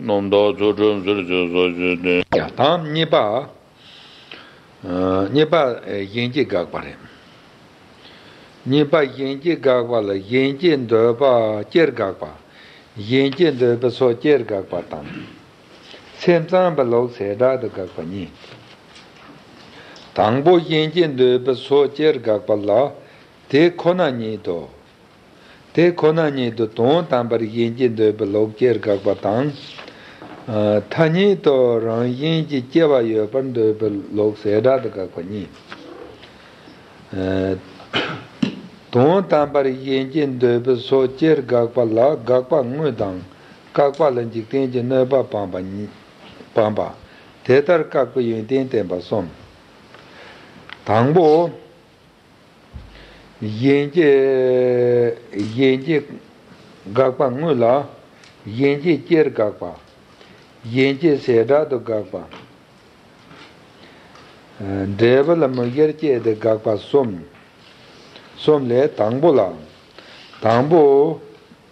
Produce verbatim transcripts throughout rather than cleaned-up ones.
རྣམ་དག་ཚུལ་ཁྲིམས་ཟེར་ཞེས་སོགས་ཞེས་ཏེ། ཡང་དང་གཉིས་པ། ཨ། གཉིས་པ་གཞན་སྐྱེ་དགག་པ་རེད། གཉིས་པ་གཞན་སྐྱེ་དགག་པ་ལ་གཞན་སྐྱེ་འདོད་པ་སྐྱེར་དགག་པ། གཞན་སྐྱེ་འདོད་པའི་ཕྱོགས་སྐྱེར་དགག་པ་དང་། སེམས་ཙམ་པའི་ལུགས་བྱེ་བྲག་ཏུ་དགག་པ་གཉིས། དང་པོ་གཞན་སྐྱེ་འདོད་པའི་ཕྱོགས་སྐྱེར་དགག་པ་ལ། དེ་ཁོ་ན་ཉིད་དུ། དེ་ཁོ་ན་ཉིད་དུ་དོན་དམ་པར་གཞན་སྐྱེ་འདོད་པའི་ལུགས་སྐྱེར་དགག་པ་དང་། ཨ། ཐ་སྙད་དུ་རང་བཞིན་གྱིས་སྐྱེ་བ་ཡོད་པར་འདོད་པའི་ལུགས་བྱེ་བྲག་ཏུ་དགག་པ་གཉིས། ཨ། དོན་དམ་པར་གཞན་སྐྱེ་འདོད་པའི་ཕྱོགས་སྐྱེར་དགག་པ་ལ། དགག་པ་དངོས་དང་བཀག་པ་ལ་འཇིག་རྟེན་གྱི་གནོད་པ་སྤངས་པ་གཉིས། སྤངས་པ། དེ་ལྟར་བཀག་པའི་ཡོན་ཏན་བསྟན་པ་གསུམ། དང་པོ། གཞན་སྐྱེ། གཞན་སྐྱེ་དགག་པ་དངོས་ལ། གཞན་སྐྱེ་སྐྱེར་དགག་པ། གཞན་སྐྱེ་བྱེ་བྲག་ཏུ་དགག་པ། འབྲས་བུ་ལ་མིག་སྔར་སྐྱེས་ཏེ་དགག་པ་གསུམ། གསུམ་ལས་དང་པོ་ལ། དང་པོ།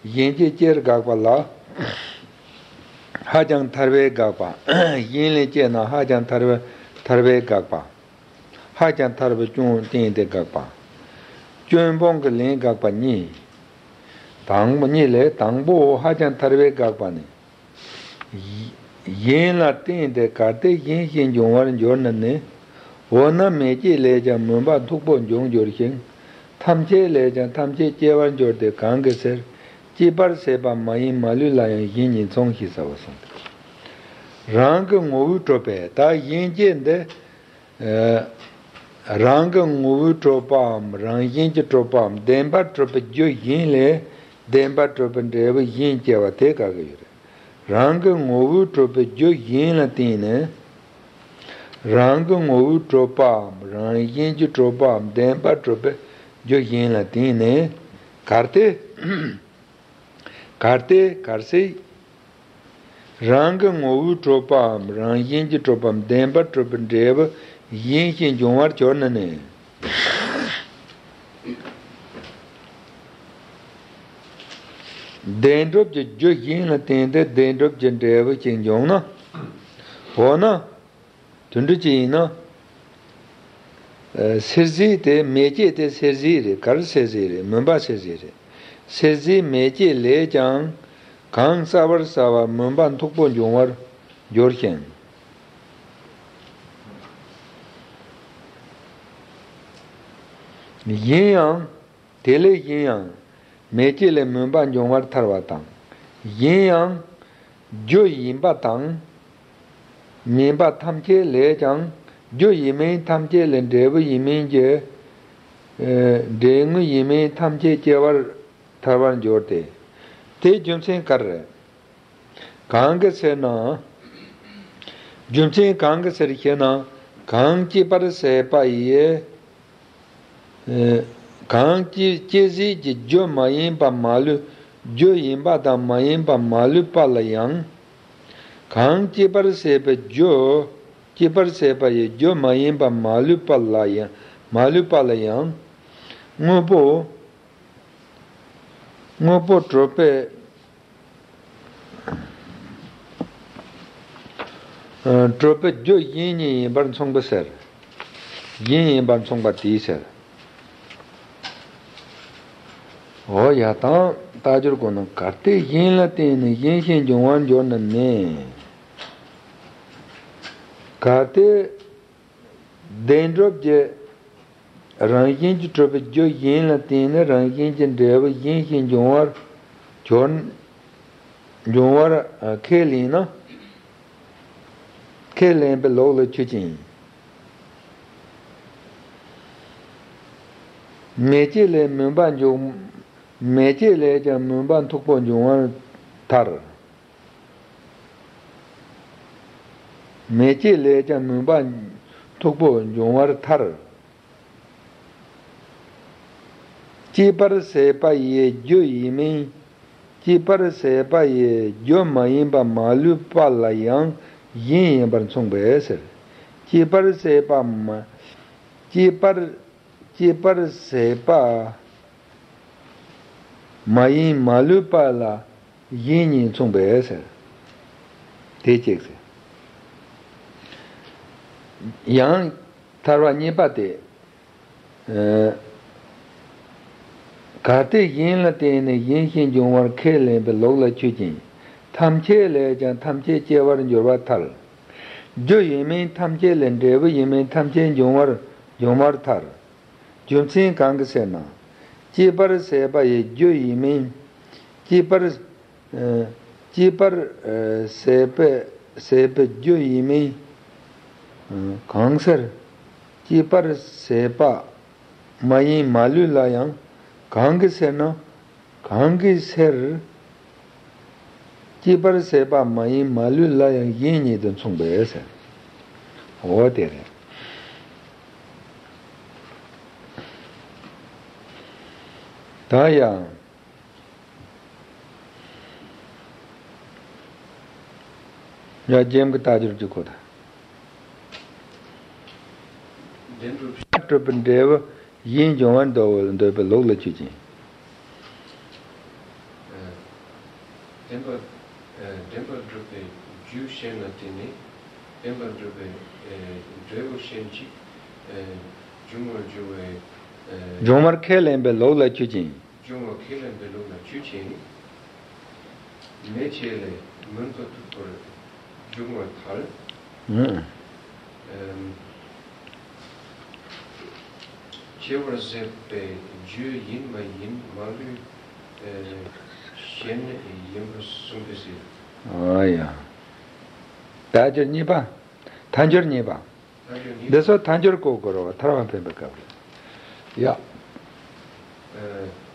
གཞན་སྐྱེ་སྐྱེར་དགག་པ་ལ། ཧ་ཅང་ཐར་པའི་དགག་པ། གཞན་ལས་སྐྱེས་ན་ཧ་ཅང་ཐར་པའི་ཐར་པའི་དགག་པ། ཧ་ཅང་ཐར་པའི་སྐྱོན་བསྟན་ཏེ་དགག་པ། སྐྱོན་སྤོང་གི་ལན་དགག་པ་གཉིས། དང་པོ་གཉིས་ལས་དང་པོ་ཧ་ཅང་ཐར་པའི་དགག་པ་ནི། གཞན་ལ་བརྟེན་ཏེ་གལ་ཏེ་གཞན་ཞིག་འབྱུང་བར་འགྱུར་ན་ནི། འོ་ན་མེ་སྐྱེས་ལས་ཀྱང་མུན་པ་མཐུག་པོ་འབྱུང་འགྱུར་ཞིང་། ཐམས་ཅད་ལས་ཀྱང་ཐམས་ཅད་སྐྱེ་བར་འགྱུར་ཏེ་གང་གི་ཕྱིར། སྐྱེས་པར་བྱེད་པ་མ་ཡིན་མ་ལུས་ལ་ཡང་གཞན་ཉིད་མཚུངས་ཤེས་བྱའོ་གསུངས་ཏེ། རང་གི་ངོ་བོས་གྲུབ་པའི་ད་གཞན་སྐྱེ་འདི། ཨ། རང་གི་ངོ་བོས་གྲུབ་པའམ་རང་བཞིན་གྱིས་གྲུབ་པའམ་བདེན་པར་གྲུབ་པའི་རྒྱུ་གཞན་ལས་བདེན་པར་གྲུབ་པའི་འབྲས་བུ་གཞན་སྐྱེ་བ་དེ་དགག་གི་ཡོད་རེད། རང་གི་ངོ་བོས་གྲུབ་པའི་རྒྱུ་གཞན་ལ་བརྟེན་ནས། རང་གི་ངོ་བོས་གྲུབ་པའམ་རང་བཞིན་གྱིས་གྲུབ་པའམ་བདེན་པར་གྲུབ་པའི་རྒྱུ་གཞན་ལ་བརྟེན་ནས། གལ་ཏེ། གལ་ཏེ་གལ་སྲིད། རང་གི་ངོ་བོས་གྲུབ་པའམ་རང་བཞིན་གྱིས་གྲུབ་པའམ་བདེན་པར་གྲུབ་པའི་འབྲས་བུ་གཞན་ཞིག་འབྱུང་བར་གྱུར་ན་ནི། བདེན་གྲུབ་ཀྱི་རྒྱུ་གཞན་ལ་བརྟེན་ཏེ་བདེན་གྲུབ་ཀྱི་འབྲས་བུ་ཞིག་འབྱུང་ན། འོ་ན། དུད་འགྲོ་ཅིག་ཡིན་ན། ཨ། སེར་བྱེས་དེ་མེ་སྐྱེས་དེ་སེར་བྱེས་རེད། ག་རེ་སེར་བྱེས་རེད། མུན་པ་སེར་བྱེས་རེད། སེར་བྱེས་མེ་སྐྱེས་ལས་ཀྱང་གང་བྱ་བར་བྱ་བ་མུན་པ་མཐུག་པོ་འབྱུང་བར་འགྱུར་ཞིང་། གཞན་ཡང་། དེ་ལས་གཞན་ཡང་། མེ་སྐྱེས་ལས་མུན་པ་འབྱུང་བར་ཐལ་བ་དང་། གཞན་ཡང་། རྒྱུ་ཡིན་པ་དང་། མིན་པ་ཐམས་ཅད་ལས་ཀྱང་། རྒྱུ་ཡིན་མིན་ཐམས་ཅད་ལས་འབྲས་བུ་ཡིན་མིན་གྱི། ཨེ། འབྲས་དངོས་ཡིན་མིན་ཐམས་ཅད་སྐྱེ་བར་ཐལ་བར་འགྱུར་ཏེ། དེའི་རྒྱུ་མཚན་ག་རེ་རེད། གང་གི་ཕྱིར་ན། རྒྱུ་མཚན་གང་གི་ཕྱིར་ཞེ་ན། གང་སྐྱེད་པར་བྱེད་པ་ཡི། ཨེ། གང་སྐྱེད་སྐྱེད་བྱེད་ཀྱི་རྒྱུ་མ་ཡིན་པ་མ་ལུས། རྒྱུ་ཡིན་པ་དང་མ་ཡིན་པ་མ་ལུས་པ་ལ་ཡང་། གང་སྐྱེད་པར་བྱེད་པའི་རྒྱུ། སྐྱེད་པར་བྱེད་པ་ཡི་རྒྱུ་མ་ཡིན་པ་མ་ལུས་པ་ལ་ཡང་། མ་ལུས་པ་ལ་ཡང་། དངོས་པོ། དངོས་པོ་གྲུབ་པའི། ཨ། གྲུབ་པའི་རྒྱུ་གཞན་ཉིད་ཡིན་པར་མཚུངས་པའི་ཕྱིར། གཞན་ཡིན་པར་མཚུངས་པ་དེའི་ཕྱིར། འོ་ཡ། དང་། རྟགས་སྦྱོར་གོ་ན། གལ་ཏེ་གཞན་ལ་བརྟེན་ནས་གཞན་ཞིག་འབྱུང་བར་འགྱུར་ན་ནི། གལ་ཏེ། བདེན་གྲུབ་ཀྱི་རང་བཞིན་གྱིས་གྲུབ་པའི་རྒྱུ་གཞན་ལ་བརྟེན་ནས་རང་བཞིན་གྱི་འབྲས་བུ་གཞན་ཞིག་འབྱུང་བར་གྱུར། འབྱུང་བར་ཁས་ལེན་ན། ཁས་ལེན་པའི་ལུགས་ལ་ཆོས་ཅན། མེ་ལྕེ་ལས་མུན་པ་འབྱུང་། མེ་ལྕེ་ལས་ཀྱང་མུན་པ་མཐུག་པོ་འབྱུང་བར་ཐལ། མེ་ལྕེ་ལས་ཀྱང་མུན་པ་མཐུག་པོ་འབྱུང་བར་ཐལ། སྐྱེད་པར་བྱེད་པ་ཡི་རྒྱུ་ཡིན་མིན། སྐྱེད་པར་བྱེད་པ་ཡི་རྒྱུ་མ་ཡིན་པ་མ་ལུས་པ་ལ་ཡང་གཞན་ཡིན་པར་མཚུངས་པའི་ཕྱིར། སྐྱེད་པར་བྱེད་པ་མ། སྐྱེད་པར། སྐྱེད་པར་བྱེད་པ་མ་ཡིན་མ་ལུས་པ་ལ་གཞན་ཉིད་མཚུངས་པའི་ཕྱིར། དེ་གཅིག་ཟེར། ཡང་ཐར་པ་གཉིས་པ་དེ། ཨ། གལ་ཏེ་གཞན་ལ་བརྟེན་ནས་གཞན་ཞིག་འབྱུང་བར་ཁས་ལེན་པའི་ལུགས་ལ་ཆུད་ཅིང་། ཐམས་ཅད་ལས་ཀྱང་ཐམས་ཅད་སྐྱེ་བར་འགྱུར་བར་ཐལ། རྒྱུ་ཡིན་མིན་ཐམས་ཅད་ལས། འབྲས་བུ་ཡིན་མིན་ཐམས་ཅད་འབྱུང་བར་འབྱུང་བར་ཐལ། རྒྱུ་མཚན་གང་གིས་ཟེར་ན། སྐྱེད་པར་བྱེད་པ་ཡི་རྒྱུ་ཡིན་མིན། སྐྱེད་པར། ཨ། སྐྱེད་པར། ཨ། བྱེད་པའི་བྱེད་པའི་རྒྱུ་ཡིན་མིན། ཨ། གང་ཟེར། སྐྱེད་པར་བྱེད་པ་མ་ཡིན་མ་ལུས་ལ་ཡང་། གང་གིས་ཟེར་ན། གང་གིས་ཟེར། སྐྱེད་པར་བྱེད་པ་མ་ཡིན་མ་ལུས་ལ་ཡང་གཞན་ཉིད་དུ་མཚུངས་པས་ཟེར། འོ་དེ་རེད། ད་ཡང་། ཡ། རྒྱན་གྱི་རྟགས་སྦྱོར་གྱི་སྐོར་དང་། བདེན་གྲུབ། སྤྲོད་པའི་འབྲས་བུ་གཞན་འབྱུང་བར་འདོད་འདོད་པའི་ལུགས་ལ་ཆུད་ཅིང་། ཨ། བདེན་པ། ཨ། བདེན་པར་གྲུབ་པའི་རྒྱུ་གཞན་ལ་བརྟེན་ནས་བདེན་པར་གྲུབ་པའི། ཨ། འབྲས་བུ་གཞན་ཞིག་ཨ། འབྱུང་བར་འགྱུར་བའི། ཨ། འབྱུང་བར་ཁས་ལེན་པའི་ལུགས་ལ་ཆུད་ཅིང་། འབྱུང་བ་ཁས་ལེན་པའི་ལུགས་ལ་ཆུད་ཅིང་། མེ་ལྕེ་ལས་མུན་པ་མཐུག་པར་འབྱུང་བར་ཐལ། ཨུ། ཨམ། སྐྱེ་བར་བྱེད་པའི་རྒྱུ་ཡིན་མ་ཡིན་མ་ལུས། ཨ། གཞན་ཡིན་པར་གསུངས་པས་ཟེར། ཨ་ཡ། རྟགས་སྦྱོར་གཉིས་པ། ཐལ་འགྱུར་གཉིས་པ། འདི་ཚོ་ཐལ་འགྱུར་གོ་དགོས་རེད་བ། ཐར་པ་འཕེན་པའི་སྐབས་ལ། ཡ། ཨ།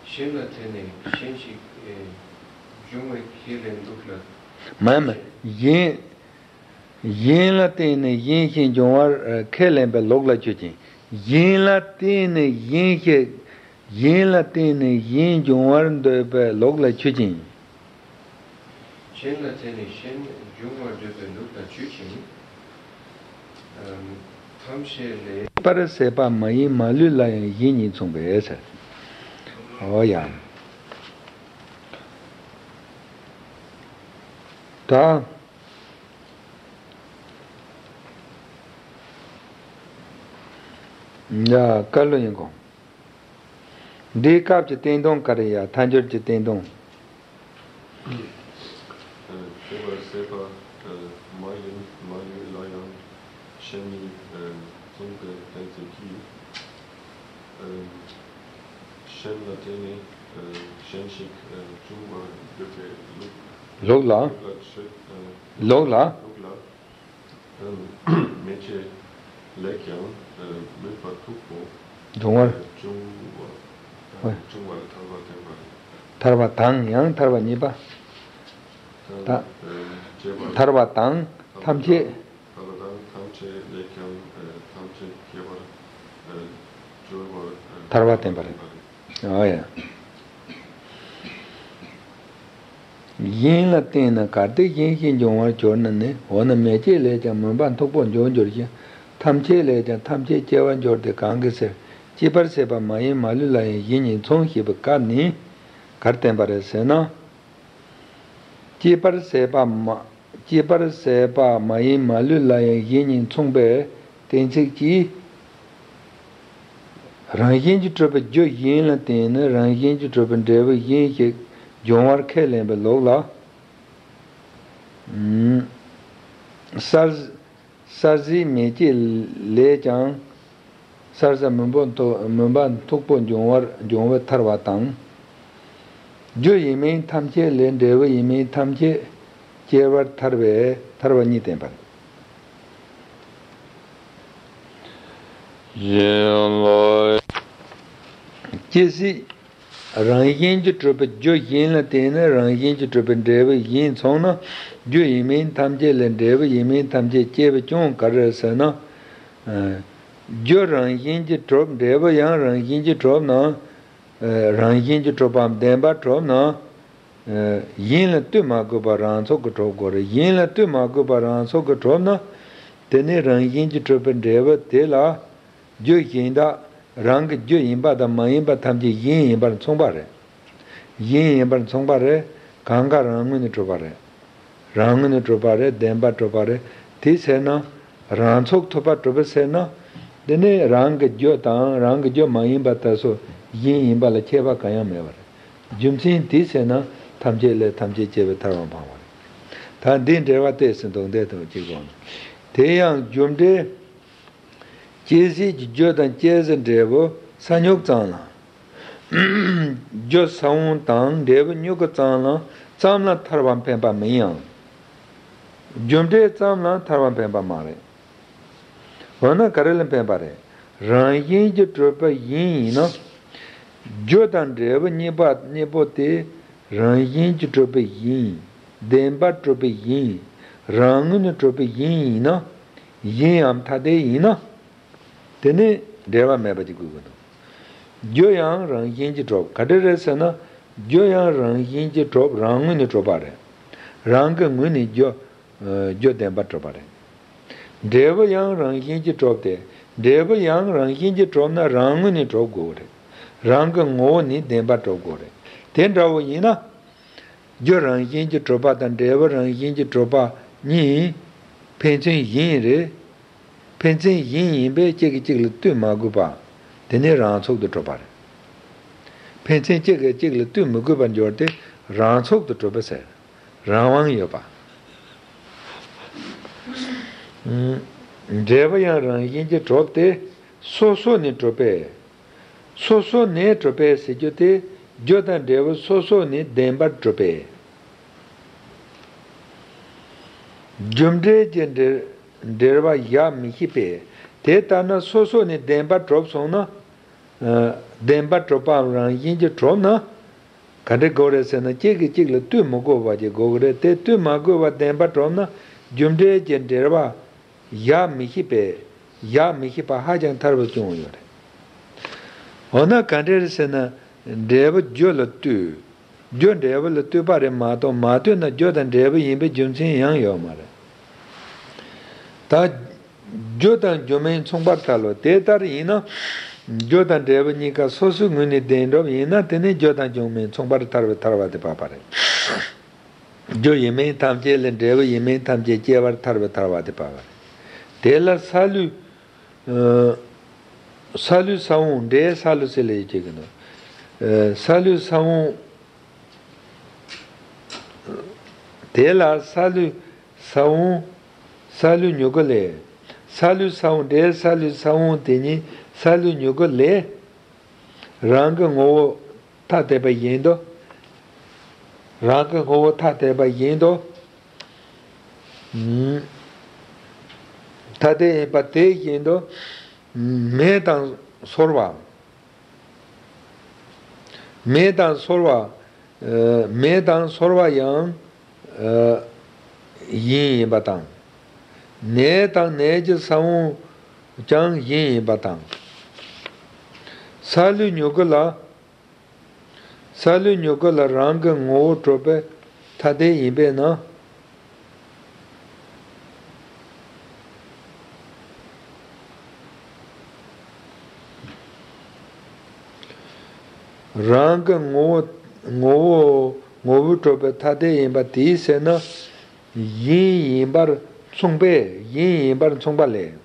གཞན་ལ་བརྟེན་ནས་གཞན་ཞིག་ཨེ། འབྱུང་བའི་ཁས་ལེན་ལུགས་ལ། མ་མ། གཞན། གཞན་ལ་བརྟེན་ནས་གཞན་ཞིག་འབྱུང་བར་ཨ། ཁས་ལེན་པའི་ལུགས་ལ་ཆུད་ཅིང་། གཞན་ལ་བརྟེན་ནས་གཞན་ཞིག་གཞན་ལ་བརྟེན་ནས་གཞན་འབྱུང་བར་འདོད་པའི་ལུགས་ལ་ཆུད་ཅིང་། གཞན་ལ་བརྟེན་ནས་གཞན་འབྱུང་བར་འདོད་པའི་ལུགས་ལ་ཆུད་ཅིང་། ཨམ། ཐམས་ཅད་ལས། སྐྱེད་པར་བྱེད་པ་མ་ཡིན་མ་ལུས་ལ་ཡང་གཞན་ཉིད་མཚུངས་པས་ཟེར། འོ་ཡ། ད། ཡ། བཀའ་བློན་ཡིན་གོ། འདིའི་སྐབས་ཀྱི་བསྟན་དོན་ག་རེ་ཡ། ཐལ་འགྱུར་གྱི་བསྟན་དོན། ཨ། སྐྱེད་པར་བྱེད་པ་མ་ཡིན་མ་ལུས་ལ་ཡང་གཞན་ཉིད་མཚུངས་པའི་གཏན་ཚིགས་ཀྱིས། ཨ། གཞན་ལ་བརྟེན་ནས་གཞན་ཞིག་འབྱུང་བར་འདོད་པའི་ལུགས། ལུགས་ལ། ལུགས་ལ་ཆུད། ལུགས་ལ། ལུགས་ལ། མེ་ལྕེ་ལས་ཀྱང་མུན་པ་མཐུག་པོ་འབྱུང་བར། འབྱུང་བ། ཧོꯏ། འབྱུང་བར་ཐལ་བ་བརྟེན་པར། ཐལ་བ་དང་ཡང་ཐལ་བ་གཉིས་པ། ད། ཐལ་བ་དང་ཐམས་ཅད། ཐལ་བ་དང་ཐམས་ཅད་ལས་ཀྱང་ཐམས་ཅད་སྐྱེ་བར་འགྱུར་བར་ཐལ་བ་བརྟེན་པ་རེད། ཨོ་ཡ། གཞན་ལ་བརྟེན་ན་གལ་ཏེ་གཞན་ཞིག་འབྱུང་བར་གྱུར་ན་ནི། འོ་ན་མེ་ལྕེ་ལས་ཀྱང་མུན་པ་མཐུག་པོ་འབྱུང་འགྱུར་ཞིང་། ཐམས་ཅད་ལས་ཀྱང་ཐམས་ཅད་སྐྱེ་བར་འགྱུར་ཏེ་གང་གིས་ཟེར། སྐྱེད་པར་བྱེད་པ་མ་ཡིན་མ་ལུས་ལ་ཡང་གཞན་ཉིད་མཚུངས་ཞེས་པའི་སྐབས་ནི་གར་བསྟན་པ་རེད་ཟེར་ན། སྐྱེད་པར་བྱེད་པ་མ། སྐྱེད་པར་བྱེད་པ་མ་ཡིན་མ་ལུས་ལ་ཡང་གཞན་ཉིད་མཚུངས་པའི་གཏན་ཚིགས་ཀྱིས། རང་བཞིན་གྱིས་གྲུབ་པའི་རྒྱུ་གཞན་ལ་བརྟེན་ནས་རང་བཞིན་གྱིས་གྲུབ་པའི་འབྲས་བུ་གཞན་ཞིག་འབྱུང་བར་ཁས་ལེན་པའི་ལུགས་ལ། ཨུམ། གསར། གསར་བཞིའི་མེ་ལྕེ་ལས་ཀྱང་། གསར་བཞི་མུན་པ་མཐུག་མུན་པ་མཐུག་པོ་འབྱུང་བར་འབྱུང་བའི་ཐལ་བ་དང་། རྒྱུ་ཡིན་མིན་ཐམས་ཅད་ལས། འབྲས་བུ་ཡིན་མིན་ཐམས་ཅད་སྐྱེ་བར་ཐལ་བའི་ཐལ་བ་གཉིས་བསྟན་པ་རེད། ཅི་ཞིག་རང་བཞིན་གྱིས་གྲུབ་པའི་རྒྱུ་གཞན་ལ་བརྟེན་ནས་རང་བཞིན་གྱིས་གྲུབ་པའི་འབྲས་བུ་གཞན་མཚུངས་ན། རྒྱུ་ཡིན་མིན་ཐམས་ཅད་ལས། འབྲས་བུ་ཡིན་མིན་ཐམས་ཅད་སྐྱེ་བའི་སྐྱོན་ག་རེ་རེད་ཟེར་ན། རྒྱུ་རང་བཞིན་གྱིས་གྲུབ། འབྲས་བུ་ཡང་རང་བཞིན་གྱིས་གྲུབ་ན། རང་བཞིན་གྱིས་གྲུབ་པའམ་བདེན་པར་གྲུབ་ན། གཞན་ལ་ལྟོས་མ་དགོས་པར་རང་ཚུགས་ཀྱིས་གྲུབ་དགོས་རེད། གཞན་ལ་ལྟོས་མ་དགོས་པར་རང་ཚུགས་ཀྱིས་གྲུབ་ན། དེ་ནི་རང་བཞིན་གྱིས་གྲུབ་པའི་འབྲས་བུ་དེ་ལ། རྒྱུ་གཞན་དག་རང་གི་རྒྱུ་ཡིན་པ་དང་མ་ཡིན་པ་ཐམས་ཅད་གཞན་ཡིན་པར་མཚུངས་པ་རེད། གཞན་ཡིན་པར་མཚུངས་པ་རེད། གང་ག་རང་ངོས་ནས་གྲུབ་པ་རེད། རང་ངོས་ནས་གྲུབ་པ་རེད། བདེན་པར་གྲུབ་པ་རེད། དེ་ཟེར་ན། རང་ཚུགས་ཐུབ་པར་གྲུབ་པ་ཟེར་ན། དེ་ནི་རང་གི་རྒྱུ་དང་རང་གི་རྒྱུ་མ་ཡིན་པ་དེ་ཚོ་གཞན་ཡིན་པ་ལ་ཁྱད་པར་གང་ཡང་མེད་པ་རེད། རྒྱུ་མཚན་དེ་ཟེར་ན་ཐམས་ཅད་ལས་ཐམས་ཅད་སྐྱེ་བའི་ཐར་པ་འཕངས་པ་རེད། ད་འདིའི་འགྲེལ་པ་ཏོག་ཙམ་འདུག་འདི་དང་གཅིག་པ་ནི། དེ་ཡང་རྒྱུ་འབྲས་སྐྱེ་ཟས་ཀྱི་རྒྱུ་དང་སྐྱེ་ཟས་འབྲས་བུ་ས་མྱུག་ཙམ་ལ། རྒྱུ་ས་བོན་དང་འབྲས་བུ་མྱུ་གུ་ཙམ་ལ་ཙམ་ལ་ཐར་པ་འཕེན་པ་མིན་ཡང་། རྒྱུ་འབྲས་ཙམ་ལ་ཐར་པ་འཕེན་པ་མ་རེད། འོ་ན་ག་རེ་ལ་འཕེན་པ་རེད། རང་བཞིན་གྱིས་གྲུབ་པ་ཡིན་ཡིན་ན། རྒྱུ་དང་འབྲས་བུ་གཉིས་པ་གཉིས་པོ་དེ་རང་བཞིན་གྱིས་གྲུབ་པ་ཡིན། བདེན་པར་གྲུབ་པ་ཡིན། རང་ངོས་ནས་གྲུབ་པ་ཡིན་ཡིན་ན། གཞན་ཡང་ཐ་དད་ཡིན་ན། དེ་ནི་འབྲེལ་བ་མེད་པ་ཅིག་དགོས་ཀྱི་འདུག་རྒྱུ་ཡང་རང་བཞིན་གྱིས་གྲུབ། ག་འདྲ་རེད་ཟེར་ན། རྒྱུ་ཡང་རང་བཞིན་གྱིས་གྲུབ། རང་ངོས་ནས་གྲུབ་པ་རེད། རང་གི་ངོས་ནས་རྒྱུ། རྒྱུ་བདེན་པར་གྲུབ་པ་རེད། འབྲས་བུ་ཡང་རང་བཞིན་གྱིས་གྲུབ་སྟེ། འབྲས་བུ་ཡང་རང་བཞིན་གྱིས་གྲུབ་ན་རང་ངོས་ནས་གྲུབ་དགོས་རེད། རང་གི་ངོ་བོ་ནས་བདེན་པར་གྲུབ་དགོས་རེད། དེ་འདྲ་བོ་ཡིན་ན། རྒྱུ་རང་བཞིན་གྱིས་གྲུབ་པ་དང་འབྲས་བུ་རང་བཞིན་གྱིས་གྲུབ་པ་གཉིས་ཕན་ཚུན་གཞན་རེད། ཕན་ཚུན་གཞན་ཡིན་པས་གཅིག་གིས་གཅིག་ལ་ལྟོས་མ་དགོས་པ། དེ་ནི་རང་ཚུགས་སུ་གྲུབ་པ་རེད། ཕན་ཚུན་གཅིག་གིས་གཅིག་ལ་ལྟོས་མི་དགོས་པར་འགྱུར་ཏེ་རང་ཚུགས་སུ་གྲུབ་པ་ཟེར། རང་དབང་ཡོད་པ། འབྲས་བུ་ཡང་རང་བཞིན་གྱིས་གྲུབ་སྟེ་སོ་སོ་ནས་གྲུབ་པས། སོ་སོ་ནས་གྲུབ་པས་ཟེར་རྒྱུ་དེ། རྒྱུ་དང་འབྲས་བུ་སོ་སོ་ནས་བདེན་པར་གྲུབ་པས། རྒྱུ་འབྲས་ཀྱི་འབྲེལ་འབྲེལ་བ་བཞག་མི་ཤེས་པས། དེ་ལྟར་ན་སོ་སོ་ནས་བདེན་པར་གྲུབ་སོང་ན། ཨ། བདེན་པར་གྲུབ་པའམ་རང་བཞིན་གྱིས་གྲུབ་ན། ག་འདྲ་དགོས་རེད་ཟེར་ན། གཅིག་གིས་གཅིག་ལ་ལྟོས་མི་དགོས་པ་ཅིག་དགོས་ཀྱི་རེད། དེ་ལྟོས་མ་དགོས་པར་བདེན་པར་གྲུབ་ན། རྒྱུ་འབྲས་ཀྱི་འབྲེལ་བ་བཞག་མི་ཤེས་པས། བཞག་མི་ཤེས་པ་ཧ་ཅང་ཐལ་བར་བྱུང་ཡོད་རེད། འོ་ན་ག་འདྲ་རེད་ཟེར་ན། འབྲས་བུ་རྒྱུ་ལ་ལྟོས། རྒྱུ་འབྲས་བུ་ལ་ལྟོས་པ་རེད་མ་གཏོགས། མ་ལྟོས་ན་རྒྱུ་དང་འབྲས་བུ་ཡིན་པའི་རྒྱུ་མཚན་ཡང་ཡོད་མ་རེད། ད། རྒྱུ་དང་རྒྱུ་མིན་མཚུངས་པར་ཐལ་ལོ། དེ་ལྟར་ཡིན་ན། རྒྱུ་དང་འབྲས་བུ་གཉིས་ཀ་སོ་སོའི་ངོས་ནས་བདེན་གྲུབ་ཡིན་ན། དེ་ནི་རྒྱུ་དང་རྒྱུ་མིན་མཚུངས་པར་ཐལ་བའི་ཐལ་བ་དེ་བབས་པ་རེད། རྒྱུ་ཡིན་མིན་ཐམས་ཅད་ལས། འབྲས་བུ་ཡིན་མིན་ཐམས་ཅད་སྐྱེ་བར་ཐལ་བའི་ཐལ་བ་དེ་བབས་པ་རེད། དེ་ལ་སཱ་ལུ། ཨ། སཱ་ལུ་ས་བོན་འབྲས་སཱ་ལུ་ཟེར་ལབ་ཡོད་ཀྱི་འདུག་ཨ། སཱ་ལུ་ས་བོན། དེ་ལ་སཱ་ལུ་ས་བོན། སཱ་ལུ་མྱུ་གུ་ལས། སཱ་ལུ་ས་བོན་འབྲས་སཱ་ལུ་ས་བོན་དེ་ཉིད་སཱ་ལུ་མྱུ་གུ་ལས། རང་གི་ངོ་བོ་ཐ་དད་པ་བཞིན་དུ། རང་གི་ངོ་བོ་ཐ་དད་པ་བཞིན་དུ། ཐ་དད་ཡིན་པ་དེ་བཞིན་དུ། མེ་དང་སོལ་བ། མེ་དང་སོལ་བ། ཨ། མེ་དང་སོལ་བ་ཡང་། ཨ། གཞན་ཡིན་པ་དང་། ནས་དང་ནས་ཀྱི་ས་བོན་ཀྱང་གཞན་ཡིན་པ་དང་། སཱ་ལུ་མྱུ་གུ་ལ། སཱ་ལུ་མྱུ་གུ་ལ་རང་གི་ངོ་བོ་གྲུབ་པའི་ཐ་དད་ཡིན་པས་ན། རང་གི་ངོ་བོ། ངོ་བོ། ངོ་བོས་གྲུབ་པའི་ཐ་དད་ཡིན་པ་དེའི་ཕྱིར་ན། གཞན་ཡིན་པར་མཚུངས་པས། གཞན་ཡིན་པར་མཚུངས་པ་ལས།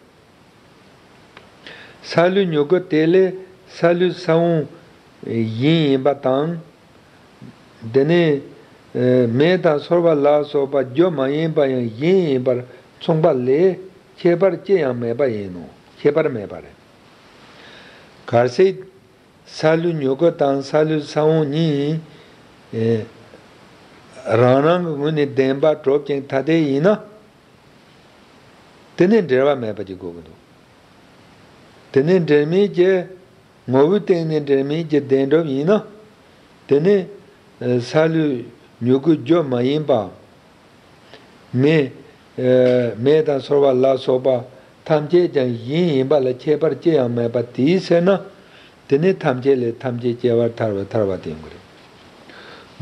སཱ་ལུ་མྱུ་གུ་དེ་ལས་སཱ་ལུ་ས་བོན་གཞན་ཡིན་པ་དང་། དེ་ནས་མེ་དང་སོལ་བ་ལ་སོགས་པ་རྒྱུ་མ་ཡིན་པ་ཡང་གཞན་ཡིན་པར་མཚུངས་པ་ལས། ཁྱད་པར་ཅི་ཡང་མེད་པ་ཡིན་ནོ། ཁྱད་པར་མེད་པ་རེད། གལ་སྲིད། སཱ་ལུ་མྱུ་གུ་དང་སཱ་ལུ་ས་བོན་གཉིས། ཨེ། རང་རང་གི་ངོས་ནས་བདེན་པར་གྲུབ་ཅིང་ཐ་དད་ཡིན་ན། དེ་ནི་འབྲེལ་བ་མེད་པ་ཅིག་དགོས་ཀྱི་འདུག་དེ་ནི་འབྲེལ་མེད་ཀྱི། ངོ་བོའི་སྟེང་ནས་འབྲེལ་མེད་ཀྱི་བདེན་གྲུབ་ཡིན་ན། དེ་ནི། ཨེ། སཱ་ལུ་མྱུ་གུ་རྒྱུ་མ་ཡིན་པ། མེ། ཨེ། མེ་དང་སོལ་བ་ལ་སོགས་པ་ཐམས་ཅད་ཀྱང་གཞན་ཡིན་པ་ལ་ཁྱད་པར་ཅི་ཡང་མེད་པ་དེའི་ཕྱིར་ན། དེ་ནི་ཐམས་ཅད་ལས་ཐམས་ཅད་སྐྱེ་བར་ཐལ་བའི་ཐལ་བ་དེ་ཡིན་དགོས་རེད།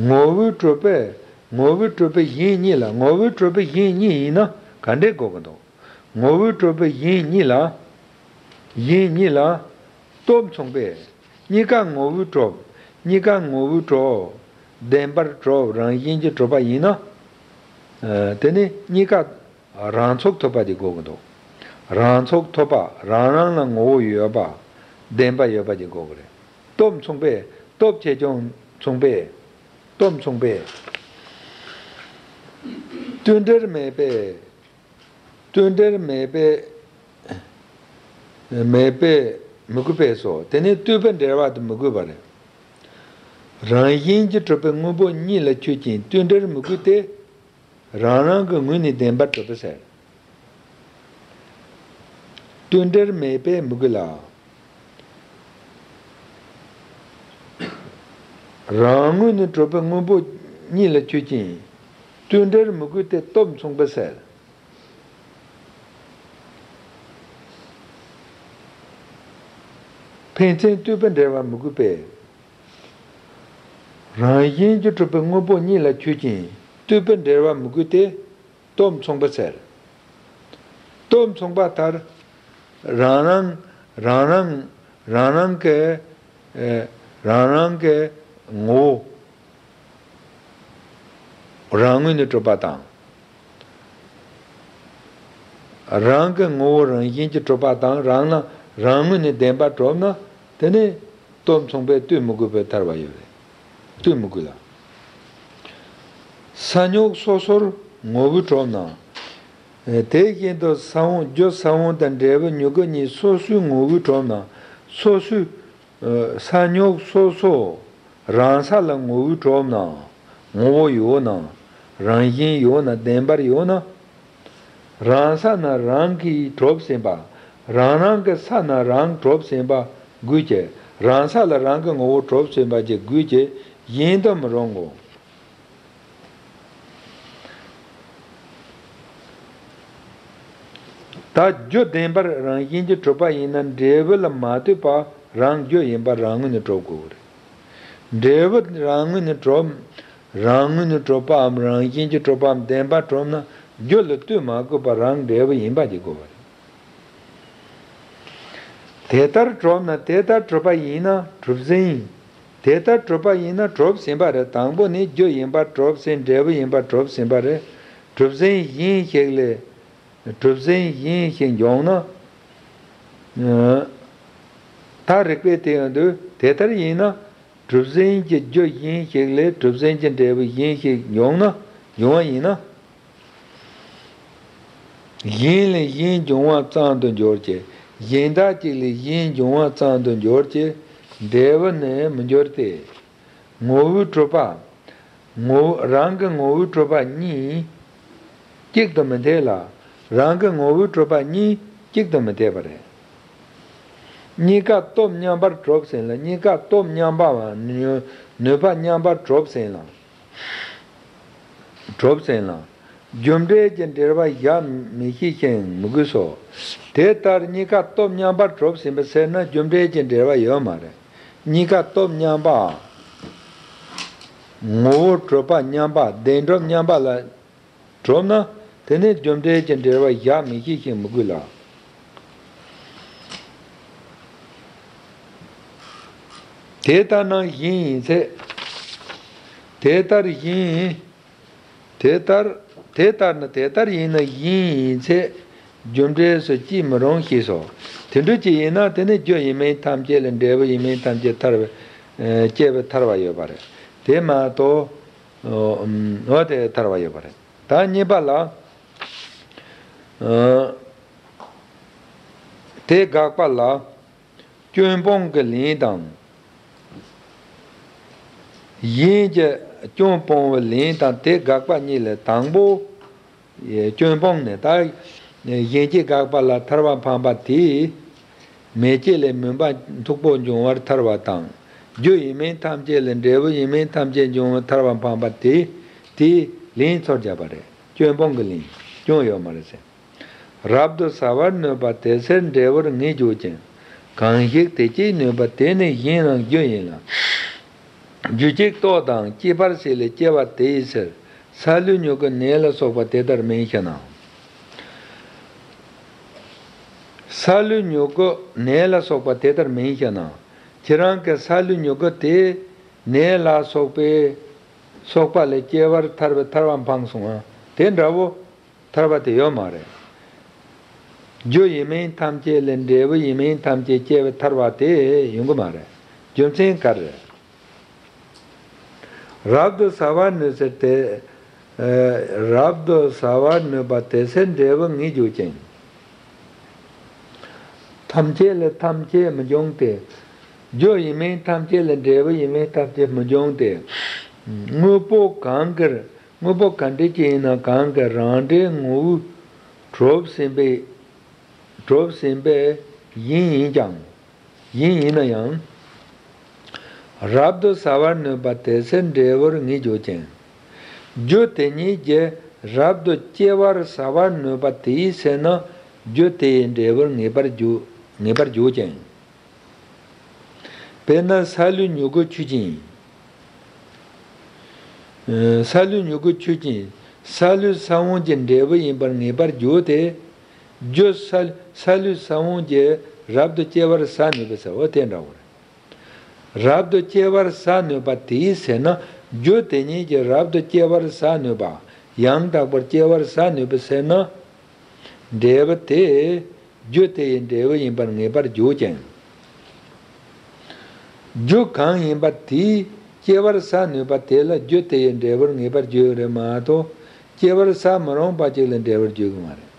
ངོ་བོས་གྲུབ་པས། ངོ་བོས་གྲུབ་པའི་གཞན་གཉིས་ལ། ངོ་བོས་གྲུབ་པའི་གཞན་གཉིས་ཡིན་ན་ག་འདྲས་དགོས་ཀྱི་འདུག་ངོ་བོས་གྲུབ་པའི་གཞན་གཉིས་ལ། གཞན་གཉིས་ལ། སྟོབས་མཚུངས་པས། གཉིས་ཀ་ངོ་བོས་གྲུབ། གཉིས་ཀ་ངོ་བོས་གྲུབ། བདེན་པར་གྲུབ། རང་བཞིན་གྱིས་གྲུབ་པ་ཡིན་ན། དེ་ནི་གཉིས་ཀ་རང་ཚུགས་ཐུབ་པ་ཅིག་དགོས་ཀྱི་འདུག་རང་ཚུགས་ཐུབ་པ། རང་རང་ལ་ངོ་བོ་ཡོད་པ། བདེན་པ་ཡོད་པ་ཅིག་དགོས་ཀྱི་རེད། སྟོབས་མཚུངས་པས། སྟོབས་ཆེ་ཆུང་མཚུངས་པས། སྟོབས་མཚུངས་པས། བསྟུན་འབྲེལ་མེད་པས། བསྟུན་འབྲེལ་མེད་པས། མེད་པས་མི་དགོས་པས་སོ། དེ་ནི་ལྟོས་པའི་འབྲེལ་བ་དེ་མི་དགོས་པ་རེད། རང་བཞིན་གྱིས་གྲུབ་པའི་དངོས་པོ་གཉིས་ལ་ཆོས་ཅན། བསྟུན་འབྲེལ་མི་དགོས་ཏེ། རང་རང་གི་ངོས་ནས་བདེན་པར་གྲུབ་པ་ཟེར། བསྟུན་འབྲེལ་མེད་པས་མི་དགོས་ལ། རང་ངོས་ནས་གྲུབ་པའི་དངོས་པོ་གཉིས་ལ་ཆོས་ཅན། བསྟུན་འབྲེལ་མི་དགོས་ཏེ་སྟོབས་མཚུངས་པ་ཟེར། ཕན་ཚུན་ལྟོས་པའི་འབྲེལ་བ་མི་དགོས་པས། རང་བཞིན་གྱིས་གྲུབ་པའི་དངོས་པོ་གཉིས་ལ་ཆོས་ཅན། ལྟོས་པའི་འབྲེལ་བ་མི་དགོས་ཏེ། སྟོབས་མཚུངས་པ་ཟེར། སྟོབས་མཚུངས་པ་ལྟར། རང་རང་རང་རང་རང་རང་གི་ཨེ་རང་རང་གི་ངོ་བོ་རང་ངོས་ནས་གྲུབ་པ་དང་། རང་གི་ངོ་བོ་རང་བཞིན་གྱིས་གྲུབ་པ་དང་། རང་ལ་རང་ངོས་ནས་བདེན་པར་གྲུབ་ན། དེ་ནི་སྟོབས་མཚུངས་པས་ལྟོས་མི་དགོས་པའི་ཐར་བ་ཡོད་རེད། ལྟོས་མི་དགོས་ལ། ས་རྙོག་སོ་སོར་ངོ་བོས་གྲུབ་ན། དེ་བཞིན་དུ་ས་བོན་རྒྱུ་ས་བོན་དང་འབྲས་བུ་མྱུ་གུ་གཉིས་སོ་སོའི་ངོ་བོས་གྲུབ་ན། སོ་སོའི་ས་རྙོག་སོ་སོ་རང་ས་ལ་ངོ་བོས་གྲུབ་ན། ངོ་བོ་ཡོད་ན། རང་བཞིན་ཡོད་ན། བདེན་པར་ཡོད་ན། རང་ས་ན་རང་གིས་གྲུབ་ཟིན་པ། རང་རང་གི་ས་ན་རང་གྲུབ་ཟིན་པ་དགོས་ཀྱི། རང་ས་ལ་རང་གི་ངོ་བོ་གྲུབ་ཟིན་པ་ཅིག་དགོས་ཀྱི། གཞན་དུ་མི་རུང་ངོ་། ད་རྒྱུ་བདེན་པར་རང་བཞིན་གྱིས་གྲུབ་པ་ཡིན་ན། འབྲས་བུ་ལ་མ་ལྟོས་པར་རང་རྒྱུ་ཡིན་པར་རང་ངོས་ནས་གྲུབ་དགོས་རེད། འབྲས་བུ་རང་ངོས་ནས་གྲུབ། རང་ངོས་ནས་གྲུབ་པའམ་རང་བཞིན་གྱིས་གྲུབ་པའམ་བདེན་པར་གྲུབ་ན། རྒྱུ་ལ་ལྟོས་མ་དགོས་པར་རང་འབྲས་བུ་ཡིན་པ་ཅིག་དགོས་པ་རེད། དེ་ལྟར་གྲུབ་ན། དེ་ལྟར་གྲུབ་པ་ཡིན་ན་གྲུབ་ཟིན། དེ་ལྟར་གྲུབ་པ་ཡིན་ན་གྲུབ་ཟིན་པ་རེད། དང་པོ་ནི་རྒྱུ་ཡིན་པར་གྲུབ་ཟིན། འབྲས་བུ་ཡིན་པར་གྲུབ་ཟིན་པ་རེད། གྲུབ་ཟིན་གཞན་ཞིག་ལས། གྲུབ་ཟིན་གཞན་ཞིག་འབྱུང་ན། ད་རིགས་པས་དེ་ཡང་འདོད། དེ་ལྟར་ཡིན་ན། གྲུབ་ཟིན་གྱི་རྒྱུ་གཞན་ཞིག་ལས་གྲུབ་ཟིན་གྱི་འབྲས་བུ་གཞན་ཞིག་འབྱུང་ན། འབྱུང་བ་ཡིན་ན། གཞན་ལས་གཞན་འབྱུང་བ་ཙམ་དུ་འགྱུར་གྱི། གཞན་དག་ཅིག་ལས་གཞན་འབྱུང་བ་ཙམ་དུ་འགྱུར་གྱི། འབྲས་བུ་ནི་མི་འགྱུར་ཏེ། ངོ་བོས་གྲུབ་པ། ངོ་བོ་རང་གི་ངོ་བོས་གྲུབ་པ་གཉིས་གཅིག་ཏུ་མི་འཐད་ལ། རང་གི་ངོ་བོས་གྲུབ་པ་གཉིས་གཅིག་ཏུ་མི་འཐད་པ་རེད། གཉིས་ཀ་སྟོབས་མཉམ་པར་གྲུབ་ཟིན་ལ། གཉིས་ཀ་སྟོབས་མཉམ་པ་བ་ནུས་པ་མཉམ་པར་གྲུབ་ཟིན་ལ། གྲུབ་ཟིན་ལ། རྒྱུ་འབྲས་ཀྱི་འབྲེལ་བ་བཞག་མི་ཤེས་ཤིང་མི་དགོས་སོ། དེ་ལྟར་གཉིས་ཀ་སྟོབས་མཉམ་པར་གྲུབ་ཟིན་པ་ཟེར་ན། རྒྱུ་འབྲས་ཀྱི་འབྲེལ་བ་ཡོད་མ་རེད། གཉིས་ཀ་སྟོབས་མཉམ་པ། ངོ་བོ་གྲུབ་པ་མཉམ་པ། བདེན་གྲུབ་མཉམ་པ་ལ་གྲུབ་ན། དེ་ནི་རྒྱུ་འབྲས་ཀྱི་འབྲེལ་བ་བཞག་མི་ཤེས་ཤིང་མི་དགོས་ལ། དེ་ལྟར་ན་གཞན་ཡིན་ཚེ། དེ་ལྟར་གཞན། དེ་ལྟར། དེ་ལྟར་ན། དེ་ལྟར་ཡིན་ན་གཞན་ཡིན་ཚེ། རྒྱུ་འབྲས་སུ་སྐྱེ་མི་རུང་ཞེས་སོ། དེ་འདྲ་ཅིག་ཡིན་ན། དེ་ནི་རྒྱུ་ཡིན་མིན་ཐམས་ཅད་ལས་འབྲས་བུ་ཡིན་མིན་ཐམས་ཅད་ཐར་བའི། ཨ། སྐྱེ་བའི་ཐར་བ་ཡོད་པ་རེད། དེ་མ་གཏོགས། འོ་དེ་ཐར་བ་ཡོད་པ་རེད། ད་གཉིས་པ་ལ། ཨ། དེ་དགག་པ་ལ། སྐྱོན་སྤོང་གི་ལན་དང་། གཞན་གྱི་སྐྱོན་སྤོང་བའི་ལན་དང་། དེ་དགག་པ་གཉིས་ལས། དང་པོ། སྐྱོན་སྤོང་ནི། ད་གཞན་གྱི་དགག་པ་ལ་ཐར་པ་འཕངས་པ་དེས། མེ་ལྕེ་ལས་མུན་པ་མཐུག་པོ་འབྱུང་བར་ཐར་པ་དང་། རྒྱུ་ཡིན་མིན་ཐམས་ཅད་ལས་འབྲས་བུ་ཡིན་མིན་ཐམས་ཅད་འབྱུང་བར་ཐར་པ་འཕངས་པ་དེ། དེའི་ལན་ཚུར་བརྒྱབ་པ་རེད། སྐྱོན་སྤོང་གི་ལན། སྐྱོན་ཡོད་མ་རེད་ཟེར། རབ་ཏུ་ཟ་བར་ནུས་པ་དེ་ཚེ་འབྲས་བུར་ངེས་འགྱུར་ཞིང་། གང་ཞིག་དེ་སྐྱེད་ནུས་པ་དེ་ནི་གཞན་རང་རྒྱུ་ཡིན་ལ། རྒྱུ་གཅིག་ལྟོ་དང་སྐྱེད་པར་བྱེད་ལས་སྐྱེ་བ་དེ་ཡི་ཕྱིར། སཱ་ལུའི་མྱུ་གུ་ནས་ལ་སོགས་པ་དེ་ལྟར་མིན་ཞེ་ན། སཱ་ལུའི་མྱུ་གུ་ནས་ལ་སོགས་པ་དེ་ལྟར་མིན་ཞེ་ན། ཁྱེད་རང་གི་སཱ་ལུའི་མྱུ་གུ་དེ་ནས་ལ་སོགས་པའི། སོགས་པ་ལས་སྐྱེ་བར་ཐར་པའི་ཐར་པ་འཕངས་སོང་ང་། དེ་འདྲ་བོ་ཐར་པ་དེ་ཡོད་མ་རེད། རྒྱུ་ཡིན་མིན་ཐམས་ཅད་ལས་འབྲས་བུ་ཡིན་མིན་ཐམས་ཅད་སྐྱེ་བའི་ཐར་པ་དེ་ཡོང་གི་མ་རེད། རྒྱུ་མཚན་ག་རེ་རེད། རབ་ཏུ་ཟ་བར་ནུས་ཟེར་ཏེ། ཨ། རབ་ཏུ་ཟ་བར་ནུས་པ་དེ་ཚེ་འབྲས་བུ་ངེས་འགྱུར་ཅན། ཐམས་ཅད་ལས་ཐམས་ཅད་མི་འབྱུང་སྟེ། རྒྱུ་ཡིན་མིན་ཐམས་ཅད་ལས་འབྲས་བུ་ཡིན་མིན་ཐམས་ཅད་མི་འབྱུང་སྟེ། དངོས་པོ་གང་གིར་དངོས་པོ་ག་འདྲ་ཅིག་ཡིན་ན་གང་གི་རང་འབྲས་ངོ་བོས་གྲུབ་ཟིན་པའི་གྲུབ་ཟིན་པའི་ཡིན་ཡིན་ཀྱང་། ཡིན་ཡིན་ན་ཡང་། རབ་ཏུ་ཟ་བར་ནུས་པ་དེ་ཚེ་འབྲས་བུར་ངེས་འགྱུར་ཅན། རྒྱུ་དེ་ཉིད་ཀྱིས་རབ་ཏུ་སྐྱེ་བར་ཟ་བར་ནུས་པ་དེའི་ཚེ་ན་རྒྱུ་དེ་ཡི་འབྲས་བུར་ངེས་པར་འགྱུར་ངེས་པར་འགྱུར་ཅན། དཔེར་ན་སཱ་ལུའི་མྱུ་གུ་ཆུ་ཅན། ཨ། སཱ་ལུའི་མྱུ་གུ་ཆུ་ཅན། སཱ་ལུའི་ས་བོན་གྱི་འབྲས་བུ་ཡིན་པར་ངེས་པར་འགྱུར་ཏེ། རྒྱུ་སཱ་སཱ་ལུའི་ས་བོན་གྱིས་རབ་ཏུ་སྐྱེ་བར་ཟ་ནུས་པའི་ས་འོ་དེ་འདྲ་བོ་རེད། རབ་ཏུ་སྐྱེ་བར་ཟ་ནུས་པ་དེའི་ཚེ་ན་རྒྱུ་དེ་ཉིད་ཀྱིས་རབ་ཏུ་སྐྱེ་བར་ཟ་ནུས་པ། ཡང་དག་པར་སྐྱེ་བར་ཟ་ནུས་པའི་ཚེ་ན། འབྲས་བུ་དེ་རྒྱུ་དེ་ཡི་འབྲས་བུ་ཡིན་པར་ངེས་པར་འགྱུར་ཅིང་། རྒྱུ་གང་ཡིན་པ་དེས་སྐྱེ་བར་ཟ་ནུས་པ་དེ་ལ་རྒྱུ་དེ་ཡི་འབྲས་བུར་ངེས་པར་འགྱུར་རེད་མ་གཏོགས། སྐྱེ་བར་ཟ་མི་རུང་བ་ཅིག་ལ་འབྲས་བུར་འགྱུར་གི་མ་རེད།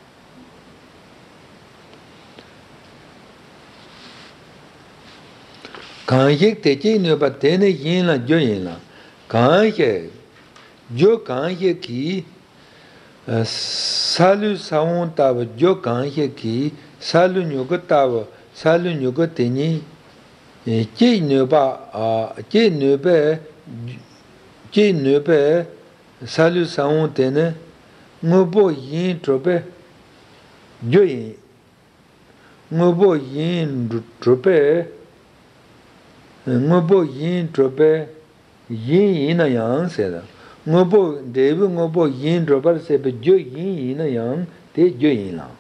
གང་ཞིག་དེ་སྐྱེད་ནུས་པ་དེ་ནི་གཞན་ལ་རྒྱུ་ཡིན་ལ། གང་ཞིག་རྒྱུ་གང་ཞིག་གིས། ཨ། སཱ་ལུའི་ས་བོན་ལྟ་བུ་རྒྱུ་གང་ཞིག་གིས་སཱ་ལུའི་མྱུ་གུ་ལྟ་བུ་སཱ་ལུའི་མྱུ་གུ་དེ་ཉིད་སྐྱེད་ནུས་པ། ཨ། སྐྱེད་ནུས་པས། སྐྱེད་ནུས་པས་སཱ་ལུའི་ས་བོན་དེ་ནི་དངོས་པོ་གཞན་གྲུབ་པའི་རྒྱུ་ཡིན། དངོས་པོ་གཞན་གྲུབ་པའི། དངོས་པོ་གཞན་གྲུབ་པའི་གཞན་ཡིན་ན་ཡང་ཟེར། དངོས་པོ་འབྲས་བུའི་དངོས་པོ་གཞན་གྲུབ་པར་བྱེད་པའི་རྒྱུ་གཞན་ཡིན་ན་ཡང་དེ་རྒྱུ་ཡིན་ལ།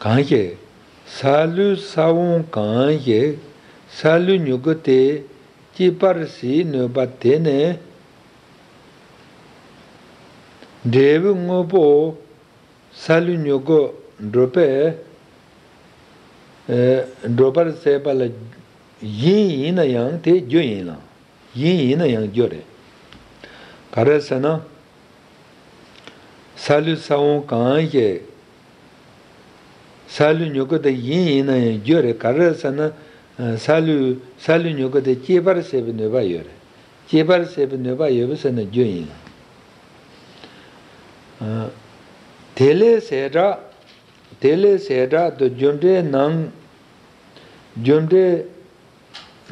གང་ཞིག་སཱ་ལུའི་ས་བོན་གང་ཞིག་སཱ་ལུའི་མྱུ་གུ་དེ་སྐྱེད་པར་བྱེད་ནུས་པ་དེ་ནི། འབྲས་བུའི་དངོས་པོ་སཱ་ལུའི་མྱུ་གུ་གྲུབ་པའི། ཨེ། གྲུབ་པར་བྱེད་པ་ལ་གཞན་ཡིན་ན་ཡང་དེ་རྒྱུ་ཡིན་ལ། གཞན་ཡིན་ན་ཡང་རྒྱུ་རེད། ག་རེ་ཟེར་ན། སཱ་ལུའི་ས་བོན་གང་ཞིག་སཱ་ལུའི་མྱུ་གུ་དེ་གཞན་ཡིན་ན་ཡང་རྒྱུ་རེད། ག་རེ་ཟེར་ན། སཱ་ལུ་སཱ་ལུའི་མྱུ་གུ་དེ་སྐྱེད་པར་བྱེད་པའི་ནུས་པ་ཡོད་རེད། སྐྱེད་པར་བྱེད་པའི་ནུས་པ་ཡོད་པ་ཟེར་ན་རྒྱུ་ཡིན་ལ། ཨ། དེ་ལས་ཟད་དྲག་དེ་ལས་ཟད་དྲག་ཏུ་རྒྱུ་འབྲས་ནང་རྒྱུ་འབྲས་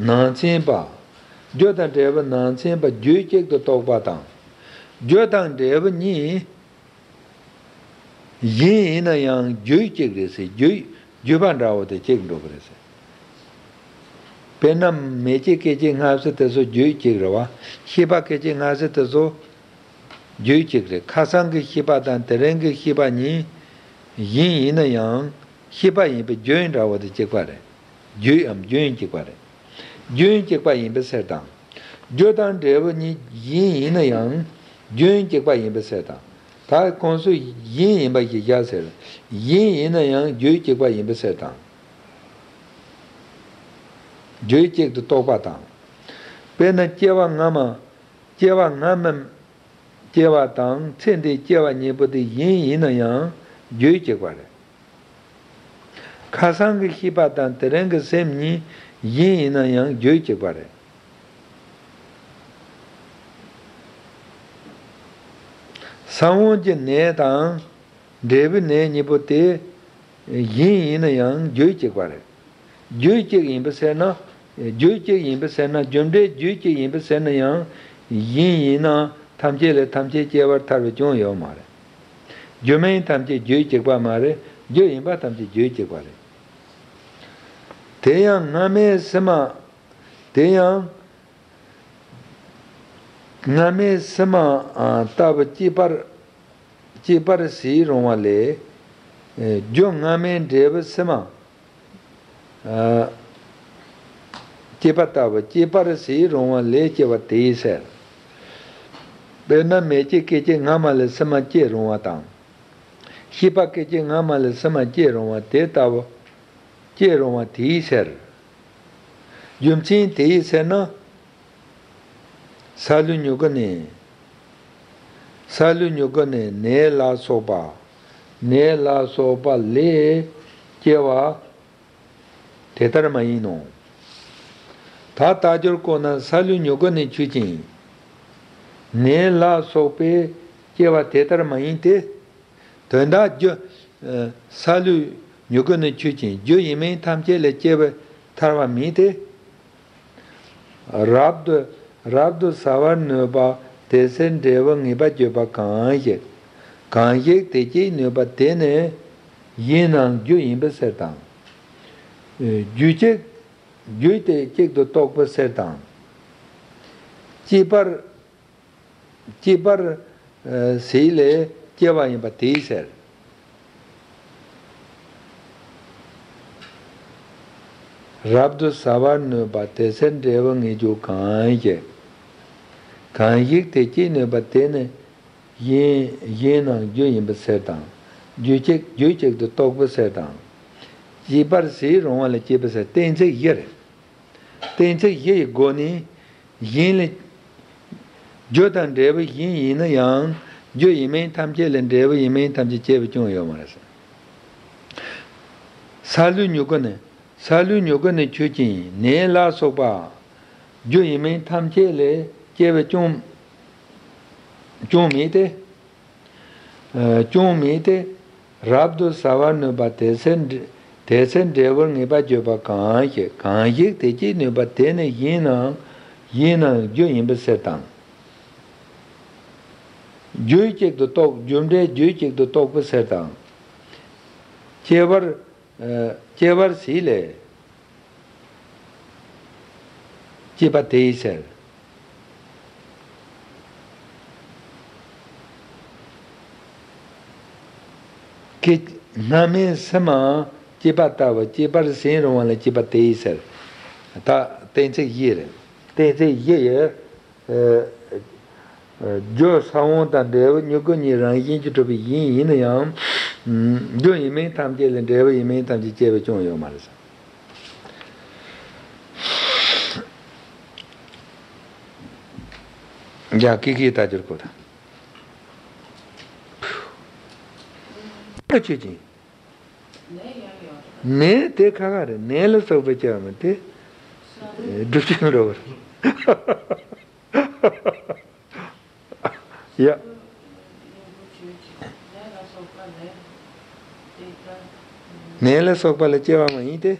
ནང་ཚན་པ། རྒྱུ་དང་འབྲས་བུ་ནང་ཚན་པ་རྒྱུད་གཅིག་ཏུ་གཏོགས་པ་དང་། རྒྱུ་དང་འབྲས་བུ་གཉིས་གཞན་ཡིན་ན་ཡང་རྒྱུད་གཅིག་རེད་ཟེར། རྒྱུད་རྒྱུད་པ་འདྲ་བོ་དེ་གཅིག་འགྲོ་གི་རེད་ཟེར། དཔེར་ན་མེ་ལྕེ་སྐད་ཅིག་སྔ་ཕྱི་དེ་ཚོ་རྒྱུད་གཅིག་རེད་བ། ཤེས་པ་སྐད་ཅིག་སྔ་ཕྱི་དེ་ཚོ་རྒྱུད་གཅིག་རེད། ཁ་སང་གི་ཤེས་པ་དང་དེ་རིང་གི་ཤེས་པ་གཉིས་གཞན་ཡིན་ན་ཡང་ཤེས་པ་ཡིན་པའི་རྒྱུན་འདྲ་བོ་དེ་གཅིག་པ་རེད། རྒྱུད་འམ་རྒྱུན་གཅིག་པ་རེད། རྒྱུན་གཅིག་པ་ཡིན་པའི་ཕྱིར་དང་། རྒྱུ་དང་འབྲས་བུ་གཉིས་གཞན་ཡིན་ན་ཡང་རྒྱུན་གཅིག་པ་ཡིན་པའི་ཕྱིར་དང་། ད་ཁོང་ཚོ་གཞན་ཡིན་པ་ཞིག་བཞག་ཟེར། གཞན་ཡིན་ན་ཡང་རྒྱུད་གཅིག་པ་ཡིན་པའི་ཕྱིར་དང་། རྒྱུད་གཅིག་ཏུ་གཏོགས་པ་དང་། དཔེར་ན་སྐྱེ་བ་སྔ་མ། སྐྱེ་བ་སྔ་མའི་སྐྱེ་བ་དང་ཚེ་འདིའི་སྐྱེ་བ་གཉིས་པོ་དེ་གཞན་ཡིན་ན་ཡང་རྒྱུད་གཅིག་པ་རེད། ཁ་སང་གི་ཤེས་པ་དང་དེ་རིང་གི་སེམས་གཉིས་གཞན་ཡིན་ན་ཡང་རྒྱུད་གཅིག་པ་རེད། ས་བོན་གྱི་ནད་དང་འབྲས་བུའི་ནད་གཉིས་པོ་དེ་གཞན་ཡིན་ན་ཡང་རྒྱུད་གཅིག་པ་རེད། རྒྱུད་གཅིག་ཡིན་པའི་ཕྱིར་ན། རྒྱུད་གཅིག་ཡིན་པའི་ཕྱིར་ན། རྒྱུ་འབྲས་རྒྱུད་གཅིག་ཡིན་པའི་ཕྱིར་ན་ཡང་གཞན་ཡིན་ན་ཐམས་ཅད་ལས་ཐམས་ཅད་སྐྱེ་བར་ཐལ་བའི་སྐྱོན་ཡོད་མ་རེད། རྒྱུ་མིན་ཐམས་ཅད་རྒྱུད་གཅིག་པ་མ་རེད། རྒྱུ་ཡིན་པ་ཐམས་ཅད་རྒྱུད་གཅིག་པ་རེད། དེ་ཡང་སྔ་མའི་ཕྱི་མ། དེ་ཡང་སྔ་མའི་ཕྱི་མ་ལྟ་བུ་སྐྱེད་པར་སྐྱེད་པར་བྱེད་རུང་བ་ལས། རྒྱུ་སྔ་མའི་འབྲས་བུ་ཕྱི་མ་སྐྱེད་པ་ལྟ་བུ་སྐྱེད་པར་བྱེད་རུང་བ་ལས་སྐྱེ་བ་དེའི་ཕྱིར། དཔེར་ན་མེ་ལྕེ་སྐད་ཅིག་སྔ་མ་ལས་ཕྱི་མ་སྐྱེ་རུང་བ་དང་། ཤེས་པ་སྐད་ཅིག་སྔ་མ་ལས་ཕྱི་མ་སྐྱེ་རུང་བ་དེ་ལྟ་བུ། སྐྱེ་རུང་བ་དེའི་ཕྱིར། རྒྱུ་མཚན་དེའི་ཕྱིར་ན། སཱ་ལུ་མྱུ་གུ་ནི། སཱ་ལུ་མྱུ་གུ་ནི་ནས་ལ་སོགས་པ། ནས་ལ་སོགས་པ་ལས་སྐྱེ་བ་དེ་ལྟར་མ་ཡིན་ནོ། ད་རྟགས་སྦྱོར་ཀུན་ན་སཱ་ལུ་མྱུ་གུ་ནི་ཆོས་ཅན། ནས་ལ་སོགས་པས་སྐྱེ་བ་དེ་ལྟར་མ་ཡིན་ཏེ། དོན་དག་རྒྱུ། ཨ། སཱ་ལུ་མྱུ་གུ་ནི་ཆོས་ཅན། རྒྱུ་ཡིན་མིན་ཐམས་ཅད་ལས་སྐྱེ་བའི་ཐར་བ་མིན་ཏེ། རབ་ཏུ། རབ་ཏུ་ཟ་བར་ནུས་པ་དེ་ཕྱིར་འབྲས་བུ་ངེས་པར་བརྗོད་པ་གང་ཞིག་གང་ཞིག་དེ་སྐྱེད་ནུས་པ་དེ་ནི་གཞན་ནའང་རྒྱུ་ཡིན་པའི་ཕྱིར་དང་། རྒྱུ་གཅིག་རྒྱུ་དེ་གཅིག་ཏུ་རྟོགས་པའི་ཕྱིར་དང་། སྐྱེད་པར། སྐྱེད་པར། ཨ། བྱེད་ལས་སྐྱེ་བ་ཡིན་པ་དེའི་ཕྱིར། རབ་ཏུ་ཟ་བར་ནུས་པ་དེ་ཕྱིར་འབྲས་བུ་ངེས་འཇོག་གང་ཞིག་གང་ཞིག་དེ་སྐྱེད་ནུས་པ་དེ་ནི་གཞན། གཞན་ནའང་རྒྱུ་ཡིན་པའི་ཕྱིར་དང་། རྒྱུ་གཅིག་རྒྱུ་གཅིག་ཏུ་རྟོགས་པའི་ཕྱིར་དང་། སྐྱེད་པར་བྱེད་རུང་བ་ལས་སྐྱེས་པའི་ཕྱིར། གཏན་ཚིགས་བཞི་རེད། གཏན་ཚིགས་བཞི་ཡི་སྒོ་ནས་གཞན་ལས། རྒྱུ་དང་འབྲས་བུ་གཞན་ཡིན་ན་ཡང་རྒྱུ་ཡིན་མིན་ཐམས་ཅད་ལས་འབྲས་བུ་ཡིན་མིན་ཐམས་ཅད་སྐྱེ་བའི་སྐྱོན་ཡོད་མ་རེད། སཱ་ལུའི་མྱུ་གུ་ནི། སཱ་ལུའི་མྱུ་གུ་ནི་ཆོས་ཅན། ནས་ལ་སོགས་པ། རྒྱུ་ཡིན་མིན་ཐམས་ཅད་ལས་སྐྱེ་བའི་སྐྱོན། སྐྱོན་མེད་དེ། ཨ། སྐྱོན་མེད་དེ། རབ་ཏུ་ཟ་བར་ནུས་པ་དེ་ཚེ་འབྲས། དེ་ཚེ་འབྲས་བུར་ངེས་པར་བརྗོད་པ་གང་ཞིག་གང་ཞིག་དེ་སྐྱེད་ནུས་པ་དེ་ནི་གཞན་ནའང་། གཞན་ནའང་རྒྱུ་ཡིན་པའི་ཕྱིར་དང་། རྒྱུ་གཅིག་ཏུ་རྟོགས། རྒྱུ་འབྲས་རྒྱུ་གཅིག་ཏུ་རྟོགས་པའི་ཕྱིར་དང་། སྐྱེ་བར། ཨ། སྐྱེ་བར་བྱེད་ལས། སྐྱེས་པ་དེའི་ཕྱིར། སྐྱེ། སྔ་མའི་ཕྱི་མ་སྐྱེས་པ་ལྟ་བུ་སྐྱེད་པར་བྱེད་རུང་བ་ལས་སྐྱེས་པ་དེའི་ཕྱིར། ད་གཏན་ཚིགས་བཞི་རེད། གཏན་ཚིགས་བཞི་ཡི། ཨ། རྒྱུ་ས་བོན་དང་འབྲས་བུ་མྱུ་གུ་གཉིས་རང་བཞིན་གྱིས་གྲུབ་པའི་གཞན་ཡིན་ན་ཡང་། རྒྱུ་ཡིན་མིན་ཐམས་ཅད་ལས་འབྲས་བུ་ཡིན་མིན་ཐམས་ཅད་སྐྱེ་བའི་སྐྱོན་ཡོད་མ་རེད། ཡ། ཀི་ཀི་ལྟ་རྒྱུར་གོ་དང་། ཆོས་ཅན། ནས་དེ་ཁ་ཁ་རེད། ནས་ལ་སོགས་པའི་སྐྱེ་བ་མིན་ཏེ། སྒྲུབ་བྱེད་འགྲོ་བར། ཡ། ནས་ལ་སོགས་པ་ལ་སྐྱེ་བ་མ་ཡིན་ཏེ།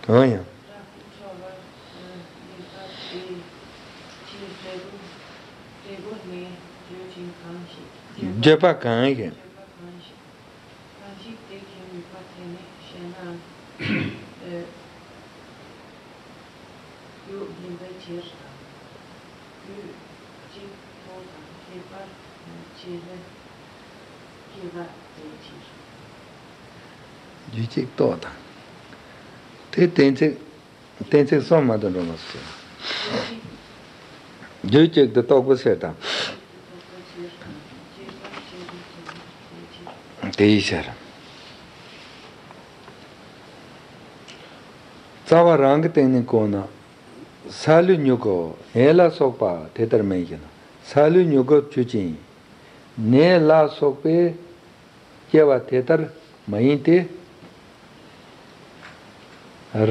འོ་ཡང་། བརྗོད་པ་གང་ཞིག་གང་ཞིག་དེ་མཁྱེན་ནུས་པ་དེ་ནི་ཞེ་ན། རྒྱུ་ཡིན་པའི་ཕྱིར་དང་། རྒྱུ་གཅིག་རྟོགས་དང་སྐྱེད་པར་བྱེད་ལས་སྐྱེ་བ་དེའི་ཕྱིར། རྒྱུ་གཅིག་རྟོགས་དང་། དེ་གཏན་ཚིགས། གཏན་ཚིགས་གསུམ་མ་དང་འགྲོ་མ་སོང་། རྒྱུ་གཅིག་ཏུ་རྟོགས་པའི་ཕྱིར་དང་། དེའི་ཕྱིར། རྩ་བ་རང་གི་སྟེང་ནས་གོ་ན། སཱ་ལུའི་མྱུ་གུ་ནས་ལ་སོགས་པ་དེ་ལྟར་མིན་ཞེ་ན། སཱ་ལུའི་མྱུ་གུ་ཆོས་ཅན། ནས་ལ་སོགས་པས་སྐྱེ་བ་དེ་ལྟར་མ་ཡིན་ཏེ།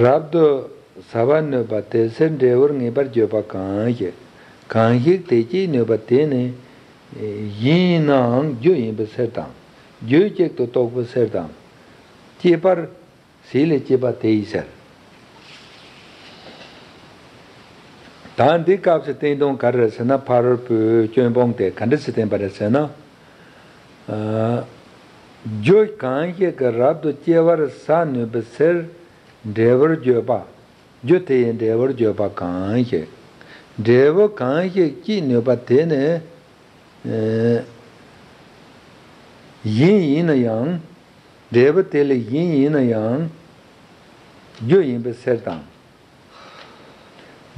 རབ་ཏུ་ཟ་བར་ནུས་པ་དེ་ཕྱིར་འབྲས་བུར་ངེས་པར་བརྗོད་པ་གང་ཞིག་གང་ཞིག་དེ་སྐྱེད་ནུས་པ་དེ་ནི་གཞན་ཡིན་ནའང་རྒྱུ་ཡིན་པའི་ཕྱིར་དང་། རྒྱུ་གཅིག་ཏུ་རྟོགས་པའི་ཕྱིར་དང་། སྐྱེད་པར། བྱེད་ལས་སྐྱེས་པ་དེའི་ཕྱིར། ད་འདི་སྐབས་སུ་བསྟན་དོན་ག་རེ་རེད་ཟེར་ན། ཕ་རོལ་པོའི་སྐྱོན་སྤོང་དེ་ག་འདྲ་ཞིག་བསྟན་པ་རེད་ཟེར་ན། ཨ། རྒྱུ་གང་ཞིག་གིས་རབ་ཏུ་སྐྱེ་བར་བྱ་ནུས་པའི་ཕྱིར་འབྲས་བུར་བརྗོད་པ། རྒྱུ་དེ་ཡི་འབྲས་བུར་བརྗོད་པ་གང་ཞིག་འབྲས་བུ་གང་ཞིག་སྐྱེད་ནུས་པ་དེ་ནི། ཨ། གཞན་ཡིན་ན་ཡང་། འབྲས་བུ་དེ་ལས་གཞན་ཡིན་ན་ཡང་། རྒྱུ་ཡིན་པའི་ཕྱིར་དང་།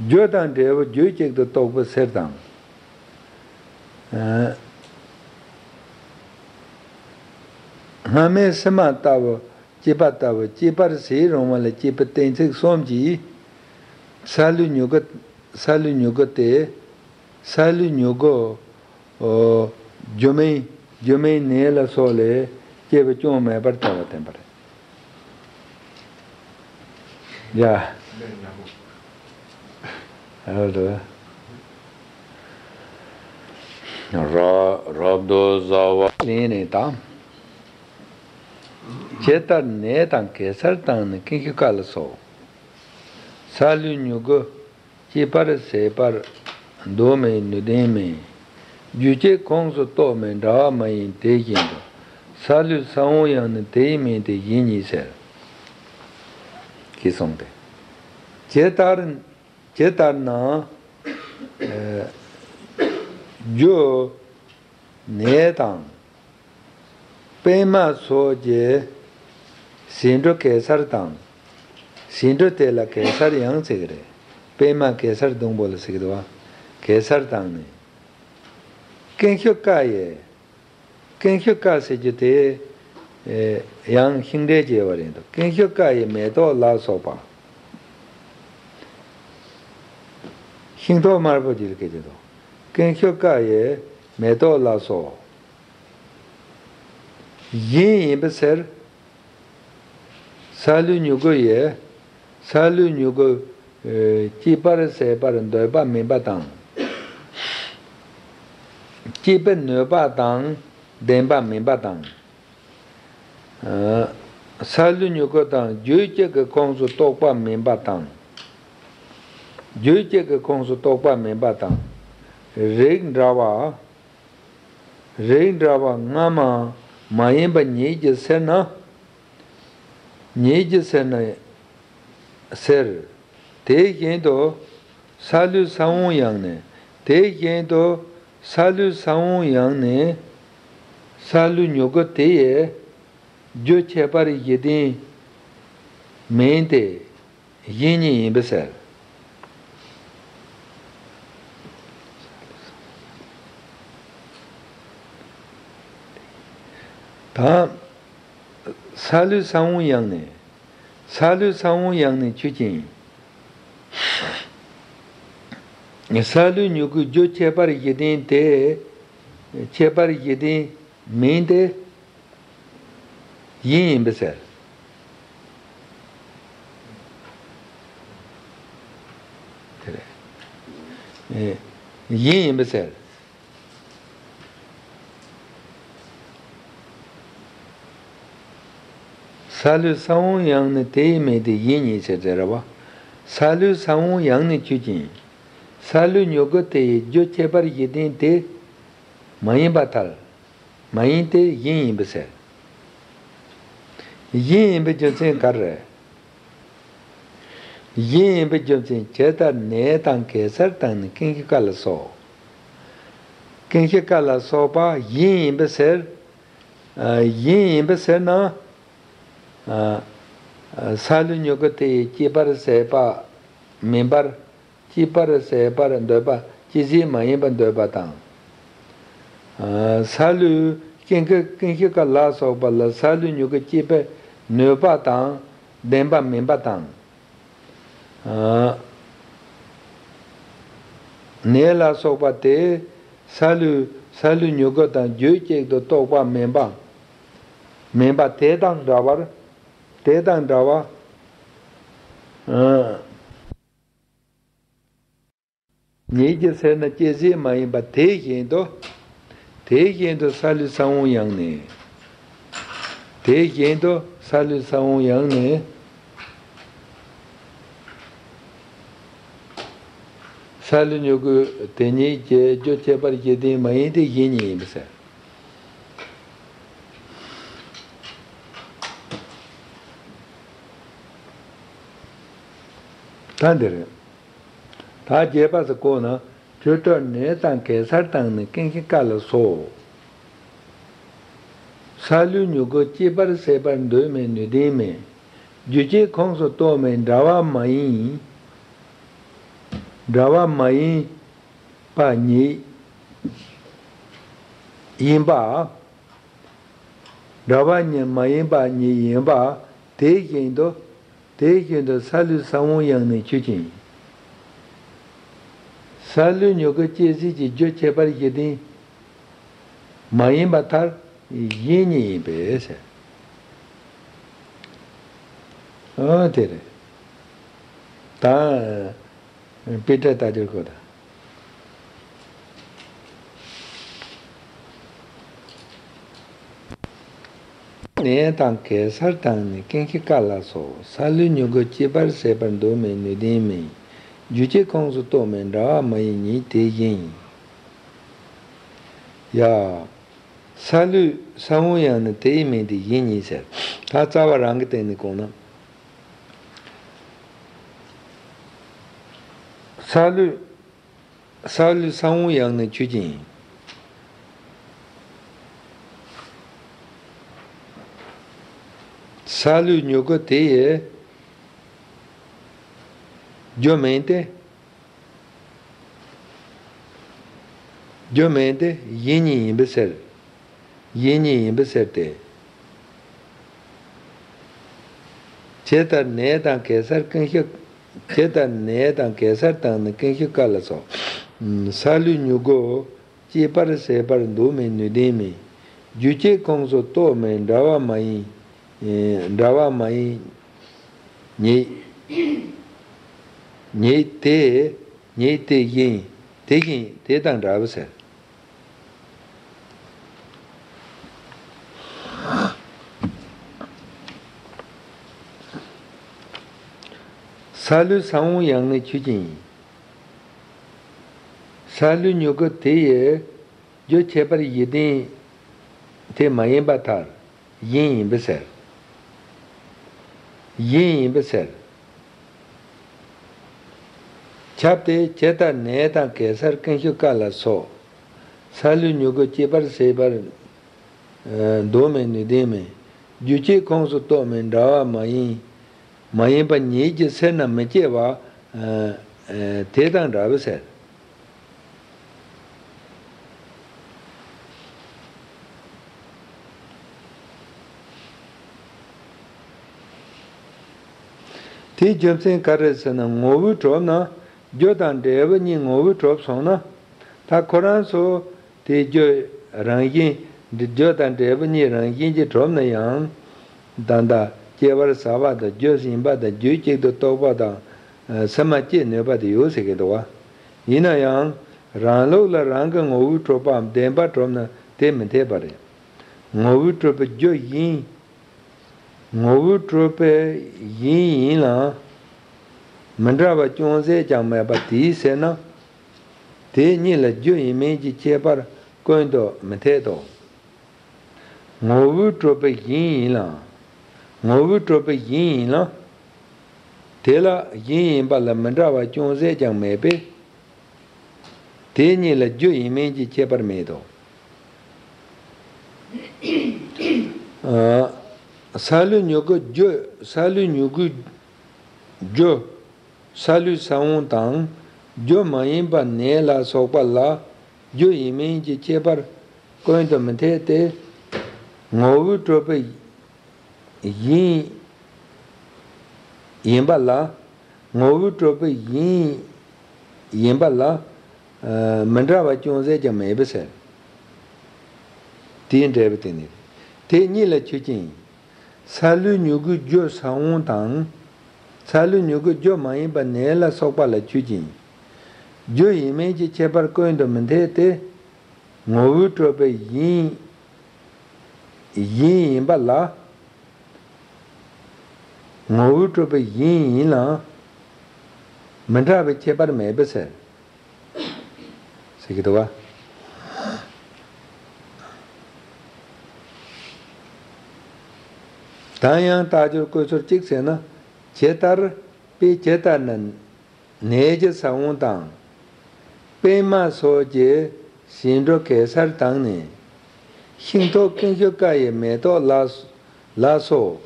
རྒྱུ་དང་འབྲས་བུ་རྒྱུད་གཅིག་ཏུ་གཏོགས་པའི་སེལ་དང་། ཨ། སྔ་མའི་སྲིད་མ་ལྟ་བུ་སྐྱེས་པ་ལྟ་བུ་སྐྱེས་པར་ཟད་རུང་བ་ལ་སྐྱེས་པའི་གཏན་ཚིགས་གསུམ་གྱིས་སཱ་ལུའི་མྱུ་གུ། སཱ་ལུའི་མྱུ་གུ་སྟེ། སཱ་ལུའི་མྱུ་གུ། ཨོ། རྒྱུ་མིན། རྒྱུ་མིན་ནད་ལ་སོགས་ལས་སྐྱེ་བ་ཅུང་མེད་པར་ཐལ་བ་བསྟན་པ་རེད། ཡ། ཨ་རེད། རབ་རབ་ཏུ་བཟའ་བ་ལེན་ནས་དང་། ཇི་ལྟར་ནད་དང་གེ་སར་དང་ནི་ཀུན་ཤི་ཀ་ལ་སོགས། སཱ་ལུའི་མྱུ་གུ་སྐྱེ་བར་ཟད་པར་འདོད་མེད་ནུས་ལྡན་མིན། རྒྱུ་སྐྱེ་ཁོངས་སུ་གཏོགས་མིན་འདྲ་བ་མ་ཡིན་དེ་བཞིན་དུ། སཱ་ལུའི་ས་བོན་ཡང་ནི་དེ་ཡི་མིང་སྟེ་གཞན་ཉིད་ཟེར། ཞེས་གསུངས་ཏེ། ཇི་ལྟར། ཇི་ལྟར་ན། ཨ། རྒྱུ། ནད་དང་། པད་མ་སོགས་ཀྱི་ཟེའུ་འབྲུ་གེ་སར་དང་། ཟེའུ་འབྲུ་དེ་ལ་གེ་སར་ཡང་ཟེར་གི་རེད། པད་མ་གེ་སར་ཟླུམ་པོ་ལ་ཟེར་གི་འདུག་བ། གེ་སར་དང་ནི། ཀུན་ཤི་ཀ་ཡི། ཀུན་ཤི་ཀ་ཟེར་རྒྱུ་དེ། ཨེ། ཡང་ཤིང་འབྲས་སྐྱེ་བ་རེད་འདུག་ཀུན་ཤི་ཀ་ཡི་མེ་ཏོག་ལ་སོགས་པ། ཤིང་ཏོག་དམར་པོ་ཅིག་ལ་སྐད་ཀྱི་འདུག་ཀུན་ཤི་ཀ་ཡི་མེ་ཏོག་ལ་སོགས། བཞིན་ཡིན་པའི་ཕྱིར། སཱ་ལུའི་མྱུ་གུ་ཡིས། སཱ་ལུའི་མྱུ་གུ། ཨེ། སྐྱེ་བར་ཟད་པར་འདོད་པ་མིན་པ་དང་། སྐྱེད་པའི་ནུས་པ་དང་ལྡན་པ་མིན་པ་དང་། ཨ། སཱ་ལུའི་མྱུ་གུ་དང་རྒྱུད་གཅིག་གི་ཁོངས་སུ་གཏོགས་པ་མིན་པ་དང་། རྒྱུད་གཅིག་གི་ཁོངས་སུ་གཏོགས་པ་མིན་པ་དང་། རིགས་འདྲ་བ། རིགས་འདྲ་བ་སྔ་མ་མ་ཡིན་པ་ཉིད་ཀྱི་ཕྱིར་ན། ཉིད་ཀྱི་ཕྱིར་ན་ཟེར། དེ་བཞིན་དུ་སཱ་ལུའི་ས་བོན་ཡང་ནི། དེ་བཞིན་དུ་སཱ་ལུའི་ས་བོན་ཡང་ནི། སཱ་ལུའི་མྱུ་གུ་དེ་ཡི་རྒྱུ་ཁྱད་པར་གཞི་ལྡན་མིན་ཏེ། གཞན་ཉིད་ཡིན་པའི་ཕྱིར། དང་། སཱ་ལུའི་ས་བོན་ཡང་ནི། སཱ་ལུའི་ས་བོན་ཡང་ནི་ཆོས་ཅན། སཱ་ལུའི་མྱུ་གུའི་རྒྱུ་ཁྱད་པར་གཞི་ལྡན་དེ། ཁྱད་པར་གཞི་ལྡན་མིན་ཏེ། གཞན་ཡིན་པའི་ཕྱིར། དེ་རེད། ཨེ། གཞན་ཡིན་པའི་ཕྱིར། སཱ་ལུའི་ས་བོན་ཡང་ནི་དེ་ཡི་མིང་སྟེ་གཞན་ཉིད་ཟེར་ཟེར་བ། སཱ་ལུའི་ས་བོན་ཡང་ནི་ཆོས་ཅན། སཱ་ལུའི་མྱུ་གུ་དེ་ཡི་རྒྱུ་ཁྱད་པར་གཞི་ལྡན་དེ་མ་ཡིན་པར་ཐལ། མ་ཡིན་ཏེ་གཞན་ཡིན་པའི་ཕྱིར། གཞན་ཡིན་པའི་རྒྱུ་མཚན་ག་རེ་རེད། གཞན་ཡིན་པའི་རྒྱུ་མཚན་ཇི་ལྟར་ནད་དང་གེ་སར་དང་ནི་ཀུན་ཤི་ཀ་ལ་སོགས། ཀུན་ཤི་ཀ་ལ་སོགས་པ་གཞན་ཡིན་པའི་ཕྱིར། ཨ། གཞན་ཡིན་པའི་ཕྱིར་ན། ཨ། སཱ་ལུའི་མྱུ་གུ་དེ་ཡི་སྐྱེ་བར་ཟད་པ་མིན་པར། སྐྱེ་བར་ཟད་པར་འདོད་པ་སྐྱེ་ཟད་མ་ཡིན་པར་འདོད་པ་དང་། ཨ། སཱ་ལུའི་ཀུན་ཤི། ཀུན་ཤི་ཀ་ལ་སོགས་པ་ལ་སཱ་ལུའི་མྱུ་གུ་སྐྱེད་པའི་ནུས་པ་དང་ལྡན་པ་མིན་པ་དང་། ཨ། ནད་ལ་སོགས་པ་དེ་སཱ་ལུ། སཱ་ལུའི་མྱུ་གུ་དང་རྒྱུད་གཅིག་ཏུ་གཏོགས་པ་མིན་པ། མིན་པ་དེ་དང་འདྲ་བར། དེ་དང་འདྲ་བ། ཨ། ཉིད་ཀྱི་ཕྱིར་ན་སྐྱེ་ཟད་མ་ཡིན་པ་དེ་བཞིན་དུ། དེ་བཞིན་དུ་སཱ་ལུའི་ས་བོན་ཡང་ནི། དེ་བཞིན་དུ་སཱ་ལུའི་ས་བོན་ཡང་ནི། སཱ་ལུ་མྱུ་གུ་དེ་ཉིད་ཀྱི་རྒྱུ་ཁྱད་པར་གཞི་ལྡན་མ་ཡིན་ཏེ་གཞན་ཉིད་ཡིན་པས་ཟེར། ད་འདིར། ད་རྒྱས་པ་སུ་གོ་ན། ཇི་ལྟར་ནད་དང་གེ་སར་དང་ནི་ཀུན་ཤི་ཀ་ལ་སོགས། སཱ་ལུའི་མྱུ་གུ་སྐྱེ་བར་ཟད་པར་འདོད་མེད་ནུས་ལྡན་མིན། རྒྱུ་སྐྱེ་ཁོངས་སུ་གཏོགས་མིན་འདྲ་བ་མ་ཡིན། འདྲ་བ་མ་ཡིན་པ་ཉིད་ཡིན་པ། འདྲ་བ་ཉིད་མ་ཡིན་པ་ཉིད་ཡིན་པ། དེ་བཞིན་དུ། དེ་བཞིན་དུ་སཱ་ལུ་ས་བོན་ཡང་ནི་ཆོས་ཅན། སཱ་ལུ་མྱུ་གུ་སྐྱེ་སྲིད་ཀྱི་རྒྱུ་ཁྱད་པར་གཞི་རྟེན་མ་ཡིན་པ་མཐར་གཞན་ཉིད་ཡིན་པས་ཟེར། ཨོ་དེ་རེད། ད་དཔེ་ཁྲིད་ལྟ་རྒྱུར་གོ་དང་། ནས་དང་གེ་སར་དང་ནི་ཀུན་ཤེས་ཀ་ལ་སོགས། སཱ་ལུའི་མྱུ་གུ་སྐྱེ་བར་བྱེད་པར་འདོད་མིན་ནུས་ལྡན་མིན། རྒྱུ་སྐྱེ་ཁོངས་སུ་གཏོགས་མིན་འདྲ་བ་མ་ཡིན་ཉིད་དེ་བཞིན་ཡིན། ཡ། སཱ་ལུའི་ས་བོན་ཡང་ནི་དེ་ཡི་མིང་དེ་བཞིན་ཉིད་ཟེར། ད་རྩ་བ་རང་གི་སྟེང་ནས་གོང་ན། སཱ་ལུ། སཱ་ལུའི་ས་བོན་ཡང་ནི་ཆོས་ཅན་ཡིན། སཱ་ལུའི་མྱུ་གུ་དེ་ཡི་རྒྱུ་མིང་དེ། རྒྱུ་མིང་དེ་གཞན་ཉིད་ཡིན་པའི་ཕྱིར། གཞན་ཉིད་ཡིན་པའི་ཕྱིར་ཏེ། ཇི་ལྟར་ནས་དང་གེ་སར་ཀུན་ཤེས། ཇི་ལྟར་ནས་དང་གེ་སར་དང་ནི་ཀུན་ཤེས་ཀ་ལ་སོགས། སཱ་ལུའི་མྱུ་གུ་སྐྱེ་བར་བྱེད་པར་འདོད་མིན་ནུས་ལྡན་མིན། རྒྱུ་སྐྱེ་ཁོངས་སུ་གཏོགས་མིན་འདྲ་བ་མ་ཡིན། འདྲ་བ་མ་ཡིན་ཉིད། ཉིད་དེ། ཉིད་དེ་བཞིན། དེ་བཞིན་དེ་དང་འདྲ་བ་ཟེར། སཱ་ལུའི་ས་བོན་ཡང་ནི་ཆོས་ཅན་ཡིན། སཱ་ལུའི་མྱུ་གུ་དེ་ཡི་རྒྱུ་ཁྱད་པར་གཞི་རྟེན་དེ་མ་ཡིན་པ་མཐར་གཞན་ཡིན་པའི་ཕྱིར། གཞན་ཡིན་པའི་ཕྱིར། ཁྱབ་སྟེ། ཇི་ལྟར་ནས་དང་གེ་སར་ཀུན་ཤེས་ཀ་ལ་སོགས། སཱ་ལུའི་མྱུ་གུ་སྐྱེ་བར་བྱེད་པར་འདོད་མིན་ནུས་ལྡན་མིན། རྒྱུ་སྐྱེ་ཁོངས་སུ་གཏོགས་མིན་འདྲ་བ་མ་ཡིན། མ་ཡིན་པ་ཉིད་ཀྱི་ཕྱིར་ན་མི་སྐྱེ་བ་དེ་དང་འདྲ་བའི་ཕྱིར། དེའི་རྒྱུ་མཚན་ག་རེ་ཟེར་ན། ངོ་བོས་གྲུབ་ན། རྒྱུ་དང་འབྲས་བུ་གཉིས་ངོ་བོས་གྲུབ་སོང་ན། ད་ཁོ་རང་ཚོ་དེའི་རྒྱུ་རང་བཞིན། རྒྱུ་དང་འབྲས་བུ་གཉིས་རང་བཞིན་གྱིས་གྲུབ་ན་ཡང་། ད་ལྟ་སྐྱེ་བར་བྱ་བ་དང་རྒྱུ་ཡིན་པ་དང་རྒྱུད་གཅིག་ཏུ་གཏོགས་པ་དང་། ཕྱི་མ་སྐྱེ་ནུས་པ་དེ་ཡོད་ཟེར་གྱི་འདུག་བ། ཡིན་ན་ཡང་། རང་ལུགས་ལ་རང་གི་ངོ་བོས་གྲུབ་པའམ་བདེན་པར་གྲུབ་ན་དེ་མི་འཐད་པ་རེད། ངོ་བོས་གྲུབ་པའི་རྒྱུ་ཡིན། ངོ་བོས་གྲུབ་པའི་ཡིན་ཡིན་ལ། མི་འདྲ་བ་ཅུང་ཟད་ཀྱང་མེད་པ་དེའི་ཕྱིར་ན། དེ་གཉིས་ལ་རྒྱུ་ཡིན་མིན་གྱི་ཁྱད་པར་ཀུན་ཏུ་མི་འཐད་དོ། ངོ་བོས་གྲུབ་པའི་གཞན་ཡིན་ལ། ངོ་བོས་གྲུབ་པའི་གཞན་ཡིན་ལ། དེ་ལ་གཞན་ཡིན་པ་ལ་མི་འདྲ་བ་ཅུང་ཟད་ཀྱང་མེད་པས། དེ་གཉིས་ལ་རྒྱུ་ཡིན་མིན་གྱི་ཁྱད་པར་མེད་དོ། ཨ། སཱ་ལུའི་མྱུ་གུ་རྒྱུ། སཱ་ལུའི་མྱུ་གུའི་རྒྱུ། སཱ་ལུའི་ས་བོན་དང་། རྒྱུ་མ་ཡིན་པ་ནས་ལ་སོགས་པ་ལ་རྒྱུ་ཡིན་མིན་གྱི་ཁྱད་པར་ཀུན་ཏུ་མི་འཐད་དེ། ངོ་བོས་གྲུབ་པའི་གཞན་ཡིན་པ་ལ། ངོ་བོས་གྲུབ་པའི་གཞན་ཡིན་པ་ལ། ཨ། མི་འདྲ་བ་ཅུང་ཟད་ཀྱང་མེད་པའི་ཕྱིར། དེའི་འབྲས་བུ་དེ་ནི། དེ་གཉིས་ལ་ཆོས་ཅན། སཱ་ལུའི་མྱུ་གུའི་རྒྱུ་ས་བོན་དང་། སཱ་ལུའི་མྱུ་གུའི་རྒྱུ་མ་ཡིན་པ་ནས་ལ་སོགས་པ་ལ་ཆོས་ཅན། རྒྱུ་ཡིན་མིན་གྱི་ཁྱད་པར་ཀུན་ཏུ་མི་འཐད་དེ། ངོ་བོས་གྲུབ་པའི་གཞན། གཞན་ཡིན་པ་ལ། ངོ་བོས་གྲུབ་པའི་གཞན་ཡིན་ལ། མི་འདྲ་བའི་ཁྱད་པར་མེད་པའི་ཕྱིར། ཟེར་གྱི་འདུག་བ། ད་ཡང་རྟགས་སྦྱོར་བཀོད་ཚུལ་གཅིག་ཟེར་ན། ཇི་ལྟར། དཔེ་ཇི་ལྟར་ན། ནས་ཀྱི་ས་བོན་དང་། པདྨ་སོགས་ཀྱི་ཟེའུ་འབྲུ་གེ་སར་དང་ནི། ཤིང་ཐོག་ཀུན་ཤེས་ཀ་ཡི་མེ་ཏོག་ལ། ལ་སོགས།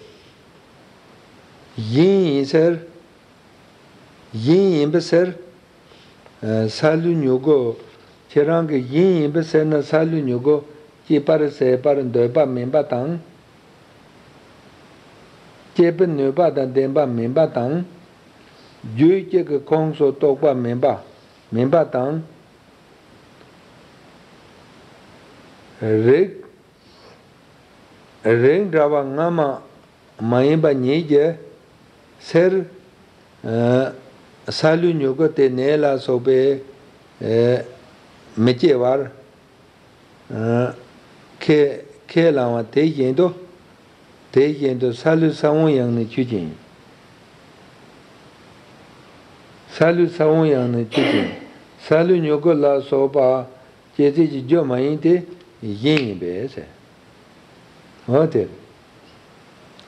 གཞན་ཡིན་ཕྱིར། གཞན་ཡིན་པའི་ཕྱིར། སཱ་ལུའི་མྱུ་གུ། ཁྱེད་རང་གིས་ཡིན་ཡིན་པས་ཟེར་ན་སཱ་ལུའི་མྱུ་གུ་སྐྱེད་པར་ཟད་པར་འདོད་པ་མིན་པ་དང་། སྐྱེད་པའི་ནུས་པ་དང་ལྡན་པ་མིན་པ་དང་། རྒྱུད་གཅིག་གི་ཁོངས་སུ་གཏོགས་པ་མིན་པ། མིན་པ་དང་། རིགས། རིགས་འདྲ་བ་སྔ་མ་མ་ཡིན་པ་ཉིད་ཀྱིས་སེར། ཨ། སཱ་ལུའི་མྱུ་གུ་དེ་ནད་ལ་སོགས་པས། ཨ། མི་སྐྱེ་བར། ཨ། ཁས། ཁས་བླངས་པ་དེ་བཞིན་དུ། དེ་བཞིན་དུ་སཱ་ལུའི་ས་བོན་ཡང་ནི་ཆོས་ཅན། སཱ་ལུའི་ས་བོན་ཡང་ནི་ཆོས་ཅན། སཱ་ལུའི་མྱུ་གུ་ལ་སོགས་པ་སྐྱེད་ཚལ་གྱི་རྒྱུ་མ་ཡིན་ཏེ་གཞན་ཡིན་པས་ཟེར། འོ་དེ་རེད།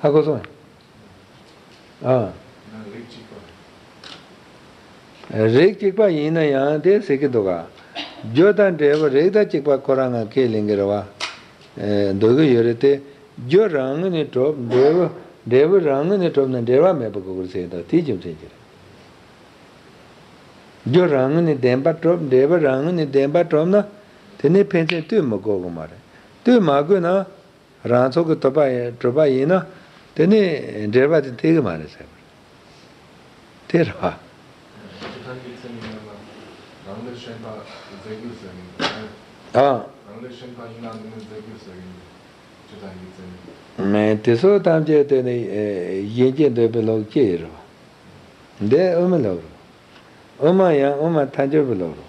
ཧ་གོ་སོང་། ཨ། རིགས་གཅིག་པ་ཡིན་ན་ཡང་དེ་ཟེར་གྱི་འདུག་ག་རྒྱུ་དང་འབྲས་བུ་རིགས་དང་གཅིག་པ་ཁོ་རང་ང་ཁས་ལེན་གྱི་རེད་བ། ཨེ། འདོད་ཀྱི་ཡོད་རེད་དེ། རྒྱུ་རང་ངོས་ནས་གྲུབ། འབྲས་བུ། འབྲས་བུ་རང་ངོས་ནས་གྲུབ་ན་འབྲེལ་བ་མེད་པ་དགོས་ཀྱི་རེད་ཟེར་གྱི་འདུག་དེའི་རྒྱུ་མཚན་གྱིས་རེད། རྒྱུ་རང་ངོས་ནས་བདེན་པར་གྲུབ། འབྲས་བུ་རང་ངོས་ནས་བདེན་པར་གྲུབ་ན། དེ་ནི་ཕན་ཚུན་ལྟོས་མི་དགོས་ཀྱི་མ་རེད། ལྟོས་མ་དགོས་ན། རང་ཚོགས་ཀྱིས་ཐོབ་པ་ཡིན། གྲུབ་པ་ཡིན་ན། དེ་ནི་འབྲེལ་བ་དེ་འཐད་ཀྱི་མ་རེད་ཟེར་བ་རེད། དེ་རེད་བ། ཇི་ལྟར་ཡོད་ཚད་ནི་མེད་ལ། རང་ལས་གཞན་པ་རྫས་རྒྱུ་ཟེར་གྱི་འདུག་ཨ། རང་ལས་གཞན་པ་ཡིན་ན་ནི་རྫས་རྒྱུ་ཟེར་གྱི་འདུག་ཇི་ལྟར་ཡོད་ཚད་ནི། མེད། དེ་སོགས་ཐམས་ཅད་དེ་ནི། ཨེ། གཞན་སྐྱེ་འདོད་པའི་ལུགས་སྐྱེ་ཡི་རེད་བ། འདི་དབུ་མའི་ལུགས་རེད། དབུ་མ་ཡང་དབུ་མ་ཐལ་འགྱུར་བའི་ལུགས་རེད།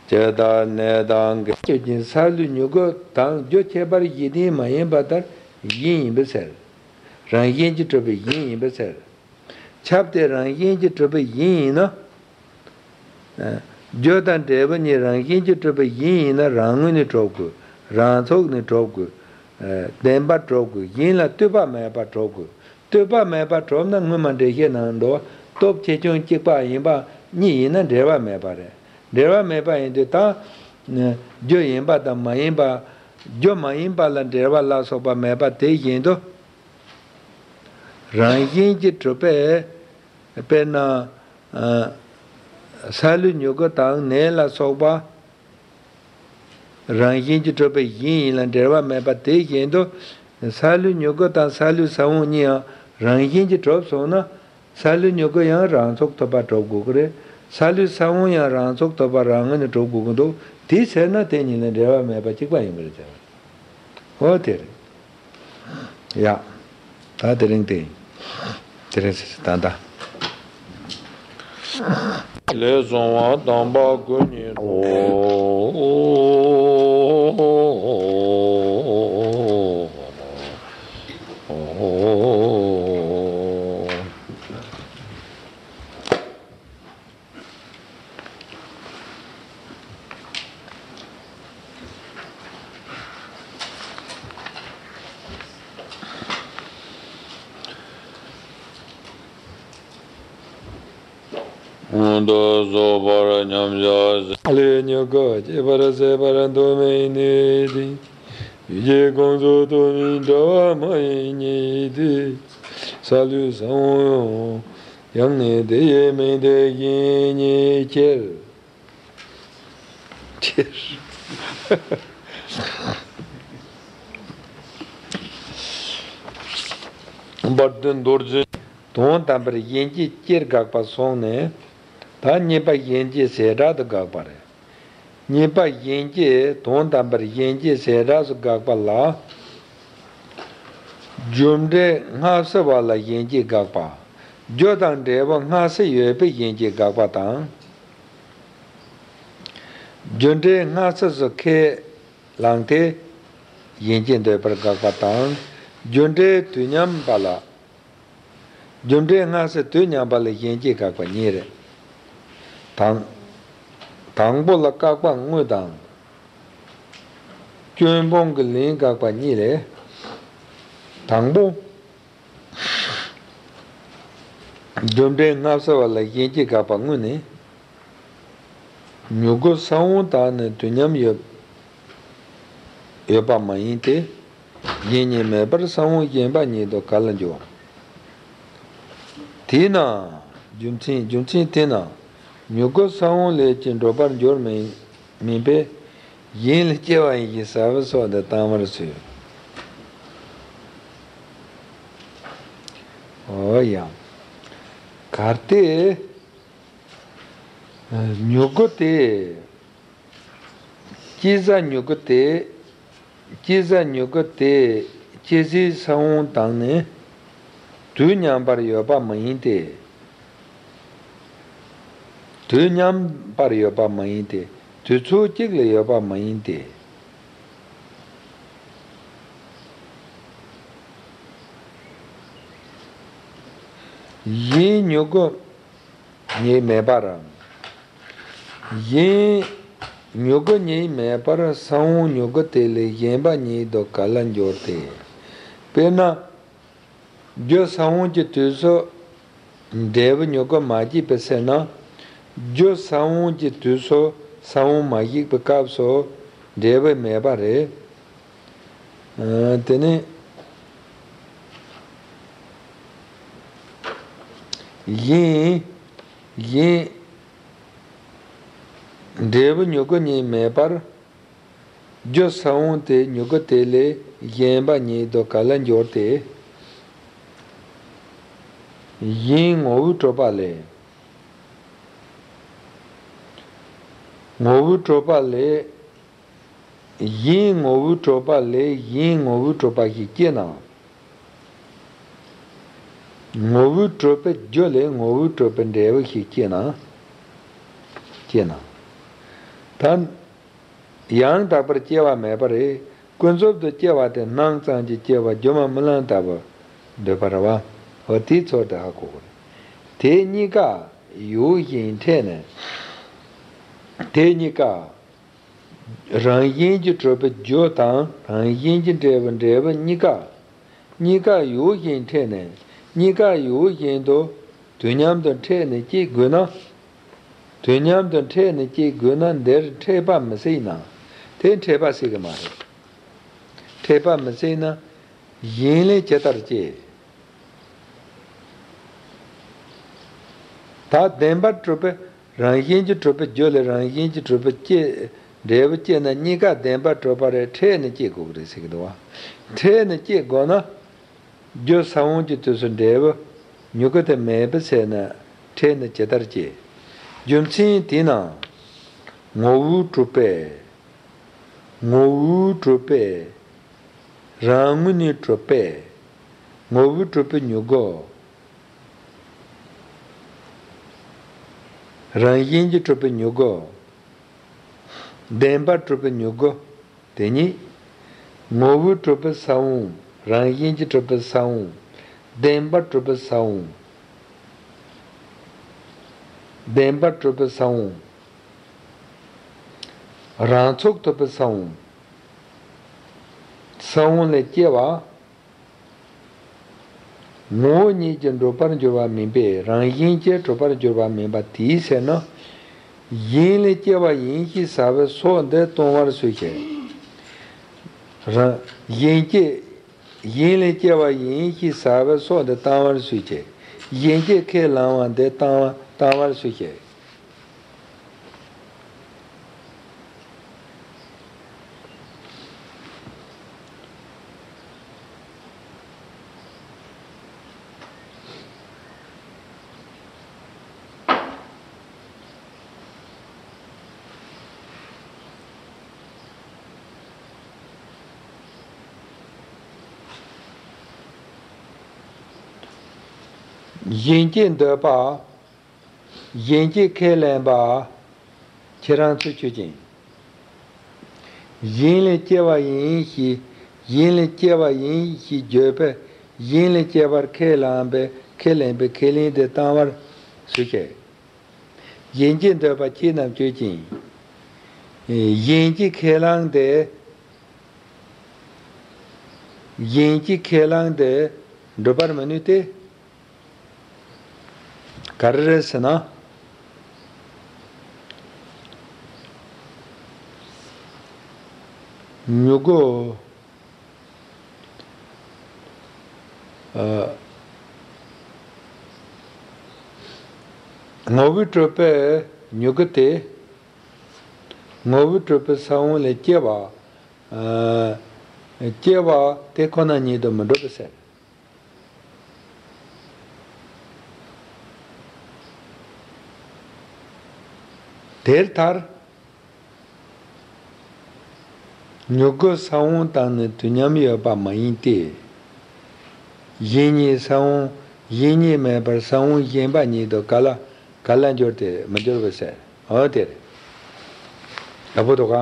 ཇི་ལྟར་ནད་དང་། ཆོས་ཅན། སཱ་ལུའི་མྱུ་གུ་དང་རྒྱུ་ཁྱད་པར་གཞི་རྟེན་མ་ཡིན་པ་ལྟར་གཞན་ཡིན་པས་ཟེར། རང་བཞིན་གྱིས་གྲུབ་པའི་གཞན་ཡིན་པས་ཟེར། ཁྱབ་སྟེ་རང་བཞིན་གྱིས་གྲུབ་པའི་གཞན་ཡིན་ན། རྒྱུ་དང་འབྲས་བུ་གཉིས་རང་བཞིན་གྱིས་གྲུབ་པའི་གཞན་ཡིན་ན་རང་ངོས་ནས་གྲུབ་དགོས། རང་ཚོགས་ནས་གྲུབ་དགོས། བདེན་པར་གྲུབ་དགོས། གཞན་ལ་ལྟོས་པ་མེད་པར་གྲུབ་དགོས། ལྟོས་པ་མེད་པར་གྲུབ་ན་སྔོན་མ་འགྲེལ་བཤད་ནང་དུ་སྟོབས་ཆེ་ཆུང་གཅིག་པ་ཡིན་པ་གཉིས་ཡིན་ན་འབྲེལ་བ་མེད་པ་རེད། འབྲེལ་བ་མེད་པ་ཡིན་དུས་ད། རྒྱུ་ཡིན་པ་དང་མ་ཡིན་པ། རྒྱུ་མ་ཡིན་པ་ལ་འབྲེལ་བ་ལ་སོགས་པ་མེད་པ་དེ་བཞིན་དུ། རང་བཞིན་གྱིས་གྲུབ་པའི། དཔེར་ན། ཨ། སཱ་ལུའི་མྱུ་གུ་དང་ནད་ལ་སོགས་པ། རང་བཞིན་གྱིས་གྲུབ་པའི་གཞན་ཡིན་ལ་འབྲེལ་བ་མེད་པ་དེ་བཞིན་དུ། སཱ་ལུའི་མྱུ་གུ་དང་སཱ་ལུའི་ས་བོན་གཉིས་ཡང་རང་བཞིན་གྱིས་གྲུབ་སོང་ན། སཱ་ལུའི་མྱུ་གུ་ཡང་རང་ཚོགས་ཐོབ་པ་གྲུབ་དགོས་ཀྱི་རེད། སཱ་ལུའི་ས་བོན་ཡང་རང་ཚོགས་ཐོབ་པ་རང་ངོས་ནས་གྲུབ་དགོས་ཀྱི་འདུག་དེ་ཟེར་ན་དེ་གཉིས་ལ་འབྲེལ་བ་མེད་པ་གཅིག་པ་ཡིན་པ་རེད་ཟེར་བ། འོ་དེ་རེད། ཡ། ད་དེ་རིང་དེ། དེ་རིང་ཟེར་ད་ལྟ། ལས་བྱུང་བ་དམ་པ་སྐུ་གཉིས་སུ། སྔོན་དུ་སོགས་པར་མཉམ་གཞག་ཟེར། ལས་མྱུ་གུ་སྐྱེད་པར་ཟད་པར་འདོད་མིན་ནི་དེ། ཡུལ་གྱི་ཁོངས་སུ་གཏོགས་མིན་འདྲ་བ་མ་ཡིན་ཉིད་དེ། སཱ་ལུའི་ས་བོན་ཡང་ནི་དེ་ཡི་མིང་དེ་བཞིན་ཉིད་ཁྱེར། ཁྱེར། བར་དུ་མདོར་བརྗོད། དོན་དམ་པར་གཞན་སྐྱེ་སྐྱེར་དགག་པ་སོང་ནས། ད་གཉིས་པ་གཞན་སྐྱེ་ཟད་འགྲོ་དུ་དགག་པ་རེད། གཉིས་པ་གཞན་སྐྱེ། དོན་དམ་པར་གཞན་སྐྱེ་ཟད་འགྲོ་སུ་དགག་པ་ལ། རྒྱུ་འབྲས་སྔ་ཕྱི་བ་ལ་གཞན་སྐྱེ་དགག་པ། རྒྱུ་དང་འབྲས་བུ་སྔ་ཕྱི་ཡོད་པའི་གཞན་སྐྱེ་དགག་པ་དང་། རྒྱུ་འབྲས་སྔ་ཕྱི་སུ་ཁས་བླངས་ཏེ། གཞན་སྐྱེ་འདོད་པར་དགག་པ་དང་། རྒྱུ་འབྲས་དུས་མཉམ་པ་ལ། རྒྱུ་འབྲས་སྔ་ཕྱི་དུས་མཉམ་པ་ལ་གཞན་སྐྱེ་དགག་པ་གཉིས་རེད། དང་། དང་པོ་ལ་བཀག་པ་དངོས་དང་། སྐྱོན་སྤོང་གི་ལན་དགག་པ་གཉིས་རེད། དང་པོ། རྒྱུ་འབྲས་སྔ་ཕྱི་བ་ལ་གཞན་སྐྱེ་དགག་པ་དངོས་ནི། མྱུ་གུ་ས་བོན་དག་ནི་དུས་མཉམ་ཡོད། ཡོད་པ་མ་ཡིན་ཏེ། གཞན་ཉིད་མེད་པར་ས་བོན་གཞན་པ་ཉིད་དུ་ག་ལ་འགྱུར། དེས་ན། རྒྱུ་མཚན། རྒྱུ་མཚན་དེས་ན། མྱུ་གུ་ས་བོན་ལས་ཀྱི་འགྲོ་བར་འགྱུར་མིན་མིན་པས། ཡིན་ལས་སྐྱེ་བ་ཡིན་ཞེས་ཟབ་པའི་སོགས་འདི་བཏང་བར་བྱོས། འོ་ཡང་། གལ་ཏེ་མྱུ་གུ་དེ། སྐྱེ་ས་མྱུ་གུ་དེ། སྐྱེ་ས་མྱུ་གུ་དེ་སྐྱེ་སའི་ས་བོན་དང་ནི་དུས་མཉམ་པར་ཡོད་པ་མ་ཡིན་ཏེ། དུས་མཉམ་པར་ཡོད་པ་མ་ཡིན་ཏེ། དུས་ཚོད་གཅིག་ལ་ཡོད་པ་མ་ཡིན་ཏེ། ཡིན་མྱུ་གུ་ཉིད་མེད་པར། ཡིན། མྱུ་གུ་ཉིད་མེད་པར་ས་བོན་མྱུ་གུ་དེ་ལས་གཞན་པ་ཉིད་དུ་ག་ལ་འགྱུར་ཏེ། དཔེར་ན། རྒྱུ་ས་བོན་གྱི་དུས་སུ་འབྲས་བུ་མྱུ་གུ་མ་སྐྱེས་པའི་ཚེ་ན། རྒྱུ་ས་བོན་གྱི་དུས་སུ་ས་བོན་མ་སྐྱེས་པའི་སྐབས་སུ་འབྲས་བུ་མེད་པ་རེད། ཨ། དེ་ནི། ཡིན། ཡིན། འབྲས་བུ་མྱུ་གུ་ཉིད་མེད་པར། རྒྱུ་ས་བོན་དེ་མྱུ་གུ་དེ་ལས་གཞན་པ་ཉིད་དུ་ག་ལ་འགྱུར་ཏེ། ཡིན་ངོ་བོས་གྲུབ་པ་ལས། ངོ་བོས་གྲུབ་པ་ལས། ཡིན་ངོ་བོས་གྲུབ་པ་ལས་ཡིན་ངོ་བོས་གྲུབ་པ་ཞིག་སྐྱེ་ན། ངོ་བོས་གྲུབ་པའི་རྒྱུ་ལས་ངོ་བོས་གྲུབ་པའི་འབྲས་བུ་ཞིག་སྐྱེ་ན། སྐྱེ་ན། ད། ཡང་དག་པར་སྐྱེ་བ་མེད་པ་རེད། ཀུན་རྫོབ་ཏུ་སྐྱེ་བ་དེ་སྣང་ཙམ་གྱིས་སྐྱེ་བ་སྒྱུ་མ་རྨི་ལམ་ལྟ་བུར་འདོད་པ་རེད་བ། འོ་དེའི་ཚོད་དེ་ཧ་གོ་དགོས་རེད། དེ་གཉིས་ཀ་ཡོད་བཞིན་འཕྲད་ནས། དེ་གཉིས་ཀ། རང་བཞིན་གྱིས་གྲུབ་པའི་རྒྱུ་དང་རང་བཞིན་གྱིས་འབྲས་བུ། འབྲས་བུ་གཉིས་ཀ། གཉིས་ཀ་ཡོད་བཞིན་འཕྲད་ནས། གཉིས་ཀ་ཡོད་བཞིན་དུ་དུས་མཉམ་དུ་འཕྲད་ནས་སྐྱེ་དགོས་ན། དུས་མཉམ་དུ་འཕྲད་ནས་སྐྱེ་དགོས་ན་འདིར་འཕྲད་པ་མི་སྲིད་ན། དེ་འཕྲད་པ་སྲིད་ཀྱི་མ་རེད། འཕྲད་པ་མི་སྲིད་ན། ཡིན་ལས་ཇི་ལྟར་སྐྱེ། ད་བདེན་པར་གྲུབ་པའི། རང་བཞིན་གྱིས་གྲུབ་པའི་རྒྱུ་ལས་རང་བཞིན་གྱིས་གྲུབ་པའི་སྐྱེ། འབྲས་བུ་སྐྱེ་ན་གཉིས་ཀ་བདེན་པར་གྲུབ་པ་རེད། འཕྲད་ནས་སྐྱེ་དགོས་ཀྱི་རེད་ཟེར་གྱི་འདུག་བ། འཕྲད་ནས་སྐྱེ་དགོས་ན། རྒྱུ་ས་བོན་གྱི་དུས་སུ་འབྲས་བུ་མྱུ་གུ་དེ་མེད་པའི་ཚེ་ན་འཕྲད་ནས་ཇི་ལྟར་སྐྱེ། རྒྱུ་མཚན་དེས་ན། ངོ་བོས་གྲུབ་པས། ངོ་བོས་གྲུབ་པས། རང་ངོས་ནས་གྲུབ་པས། ངོ་བོས་གྲུབ་པའི་མྱུ་གུ། རང་བཞིན་གྱིས་གྲུབ་པའི་མྱུ་གུ། བདེན་པར་གྲུབ་པའི་མྱུ་གུ། དེ་ཉིད། ངོ་བོས་གྲུབ་པའི་ས་བོན། རང་བཞིན་གྱིས་གྲུབ་པའི་ས་བོན། བདེན་པར་གྲུབ་པའི་ས་བོན། བདེན་པར་གྲུབ་པའི་ས་བོན། རང་ཚུགས་ཐུབ་པའི་ས་བོན། ས་བོན་ལས་སྐྱེ་བ། ངོ་བོ་ཉིད་ཀྱིས་འགྲུབ་པར་འགྱུར་བ་མིན་པས་རང་བཞིན་གྱིས་གྲུབ་པར་འགྱུར་བ་མིན་པ་དེའི་ཕྱིར་ན། ཡིན་ལས་སྐྱེ་བ་ཡིན་ཞེས་ཟབ་པའི་སོགས་འདི་སྟོན་པར་སུ་བྱེད། རང་། ཡིན་སྐྱེ། ཡིན་ལས་སྐྱེ་བ་ཡིན་ཞེས་ཟབ་པའི་སོགས་འདི་བཏང་བར་སུ་བྱེད། ཡིན་སྐྱེ་ཁས་བླང་བ་འདི་བཏང་བ་བཏང་བར་སུ་བྱེད། གཞན་གྱིས་འདོད་པ། གཞན་གྱིས་ཁས་ལེན་པ། ཁྱེད་རང་ཚོས་ཆོས་ཅན། ཡིན་ལས་སྐྱེ་བ་ཡིན་ཞེས། ཡིན་ལས་སྐྱེ་བ་ཡིན་ཞེས་བརྗོད་པས་ཡིན་ལས་སྐྱེ་བར་ཁས་བླངས་པའི་ཁས་ལེན་པའི་ཁས་ལེན་དེ་བཏང་བར་སུ་བྱེད། གཞན་གྱིས་འདོད་པ་ཁྱེད་རྣམས་ཆོས་ཅན། གཞན་གྱིས་ཁས་བླངས་ཏེ། གཞན་གྱིས་ཁས་བླངས་ཏེ་འགྲུབ་པར་མི་ནུས་ཏེ། ག་རེ་རེད་ཟེར་ན། མྱུ་གུ། ཨ། ངོ་བོས་གྲུབ་པའི་ མྱུ་གུ་དེ། ངོ་བོས་གྲུབ་པའི་ས་བོན་ལས་སྐྱེ་བ། ཨ། སྐྱེ་བ་དེ་ཁོ་ན་ཉིད་དུ་མི་འགྲུབ་པའི་ཕྱིར། དེར་ཐལ། མྱུ་གུ་ས་བོན་དང་ནི་དུས་མཉམ་ཡོད་པ་མ་ཡིན་ཏེ། གཞན་ཉིད་ས་བོན་གཞན་ཉིད་མེད་པར་ས་བོན་གཞན་པ་ཉིད་དུ་ག་ལ་ག་ལ་འགྱུར་ཏེ་མི་འགྱུར་བའི་ཕྱིར། འོ་དེ་རེད། ཡག་པོ་འདུག་ག་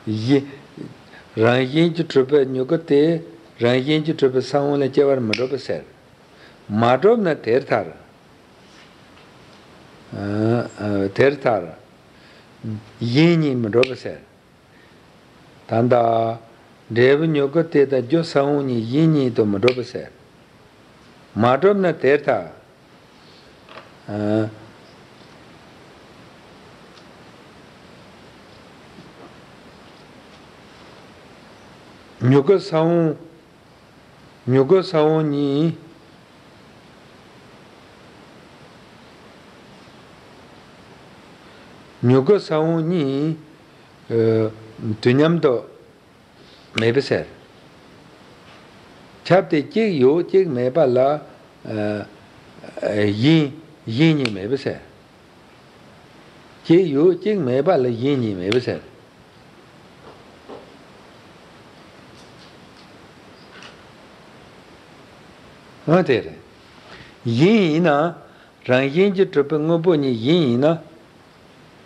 གཞན། རང་བཞིན་གྱིས་གྲུབ་པའི་མྱུ་གུ་དེ་རང་བཞིན་གྱིས་གྲུབ་པའི་ས་བོན་ལས་སྐྱེ་བར་མི་འགྲུབ་པའི་ཕྱིར། མ་གྲུབ་ན་དེར་ཐལ། ཨ། ཨ། དེར་ཐལ། གཞན་ཉིད་མི་འགྲུབ་པའི་ཕྱིར། ད་ལྟ་འབྲས་བུ་མྱུ་གུ་དེ་དང་རྒྱུ་ས་བོན་གཉིས་གཞན་ཉིད་དུ་མི་འགྲུབ་པའི་ཕྱིར། མ་གྲུབ་ན་དེར་ཐལ། ཨ། མྱུ་གུ་ས་བོན། མྱུ་གུ་ས་བོན་གཉིས། མྱུ་གུ་ས་བོན་གཉིས། ཨ། དུས་མཉམ་དུ་མེད་པའི་ཕྱིར། ཁྱབ་སྟེ་གཅིག་ཡོད་གཅིག་མེད་པ་ལ། ཨ། གཞན་གཞན་ཉིད་མེད་པའི་ཕྱིར། གཅིག་ཡོད་གཅིག་མེད་པ་ལ་གཞན་ཉིད་མེད་པའི་ཕྱིར། འོ་དེ་རེད། གཞན་ཡིན་ན། རང་བཞིན་གྱིས་གྲུབ་པའི་དངོས་པོ་གཉིས་གཞན་ཡིན་ན།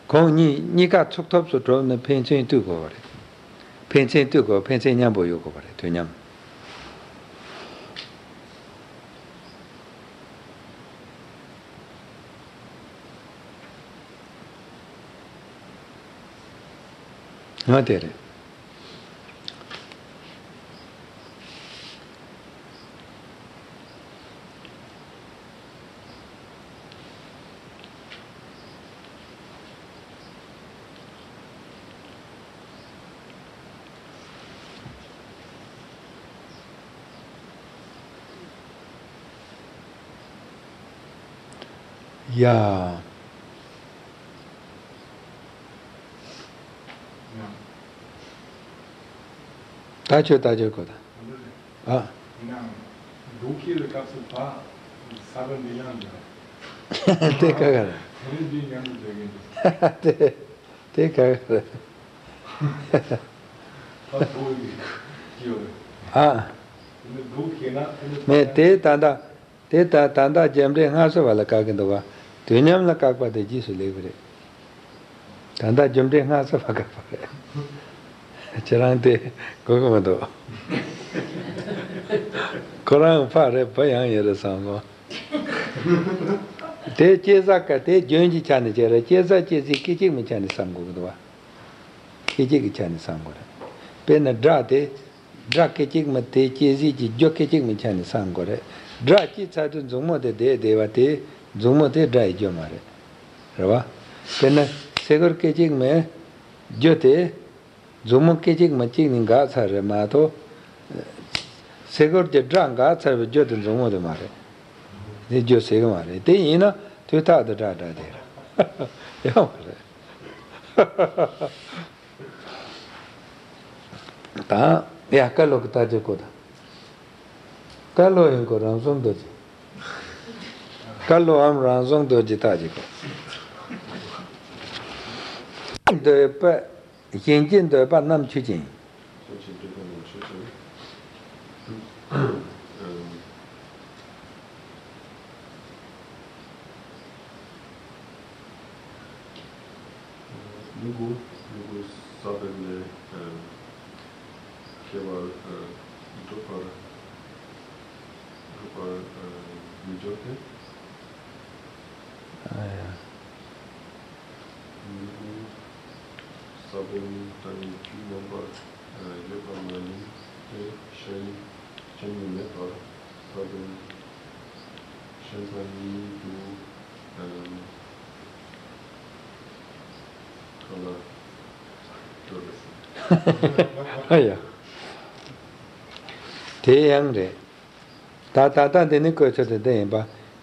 ཁོང་གཉིས་གཉིས་ཀ་ཚུགས་ཐུབ་སུ་གྲུབ་ན་ཕན་ཚུན་ལྟོས་དགོས་པ་རེད། ཕན་ཚུན་ལྟོས་དགོས། ཕན་ཚུན་མཉམ་པོ་ཡོད་དགོས་པ་རེད། དུས་མཉམ། ང་དེ་རེད། ཡ། ད་ཁྱོད་ད་ཁྱོད་གོ་ད། ཨ། ཡིན་ནའང་འབྲོག་ཁྱི་ལ་སྐབས་སུ་བ་ས་ག་འདི་ཡང་འདི་ར། དེ་ཀ་ག་ར། དེ་ནི་འདི་མཉམ་དུ་བསྡད་གིན་འདུག་དེ་དེ་ཀ་ག་ར། ད་ཐོ་ཡི་ཀྱི་ཡོད་རེད། ཨ། དེ་ནི་འབྲོག་ཁྱི་ན་དེ་ནི་མེད་དེ་ད་ལྟ། དེ་ལྟར་ད་ལྟ་རྒྱུ་འབྲས་སྔ་ཕྱི་བ་ལ་བཀག་གི་འདུག་བ། དུས་མཉམ་ལ་བཀག་པ་དེ་རྗེས་སུ་ལེགས་པ་རེད། ད་ལྟ་རྒྱུ་འབྲས་སྔ་ཕྱི་བ་བཀག་པ་རེད། ཁྱེད་རང་དེ་གོ་གི་མི་འདུག་ཁོ་རང་ཕ་རེད་བུ་ཡང་ཡིན་རེད་བསམ་སོང་། དེ་སྐྱེ་ས་ཀ་དེ་རྒྱུན་གྱི་ཆ་ནས་བྱས་རེད། སྐྱེ་ས་སྐྱེ་ཚེ་སྐད་ཅིག་མའི་ཆ་ནས་བསམ་དགོས་ཀྱི་འདུག་བ། སྐད་ཅིག་གི་ཆ་ནས་བསམ་དགོས་རེད། དཔེར་ན་སྒྲ་དེ། སྒྲ་སྐད་ཅིག་མ་དེ་སྐྱེ་ཟིག་གི་རྒྱུ་སྐད་ཅིག་མའི་ཆ་ནས་བསམ་དགོས་རེད། སྒྲ་སྐྱེས་ཚར་དུས་མཛུབ་མོ་དེ་བསྡད་བསྡད་པ་དེ་མཛུབ་མོ་དེ་སྒྲ་ཡི་རྒྱུ་མ་རེད། རེད་བ། དཔེར་ན་སེ་གོལ་སྐད་ཅིག་མའི་རྒྱུ་དེ་མཛུབ་མོ་སྐད་ཅིག་མ་གཅིག་ནི་འགག་ཚར་རེད་མ་གཏོགས། སེ་གོལ་གྱི་སྒྲ་འགག་ཚར་བའི་རྒྱུ་དེ་མཛུབ་མོ་དེ་མ་རེད། དེ་རྒྱུ་ཟེར་གི་མ་རེད། དེ་ཡིན་ན་དུས་རྟག་ཏུ་སྒྲ་སྒྲ་དེ་རེད། ཡོད་མ་རེད། དང་། ཡ། བཀའ་སློབ་ཀྱི་ལྟ་རྒྱུ་གོ་དང་། བཀའ་སློབ་ཡིན་གོ་རང་བྱུང་རྡོ་རྗེ། བཀའ་སློབ་འམ་རང་བྱུང་རྡོ་རྗེ་ལྟ་རྒྱུ་གོ། འདོད་པ། གཞན་གྱི་འདོད་པ་རྣམས་ཆོས་ཅན། མྱུ་གུ། མྱུ་གུ་ས་བོན་ལས་སྐྱེ་བར་འགྲུབ་པར་འགྲུབ་པར་མི་འགྱུར་ཏེ། ཨ་ཡ། མྱུ་གུ་ས་བོན་དང་ནི་རྒྱུ་མངོན་པར་ཡོད་པ་མ་ཡིན་ཏེ། གཞན་གཞན་ཉིད་མེད་པར་ས་བོན་གཞན་པ་ཉིད་དུ་གང་ལ་འགྲོ་རེད་ཟེར། ཨ་ཡ། དེ་ཡང་རེད། ད་ད་ལྟ་འདི་ནི་བཀོད་ཚོད་དེ་འདི་ཡིན་པ།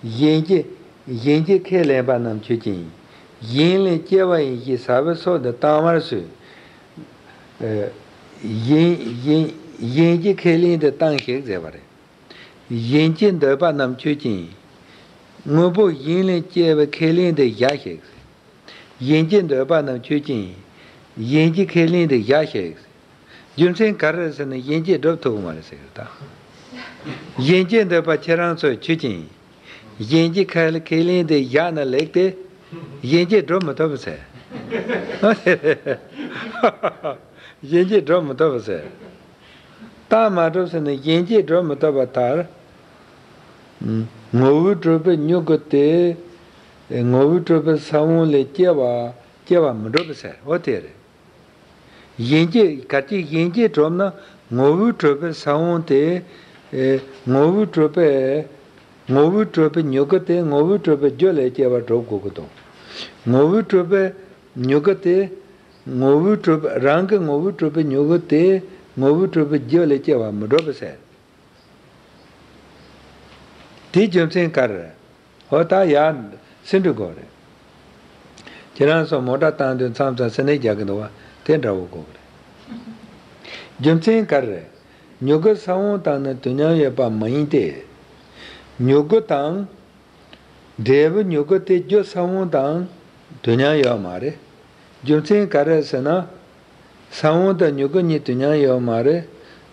གཞན་གྱི་གཞན་གྱི་ཁས་ལེན་པ་རྣམས་ཆོས་ཅན། གཞན་ལས་སྐྱེ་བ་ཡིན་ཞེས་ཟབ་པའི་སོ་འདི་བཏང་བར་སུ། གཞན་གཞན་གཞན་གྱི་ཁས་ལེན་དུ་བཏང་ཞིག་ཟེར་བ་རེད། གཞན་གྱི་འདོད་པ་རྣམས་ཆོས་ཅན། དངོས་པོ་གཞན་ལས་སྐྱེ་བའི་ཁས་ལེན་དུ་བཞག་ཞིག། གཞན་གྱི་འདོད་པ་རྣམས་ཆོས་ཅན། གཞན་གྱི་ཁས་ལེན་དུ་བཞག་ཞིག། རྒྱུ་མཚན་ག་རེ་ཟེར་ན་གཞན་གྱིས་སྒྲུབ་ཐུབ་ཀྱི་མ་རེད་ཟེར་གི་རེད་ད། གཞན་གྱི་འདོད་པ་ཁྱེད་རང་ཚོས་ཆོས་ཅན། གཞན་གྱི་ཁས་ཁས་ལེན་དུ་བཞག་ན་ལེགས་ཏེ། གཞན་གྱིས་སྒྲུབ་མི་ཐུབ་པ་ཟེར། གཞན་གྱིས་སྒྲུབ་མི་ཐུབ་པ་ཟེར། རྟགས་མ་གྲུབ་ཟེར་ན་གཞན་གྱིས་སྒྲུབ་མི་ཐུབ་པ་ལྟར། ངོ་བོས་གྲུབ་པའི་མྱུ་གུ་དེ། ངོ་བོས་གྲུབ་པའི་ས་བོན་ལས་སྐྱེ་བ་སྐྱེ་བ་མི་འགྲུབ་པ་ཟེར། འོ་དེ་རེད། གཞན་གྱིས་གལ་ཏེ་གཞན་གྱིས་གྲུབ་ན་ངོ་བོས་གྲུབ་པའི་ས་བོན་དེ། ངོ་བོས་གྲུབ་པའི། ངོ་བོས་གྲུབ་པའི་མྱུ་གུ་དེ་ངོ་བོས་གྲུབ་པའི་རྒྱུ་ལས་སྐྱེ་བ་སྒྲུབ་དགོས་ཀྱི་འདུག། ངོ་བོས་གྲུབ་པའི་མྱུ་གུ་དེ། ངོ་བོས་གྲུབ་པའི་རང་གི་ངོ་བོས་གྲུབ་པའི་མྱུ་གུ་དེ་ངོ་བོས་གྲུབ་པའི་རྒྱུ་ལས་སྐྱེ་བ་མི་འགྲུབ་པ་ཟེར། དེའི་རྒྱུ་མཚན་ག་རེ་རེད། འོ་ད་ཡར་སེ་འབྲུ་དགོས་རེད། ཁྱེད་རང་ཚོ་མོ་ཊ་བཏང་དུས་མཚམས་མཚམས་སེ་ནས་རྒྱག་གི་འདུག་བ། དེ་འདྲ་བོ་དགོས་རེད། རྒྱུ་མཚན་ག་རེ་རེད། མྱུ་གུ་ས་བོན་དང་ནི་དུས་མཉམ་ཡོད་པ་མ་ཡིན་ཏེ། མྱུ་གུ་དང་། འབྲས་བུ་མྱུ་གུ་དེ་རྒྱུ་ས་བོན་དང་དུས་མཉམ་ཡོད་མ་རེད། རྒྱུ་མཚན་ག་རེ་ཟེར་ན། ས་བོན་དང་མྱུ་གུ་གཉིས་དུས་མཉམ་ཡོད་མ་རེད།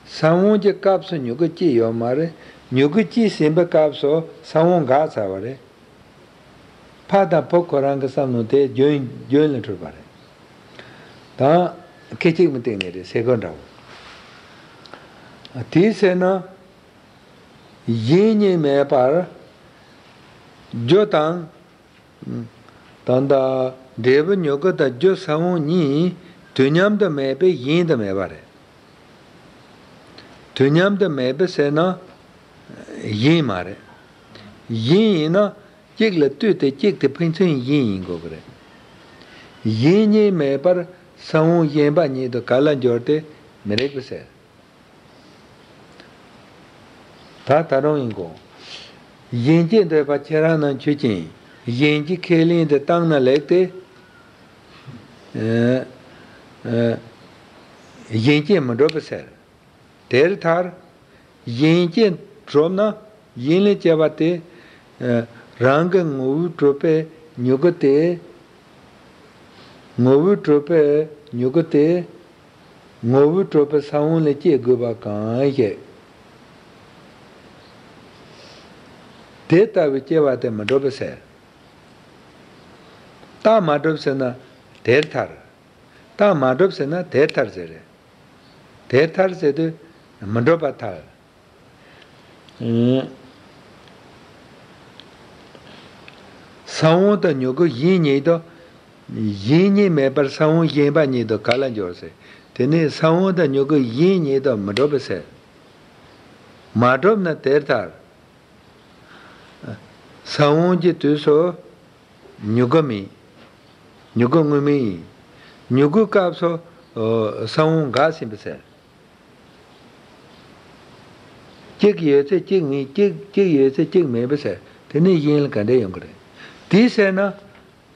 ས་བོན་གྱི་སྐབས་སུ་མྱུ་གུ་སྐྱེས་ཡོད་མ་རེད། མྱུ་གུ་སྐྱེས་ཟིན་པའི་སྐབས་སུ་ས་བོན་འགག་ཚར་བ་རེད། ཕ་དང་བུ་ཁོ་རང་གི་བསམ་བློ་དེ་རྒྱུན་རྒྱུན་ལ་འཁྲུལ་པ་རེད། དང་། སྐད་ཅིག་མའི་སྟེང་ནས་རེད་ཟེར་དགོས་འདྲ་བོ། དེའི་ཚེ་ན། གཞན་གཉིས་མེད་པར། རྒྱུ་དང་། ད་ལྟ་འབྲས་བུ་མྱུ་གུ་དང་རྒྱུ་ས་བོན་གཉིས་དུས་མཉམ་དུ་མེད་པས་གཞན་དུ་མེད་པ་རེད། དུས་མཉམ་དུ་མེད་པས་ཟེར་ན། གཞན་མ་རེད། གཞན་ཡིན་ན་གཅིག་ལ་ལྟོས་ཏེ་གཅིག་དེ་ཕན་ཚུན་གཞན་ཡིན་དགོས་ཀྱི་རེད། གཞན་གཉིས་མེད་པར་ས་བོན་གཞན་པ་ཉིད་དུ་ག་ལ་འགྱུར་ཏེ་མི་རིགས་པས་ཟེར། ད་ད་རུང་ཡིན་གོ། གཞན་གྱི་འདོད་པ་ཁྱེད་རང་རྣམས་ཆོས་ཅན། གཞན་གྱི་ཁས་ལེན་དུ་བཏང་ན་ལེགས་ཏེ། ཨ། ཨ། གཞན་གྱིས་མི་འགྲུབ་པ་ཟེར། དེར་ཐལ། གཞན་གྱིས་གྲུབ་ན་གཞན་ལས་སྐྱེ་བ་དེ། ཨ། རང་གི་ངོ་བོས་གྲུབ་པའི་མྱུ་གུ་དེ། ངོ་བོས་གྲུབ་པའི་མྱུ་གུ་དེ། ངོ་བོས་གྲུབ་པའི་ས་བོན་ལས་སྐྱེ་དགོས་པ་གང་ཞིག། དེ་ལྟ་བུའི་སྐྱེ་བ་དེ་མི་འགྲུབ་པ་ཟེར། རྟགས་མ་གྲུབ་ཟེར་ན་དེར་ཐལ། རྟགས་མ་གྲུབ་ཟེར་ན་དེར་ཐལ་ཟེར་རེད། དེར་ཐལ་ཟེར་དུས་མི་འགྲུབ་པར་ཐལ། ས་བོན་དང་མྱུ་གུ་གཞན་ཉིད་དུ། གཞན་གཉིས་མེད་པར་ས་བོན་གཞན་པ་ཉིད་དུ་ག་ལ་འགྱུར་ཟེར། དེ་ནི་ས་བོན་དང་མྱུ་གུ་གཞན་ཉིད་དུ་མི་འགྲུབ་པས་ཟེར། མ་གྲུབ་ན་དེར་ཐལ། ས་བོན་གྱི་དུས་སུ་མྱུ་གུ་མེད། མྱུ་གུ་དངོས་མེད་ཡིན། མྱུ་གུའི་སྐབས་སུ་ས་བོན་འགགས་ཟིན་པས་ཟེར། གཅིག་ཡོད་ཚེ་གཅིག་མེད། གཅིག་གཅིག་ཡོད་ཚེ་གཅིག་མེད་པས་ཟེར། དེ་ནི་གཞན་ལ་ག་འདྲ་ཡོང་གི་རེད། དེ་ཟེར་ན།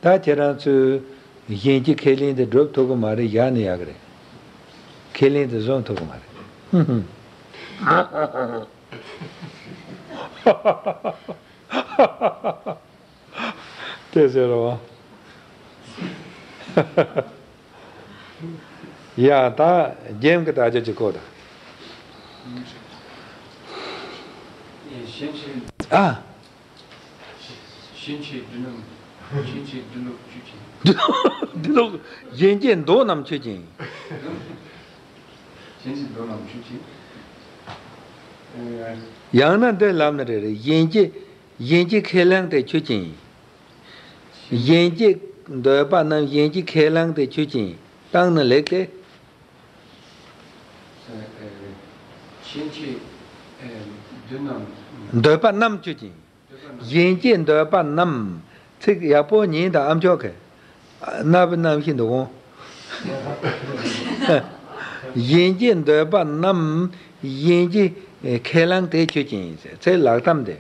ད་ཁྱེད་རང་ཚོས་གཞན་གྱི་ཁས་ལེན་དེ་སྒྲུབ་ཐུབ་ཀྱི་མ་རེད། བཞག་ན་ཡག་གི་རེད། ཁས་ལེན་དེ་བཟུང་ཐུབ་ཀྱི་མ་རེད། དེ་ཟེར་རོ། ཡ་ད་རྒྱན་གྱི་དག་ཆ་ཅིག་གོ་ད། ཨ། ཕྱིན་ཆད་འདི་རྣམས། ཕྱིན་ཆད་འདི་ལོག་ཆོས་ཅན། འདི་ལོག་གཞན་གྱི་འདོད་རྣམས་ཆོས་ཅན། ཕྱིན་ཆད་འདོད་རྣམས་ཆོས་ཅན། ཡང་ན་འདི་ལབ་ན་རེ་རེ། གཞན་གྱི་གཞན་གྱི་ཁས་བླངས་དེ་ཆོས་ཅན། གཞན་གྱི་འདོད་པ་རྣམས་གཞན་གྱི་ཁས་བླངས་དེ་ཆོས་ཅན། བཏང་ན་ལེགས་ཏེ། ཕྱིན་ཆད་འདི་རྣམས། འདོད་པ་རྣམས་ཆོས་ཅན། གཞན་གྱི་འདོད་པ་རྣམས། ཚིག་ཡག་པོ་ཉན་དང་ཨ་མཆོག་གི། རྣ་བའི་རྣམ་ཤེས་འདུག་གོ། གཞན་གྱི་འདོད་པ་རྣམས་གཞན་གྱི་ཁས་བླངས་དེ་ཆོས་ཅན་ཡིན་ཟེར། ཚིག་ལག་གཏམ་དེ།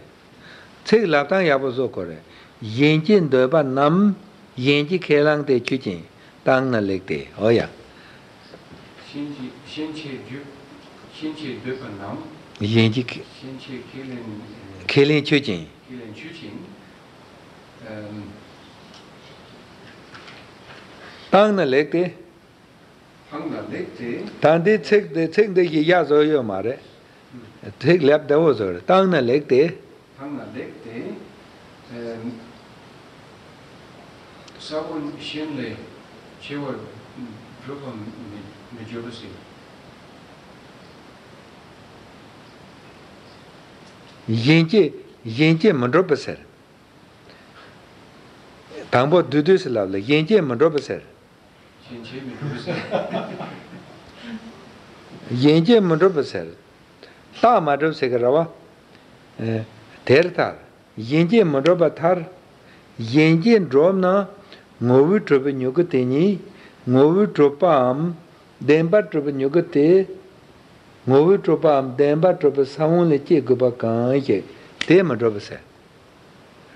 ཚིག་ལབ་སྟངས་ཡག་པོ་བཟོ་དགོས་རེད། གཞན་གྱི་འདོད་པ་རྣམས། གཞན་གྱི་ཁས་བླངས་ཏེ་ཆོས་ཅན། བཏང་ན་ལེགས་ཏེ། འོ་ཡ། གཞན་གྱི་གཞན་གྱི་རྒྱུ། གཞན་གྱི་འདོད་པ་རྣམས། གཞན་གྱི་ཁས། གཞན་གྱི་ཁས་ལེན། ཁས་ལེན་ཆོས་ཅན། ཁས་ལེན་ཆོས་ཅན། ཨམ། བཏང་ན་ལེགས་ཏེ། བཏང་ན་ལེགས་ཏེ། ད་འདི་ཚིག་འདི་ཚིག་འདི་ཞིག་ཡག་བཟོ་ཡོད་མ་རེད། ཚིག་ལབ་བདེ་བོ་བཟོ་རེད། བཏང་ན་ལེགས་ཏེ། བཏང་ན་ལེགས་ཏེ། ཨམ། ས་བོན་གཞན་ལས་ཆེ་བར་སྒྲུབ་པ་མི་མི་འགྱུར་ཟེར། གཞན་གྱིས་གཞན་གྱིས་མི་འགྲུབ་པ་ཟེར། དང་པོ་བསྡུས་བསྡུས་སུ་ལབ་ལ་གཞན་གྱིས་མི་འགྲུབ་པ་ཟེར། གཞན་གྱིས་མི་འགྲུབ་པ་ཟེར། གཞན་གྱིས་མི་འགྲུབ་པ་ཟེར། རྟགས་མ་གྲུབ་ཟེར་གི་རེད་བ། ཨེ། དེར་ཐལ། གཞན་གྱིས་མི་འགྲུབ་པར་ཐལ། གཞན་གྱིས་འགྲུབ་ན་ངོ་བོས་གྲུབ་པའི་མྱུ་གུ་དེ་ཉིད་ངོ་བོས་གྲུབ་པའམ་བདེན་པར་གྲུབ་པའི་མྱུ་གུ་དེ། ངོ་བོས་གྲུབ་པའམ་བདེན་པར་གྲུབ་པའི་ས་བོན་ལས་སྐྱེ་དགོས་པ་གང་ཞིག་དེ་མི་འགྲུབ་པ་ཟེར།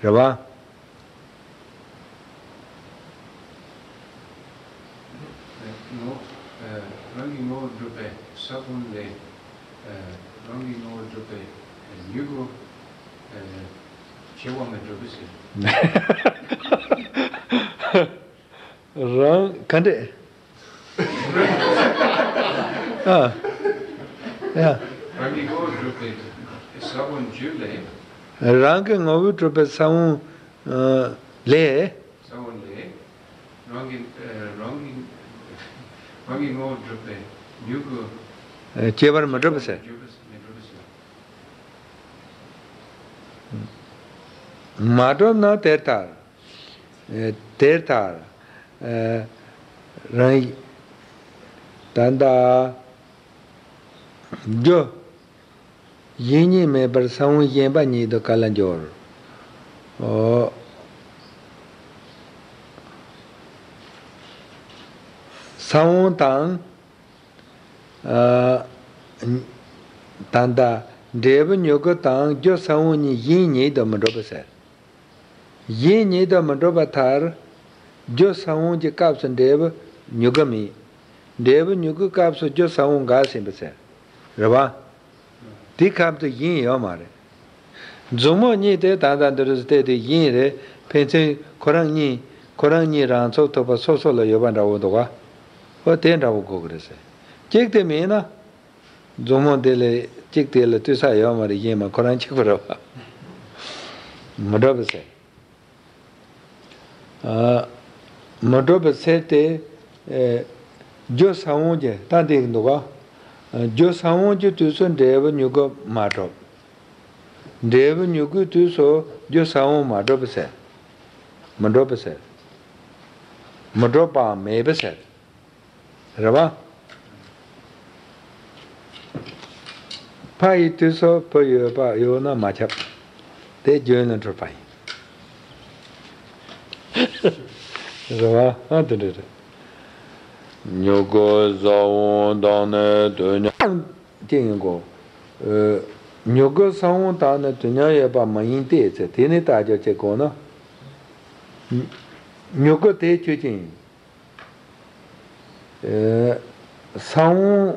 རེད་བ། ངོ་། རང་གི་ངོ་བོ་གྲུབ་པའི་ས་བོན་ལས། རང་གི་ངོ་བོ་གྲུབ་པའི་མྱུ་གུ། ཆེ་བ་མི་འགྲུབ་པ་ཟེར། རང་ག་འདྲས། ཨ། ཡ། རང་གི་ངོ་བོས་གྲུབ་པའི་ས་བོན་རྒྱུ་ལས། རང་གི་ངོ་བོས་གྲུབ་པའི་ས་བོན། ཨ། ལས། ས་བོན་ལས། རང་གི་ཨ། རང་གི་རང་གི་ངོ་བོས་གྲུབ་པའི་མྱུ་གུ། ཨ། སྐྱེ་བར་མི་འགྲུབ་པ་ཟེར། འགྱུར་བ་མི་འགྲུབ་པ་ཟེར། མ་གྲུབ་ན་དེར་ཐལ། ཨེ། དེར་ཐལ། ཨེ། རང་། ད་ལྟ་རྒྱུ་གཞན་ཉིད་མེད་པར་ས་བོན་གཞན་པ་ཉིད་དུ་ག་ལ་འགྱུར། ཨོ། ས་བོན་དང་། ཨ། ད་ལྟ་འབྲས་བུ་མྱུ་གུ་དང་རྒྱུ་ས་བོན་གཉིས་གཞན་ཉིད་དུ་མི་འགྲུབ་པ་ཟེར། གཞན་ཉིད་དུ་མི་འགྲུབ་པར་ཐལ། རྒྱུ་ས་བོན་གྱི་སྐབས་སུ་འབྲས་བུ་མྱུ་གུ་མེད། འབྲས་བུ་མྱུ་གུའི་སྐབས་སུ་རྒྱུ་ས་བོན་འགགས་ཟིན་པ་ཟེར། རེད་བ། དེའི་སྐབས་སུ་གཞན་ཡོད་མ་རེད། མཛུབ་མོ་གཉིས་དེ་ད་ལྟ་འདི་རུ་བལྟས་ཏེ་གཞན་རེད། ཕན་ཚུན་ཁོ་རང་གཉིས་ཁོ་རང་གཉིས་རང་ཚོགས་ཐུབ་པ་སོ་སོ་ལ་ཡོད་པ་འདྲ་བོ་འདུག་ག། ཨོ། དེ་འདྲ་བོ་དགོས་ཀྱི་རེད་ཟེར། གཅིག་དེ་མིན་ན། མཛུབ་མོ་དེ་ལས་གཅིག་དེ་ལ་ལྟོས་ས་ཡོད་མ་རེད། གཞན་མ་ཁོ་རང་གཅིག་པུ་རེད་བ། མི་འགྲུབ་པ་ཟེར། ཨ། མི་འགྲུབ་པ་ཟེར་ཏེ། ཨེ། རྒྱུ་ས་བོན་གྱི་ད་འདི་འདུག་ག། ཨ། རྒྱུ་ས་བོན་གྱི་དུས་སུ་འབྲས་བུ་མྱུ་གུ་མ་གྲུབ། འབྲས་བུ་མྱུ་གུའི་དུས་སུ་རྒྱུ་ས་བོན་མ་གྲུབ་པ་ཟེར། མི་འགྲུབ་པ་ཟེར། མི་འགྲུབ་པའམ་མེད་པ་ཟེར། རེད་བ། ཕ་ཡི་དུས་སུ་བུ་ཡོད་པ་ཡོད་ན་མ་ཁྱབ། དེ་རྒྱུན་ལ་འཁྲུལ་པ་ཡིན། རེད་བ། ཨ། དེ་འདྲ་རེད། མྱུ་གུ་ས་བོན་དང་ནི་དུས་མཉམ། ཅི་ཡིན་གོ། ཨ། མྱུ་གུ་ས་བོན་དང་ནི་དུས་མཉམ་ཡོད་པ་མ་ཡིན་ཏེ་ཟེར། དེ་ནི་རྟགས་སྦྱོར་བྱེད་དགོས་ན། མྱུ་གུ་དེ་ཆོས་ཅན་ཡིན། ཨེ། ས་བོན་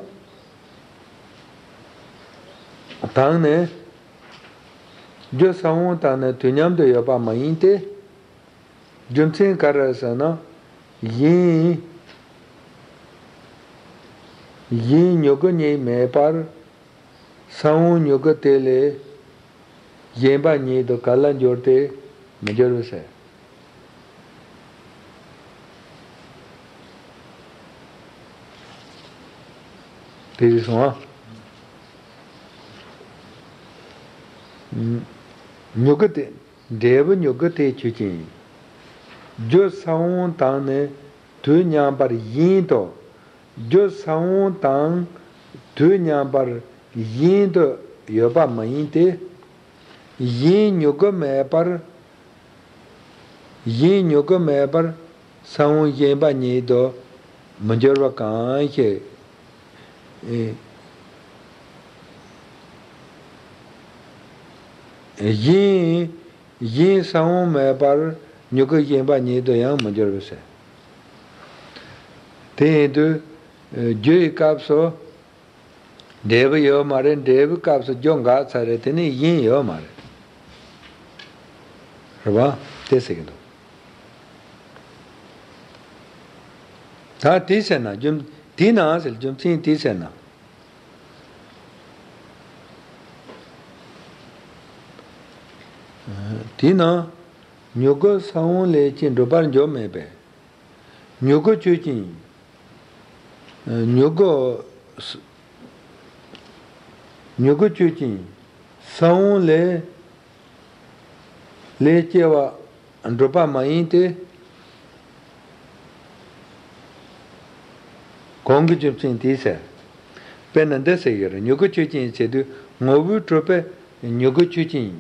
དང་ནི། རྒྱུ་ས་བོན་དང་ནི་དུས་མཉམ་དུ་ཡོད་པ་མ་ཡིན་ཏེ། རྒྱུ་མཚན་ག་རེ་ཟེར་ན། གཞན། གཞན་མྱུ་གུ་གཉིས་མེད་པར། ས་བོན་མྱུ་གུ་དེ་ལས་གཞན་པ་ཉིད་དུ་ག་ལ་འགྱུར་ཏེ་མི་འགྱུར་བ་ཟེར། དེ་རེད་སོང་ཨ། མྱུ་གུ་དེ། འབྲས་བུ་མྱུ་གུ་དེ་ཆོས་ཅན། རྒྱུ་ས་བོན་དང་ནི་དུས་མཉམ་པར་བཞིན་དུ། རྒྱུ་ས་བོན་དང་དུས་མཉམ་པར་བཞིན་དུ་ཡོད་པ་མ་ཡིན་ཏེ། གཞན་མྱུ་གུ་མེད་པར། གཞན་མྱུ་གུ་མེད་པར་ས་བོན་གཞན་པ་ཉིད་དུ་མི་འགྱུར་བ་གང་ཞིག་ཨེ། གཞན་གཞན་ས་བོན་མེད་པར་མྱུ་གུ་གཞན་པ་ཉིད་དུ་ཡང་མི་འགྱུར་བར་ཟེར། དེ་ཡིན་དུས། རྒྱུ་ཡི་སྐབས་སུ་འབྲས་བུ་ཡོད་མ་རེད། འབྲས་བུའི་སྐབས་སུ་རྒྱུ་འགག་ཚར་རེད། དེ་ནས་གཞན་ཡོད་མ་རེད། རེད་བ། དེ་ཟེར་གྱི་འདུག་ད་དེ་ཟེར་ན་རྒྱུ། དེས་ན་ཟེར། རྒྱུ་མཚན་དེས་ཟེར་ན། དེས་ན་མྱུ་གུ་ས་བོན་ལས་སྐྱེས་འགྲུབ་པར་འགྱུར་མེད་པས། མྱུ་གུ་ཆོས་ཅན། མྱུ་གུ། མྱུ་གུ་ཆོས་ཅན། ས་བོན་ལས། ལས་སྐྱེ་བ་འགྲུབ་པ་མ་ཡིན་ཏེ། གང་གི་རྒྱུ་མཚན་དེས་ཟེར། དཔེར་ན་འདི་ཟེར་གྱི་རེད། མྱུ་གུ་ཆོས་ཅན་ཟེར་དུས་ངོ་བོས་གྲུབ་པའི་མྱུ་གུ་ཆོས་ཅན།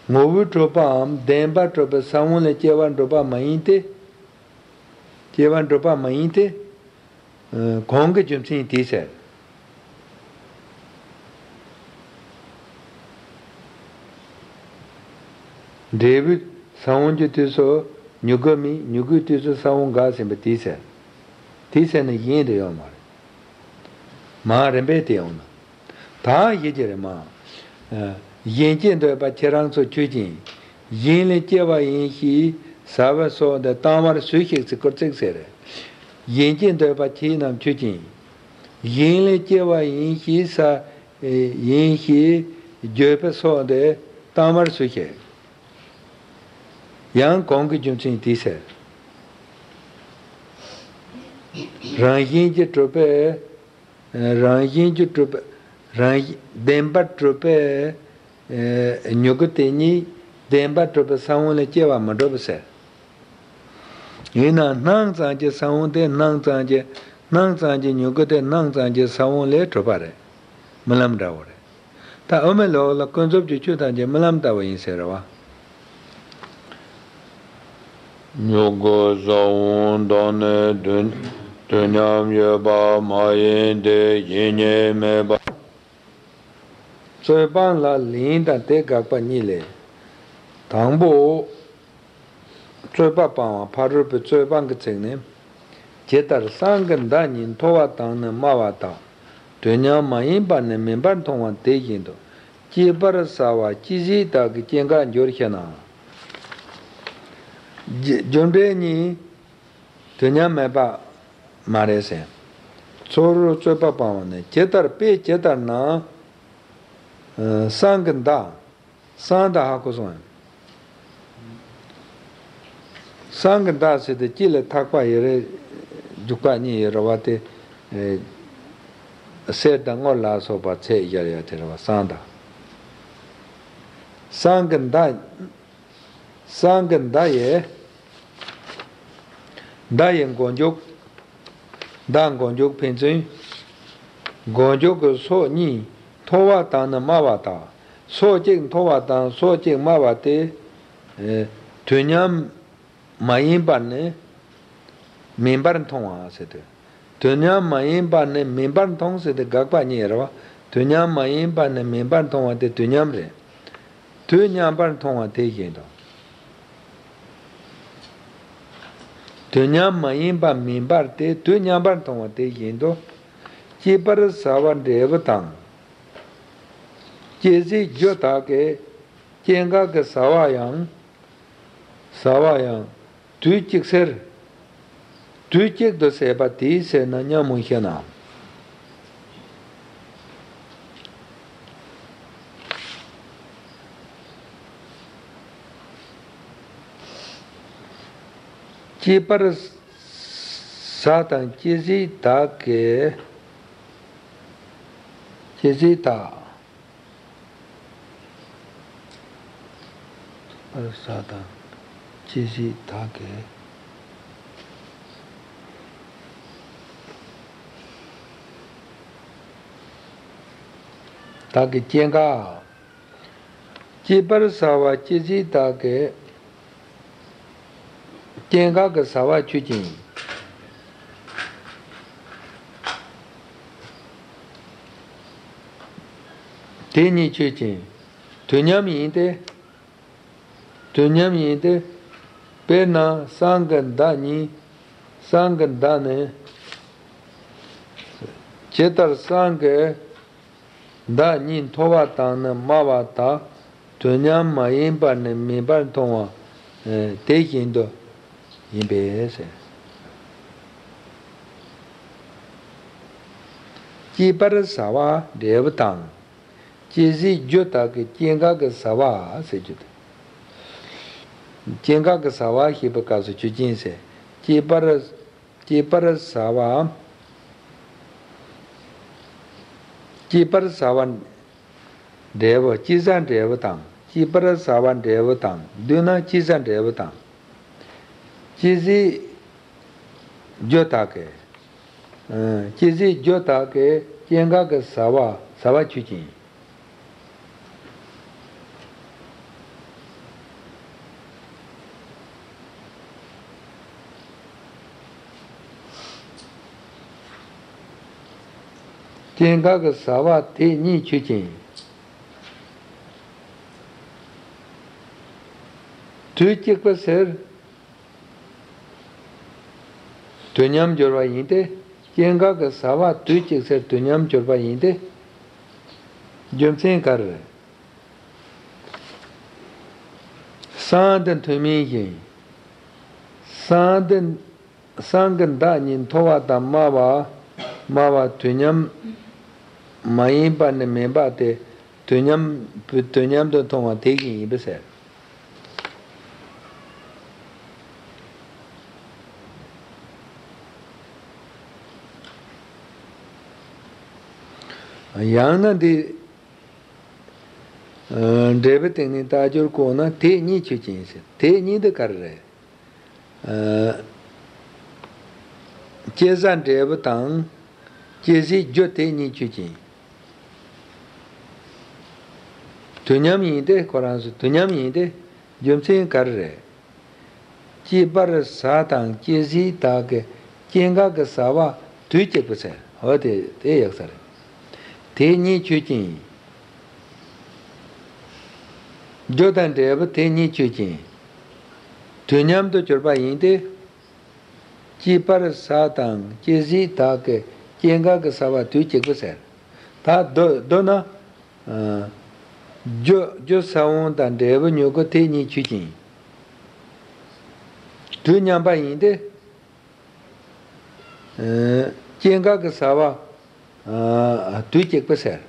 ངོ་བོས་གྲུབ་པའམ་བདེན་པར་གྲུབ་པའི་ས་བོན་ལས་སྐྱེ་བ་འགྲུབ་པ་མ་ཡིན་ཏེ། སྐྱེ་བ་འགྲུབ་པ་མ་ཡིན་ཏེ། གང་གི་རྒྱུ་མཚན་དེས་ཟེར། འབྲས་བུའི་ས་བོན་གྱི་དུས་སུ་མྱུ་གུ་མེད། མྱུ་གུའི་དུས་སུ་ས་བོན་འགག་ཟིན་པ་དེས་ཟེར། དེས་ཟེར་ན་གཞན་དུ་ཡོད་མ་རེད། མ་རིམ་པས་དེ་ཡོང་ན། ད་ཡིད་ཀྱི་རེད་མ། གཞན་སྐྱེ་འདོད་པ་ཁྱེད་རང་ཚོ་ཆོས་ཅན། གཞན་ལས་སྐྱེ་བ་ཡིན་ཞེས་ཟ་བའི་སོགས་འདི་གཏམ་བར་སུས་ཤེས་ཟེར། སྐུར་ཚིག་ཟེར། གཞན་སྐྱེ་འདོད་པ་ཁྱེད་རྣམས་ཆོས་ཅན། གཞན་ལས་སྐྱེ་བ་ཡིན་ཞེས་ཟ། ཡིན་ཞེས་བརྗོད་པའི་སོགས་འདི་གཏམ་བར་སུས་ཤེས། ཡང་གང་གི་རྒྱུ་མཚན་དེས་ཟེར། རང་བཞིན་གྱིས་གྲུབ་པའི། རང་བཞིན་གྱིས་གྲུབ་པའི། རང་བཞིན་བདེན་པར་གྲུབ་པའི། མྱུ་གུ་དེ་ཉིད་བདེན་པར་གྲུབ་པའི་ས་བོན་ལས་སྐྱེ་བ་མི་འགྲུབ་ཟེར། ཡིན་ནའང་སྣང་ཙམ་གྱི་ས་བོན་དེ། སྣང་ཙམ་གྱི། སྣང་ཙམ་གྱི་མྱུ་གུ་དེ་སྣང་ཙམ་གྱི་ས་བོན་ལས་གྲུབ་པ་རེད། རྨི་ལམ་འདྲ་བོ་རེད། ད་དབུ་མའི་ལུགས་ལ་ཀུན་རྫོབ་ཀྱི་ཆོས་ཐམས་ཅད་རྨི་ལམ་ལྟ་བུ་ཡིན་ཟེར་བ། མྱུ་གུ་ས་བོན་དང་ནི་དུས། དུས་མཉམ་ཡོད་པ་མ་ཡིན་ཏེ། གཞན་ཉིད་མེད་པ། རྩོད་སྤང་ལ་ལན་དང་དེ་དགག་པ་གཉིས་ལས། དང་པོ། རྩོད་པ་སྤང་བ། ཕ་རོལ་པོའི་རྩོད་སྤང་གི་ཚིག་ནི། ཇི་ལྟར་སྲང་གི་མདའ་ཉིད་མཐོ་བ་དང་ནི་དམའ་བ་དག། དུས་མཉམ་མ་ཡིན་པར་ནི་མིན་པར་མཐོང་བ་དེ་བཞིན་དུ། སྐྱེས་པར་བྱ་བ་སྐྱེ་གཞི་དག་གི་སྐྱེ་འགག་འགྱུར་ཞེ་ན། རྒྱུ་རྒྱུ་འབྲས་གཉིས་དུས་མཉམ་མེད་པ་མ་རེད་ཟེར། ཚུར་རྩོད་པ་སྤང་བ་ནི། ཇི་ལྟར། དཔེ་ཇི་ལྟར་ན། སྲང་གི་མདའ། སྲང་དང་ཧ་གོ་སོང་ངས། སྲང་གི་མདའ་ཟེར་དུས་དཀྱིལ་ལ་ཐག་པ་ཡོད་རེད། རྒྱུག་པ་གཉིས་ཡོད་རེད་བ། དེ། གསེར་དང་དངུལ་ལ་སོགས་པ་ཚད་བཞག་ཡ་དེ་རེད་བ། སྲང་དང་། སྲང་གི་མདའ། སྲང་གི་མདའ་ཡི། མདའ་ཡི་མགོ་མཇུག་མདའ་མགོ་མཇུག་ཕན་ཚུན། མགོ་མཇུག་གི་སོ་གཉིས་མཐོ་བ་དང་ནི་དམའ་བ་དག། སོ་གཅིག་མཐོ་བ་དང་སོ་གཅིག་དམའ་བ་དེ། དུས་མཉམ་མ་ཡིན་པར་ནི་མིན་པར་མཐོང་བ་ཟེར་དུས། དུས་མཉམ་མ་ཡིན་པར་ནི་མིན་པར་མཐོང་ཟེར་དུས་དགག་པ་གཉིས་རེད་བ། དུས་མཉམ་མ་ཡིན་པར་ནི་མིན་པར་མཐོང་བ་དེ་དུས་མཉམ་རེད། དུས་མཉམ་པར་མཐོང་བ་དེ་བཞིན་དུ། དུས་མཉམ་མ་ཡིན་པ་མིན་པར་ཏེ། དུས་མཉམ་པར་མཐོང་བ་དེ་བཞིན་དུ། སྐྱེས་པར་བྱ་བ་འབྲས་བུ་དང་། སྐྱེ་གཞིའི་རྒྱུ་དག་གི་སྐྱེ་འགག་གི་བྱ་བ་ཡང་། བྱ་བ་ཡང་དུས་གཅིག་ཟེར། དུས་གཅིག་ཏུ་ཟད་པ་དེས་ཟེར་ན་སྙམ་མོ་ཤེ་ན། སྐྱེས་པར་བྱ་དང་སྐྱེ་གཞི་དག་གི། སྐྱེ་གཞི་དག་པར་བྱ་དང་སྐྱེ་གཞི་དག་གི། དག་གི་སྐྱེ་འགག་སྐྱེས་པར་བྱ་བ་སྐྱེ་གཞི་དག་གི། སྐྱེ་འགག་གི་བྱ་བ་ཆོས་ཅན། དེ་ཉིད་ཆོས་ཅན། དུས་མཉམ་ཡིན་ཏེ། དུས་མཉམ་ཡིན་ཏེ། དཔེར་ན་སྲང་གི་མདའ་གཉིས། སྲང་གི་མདའ་ནི། ཇི་ལྟར་སྲང་གི་མདའ་གཉིས་མཐོ་བ་དང་ནི་དམའ་བ་དག་དུས་མཉམ་མ་ཡིན་པར་ནི་མེད་པར་མཐོང་བ་དེ་བཞིན་དུ་ཡིན་པས་ཟེར། སྐྱེས་པར་ཟ་བ་འབྲས་བུ་དང་། སྐྱེ་ཟས་རྒྱུ་དག་གི་སྐྱེ་འགག་གི་ཟ་བ་ཟེར་རྒྱུ་དེ། སྐྱེ་འགག་གི་ཟ་བ་ཞེས་པའི་སྐབས་སུ་ཆོས་ཅན་ཟེར། སྐྱེས་པར། སྐྱེས་པར་ཟ་བ། སྐྱེས་པར་ཟ་བ་འབྲས་བུ་སྐྱེས་ཟ་འབྲས་བུ་དང་། སྐྱེས་པར་ཟ་བ་འབྲས་བུ་དང་བསྡུ་ན་སྐྱེས་ཟ་འབྲས་བུ་དང་། སྐྱེ་ཟས་རྒྱུ་དག་གི། ཨ། སྐྱེ་ཟས་རྒྱུ་དག་གི་སྐྱེ་འགག་གི་ཟ་བ། ཟ་བ་ཆོས་ཅན། སྐྱེ་འགག་གི་ཟ་བ་དེ་གཉིས་ཆོས་ཅན། དུས་གཅིག་པ་ཟེར། དུས་མཉམ་སྦྱོར་བ་ཡིན་ཏེ། སྐྱེ་འགག་གི་ཟ་བ་དུས་གཅིག་ཟེར་དུས་མཉམ་སྦྱོར་བ་ཡིན་ཏེ། རྒྱུ་མཚན་ག་རེ་རེད། སྲང་འདི་མཐོ་དམན་བཞིན། སྲང་འདི། སྲང་གི་མདའ་གཉིས་མཐོ་བ་དང་དམའ་བ། དམའ་བ་དུས་མཉམ་མ་ཡིན་པ་ནི་མིན་པ་སྟེ། དུས་མཉམ། དུས་མཉམ་དུ་མཐོང་བ་དེ་བཞིན་ཡིན་པས་ཟེར། ཡང་ན་འདི། ཨ། འབྲས་བུའི་སྟེང་ནས་རྟགས་སྦྱོར་བཀོད་ན་དེ་གཉིས་ཆོས་ཅན་ཟེར། དེ་གཉིས་འདི་ག་རེ་རེད། ཨ། སྐྱེ་ཟ་འབྲས་བུ་དང་སྐྱེ་ཟས་རྒྱུ་དེ་གཉིས་ཆོས་ཅན། དུས་མཉམ་ཡིན་ཏེ། ཁོ་རང་ཚོ་དུས་མཉམ་ཡིན་ཏེ། རྒྱུ་མཚན་ག་རེ་རེད། སྐྱེས་པར་ཟ་དང་སྐྱེ་ཟས་དག་གི་སྐྱེ་འགག་གི་ཟ་བ་དུས་གཅིག་པ་ཟེར། འོ་དེ་དེ་ཡག་ས་རེད། དེ་གཉིས་ཆོས་ཅན། རྒྱུ་དང་འབྲས་བུ་དེ་གཉིས་ཆོས་ཅན། དུས་མཉམ་དུ་གྱུར་པ་ཡིན་ཏེ། སྐྱེས་པར་ཟ་དང་སྐྱེ་ཟས་དག་གི་སྐྱེ་འགག་གི་ཟ་བ་དུས་གཅིག་པ་ཟེར། ད་མདོར་མདོར་ན། ཨ། རྒྱུ་རྒྱུ་ས་བོན་དང་འབྲས་བུ་མྱུ་གུ་དེ་གཉིས་ཆོས་ཅན། དུས་མཉམ་པ་ཡིན་ཏེ། ཨ། སྐྱེ་འགག་གི་ཟ་བ། ཨ། དུས་གཅིག་པ་ཟེར།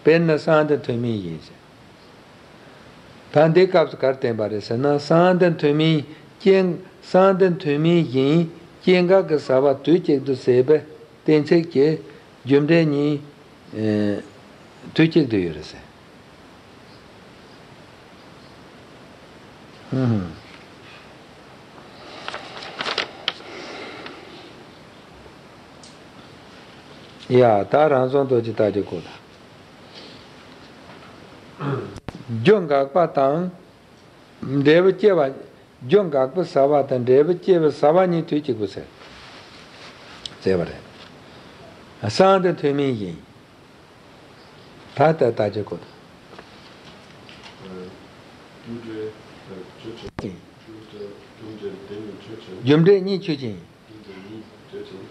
དཔེར་ན་སྲང་འདི་མཐོ་དམན་བཞིན་ཟེར། ད་འདི་སྐབས་སུ་ག་རེ་བསྟན་པ་རེད་ཟེར་ན། སྲང་འདི་མཐོ་དམན་སྐྱེ། སྲང་འདི་མཐོ་དམན་བཞིན་སྐྱེ་འགག་གི་ཟ་བ་དུས་གཅིག་ཏུ་ཟད་པའི་གཏན་ཚིགས་ཀྱི་རྒྱུ་འབྲས་གཉིས། ཨེ། དུས་གཅིག་ཏུ་ཡོད་རེད་ཟེར། ཧུམ། ཡ། ད་རང་བྱུང་རྡོ་རྗེ་རྟགས་སྦྱོར་བཀོད་དང་། རྒྱུ་འགག་པ་དང་འབྲས་བུ་སྐྱེ་བ། རྒྱུ་འགག་པའི་ཟ་བ་དང་འབྲས་བུ་སྐྱེ་བའི་ཟ་བ་གཉིས་དུས་གཅིག་པ་ཟེར། ཟེར་བ་རེད། སྲང་འདི་མཐོ་དམན་བཞིན། ད་ལྟ་རྟགས་སྦྱོར་བཀོད་དང་། རྒྱུ་འབྲས་ཆོས་ཅན། རྒྱུ་འབྲས་རྒྱུ་འབྲས་དེ་གཉིས་ཆོས་ཅན། རྒྱུ་འབྲས་གཉིས་ཆོས་ཅན། རྒྱུ་འབྲས་གཉིས་ཆོས་ཅན།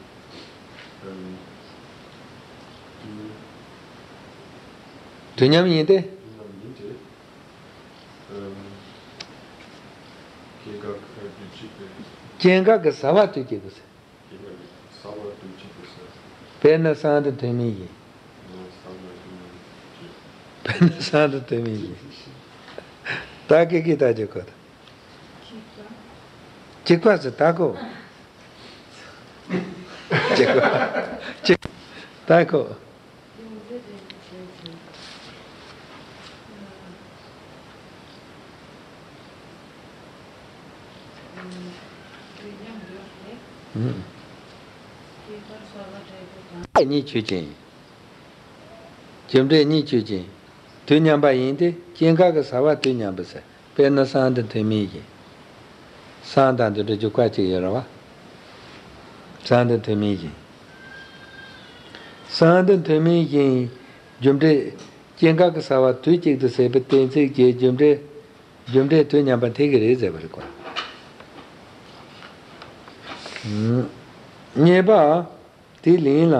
ཨམ། རྒྱུ། དུས་མཉམ་ཡིན་ཏེ། དུས་མཉམ་ཡིན་ཏེ། ཨམ། སྐྱེ་འགག་དུས་གཅིག་པས། སྐྱེ་འགག་གི་ཟ་བ་དུས་གཅིག་པ་ཟེར། དཔེར་ན་སྲང་འདི་མཐོ་དམན་བཞིན། དཔེར་ན་སྲང་འདི་མཐོ་དམན་བཞིན། ད་སྐད་ཀྱི་རྟགས་སྦྱོར་བཀོད་དང་། གཅིག་པ་ཟེར་ད་གོ། གཅིག་པ། གཅིག་ད་གོ། གཉིས་ཆོས་ཅན། རྒྱུ་འབྲས་གཉིས་ཆོས་ཅན། དུས་མཉམ་པ་ཡིན་ཏེ་སྐྱེ་འགག་གི་ཟ་བ་དུས་མཉམ་པ་ཟེར། དཔེར་ན་སྲང་འདི་མཐོ་དམན་བཞིན། སྲང་དང་འདི་འདྲ་འཇུག་པ་གཅིག་ཡོད་རེད་བ། སྲང་འདི་མཐོ་དམན་བཞིན། སྲང་འདི་མཐོ་དམན་བཞིན། རྒྱུ་འབྲས་ སྐྱེ་འགག་གི་ས་བ་དུས་གཅིག་ཏུ་ཟད་པའི་གཏན་ཚིགས་ཀྱི་རྒྱུ་འབྲས། རྒྱུ་འབྲས་དུས་མཉམ་པ་དེ་གི་རེད་ཟེར་བ་རེད་གོ། གཉིས་པ། དེ་ལན་ལ།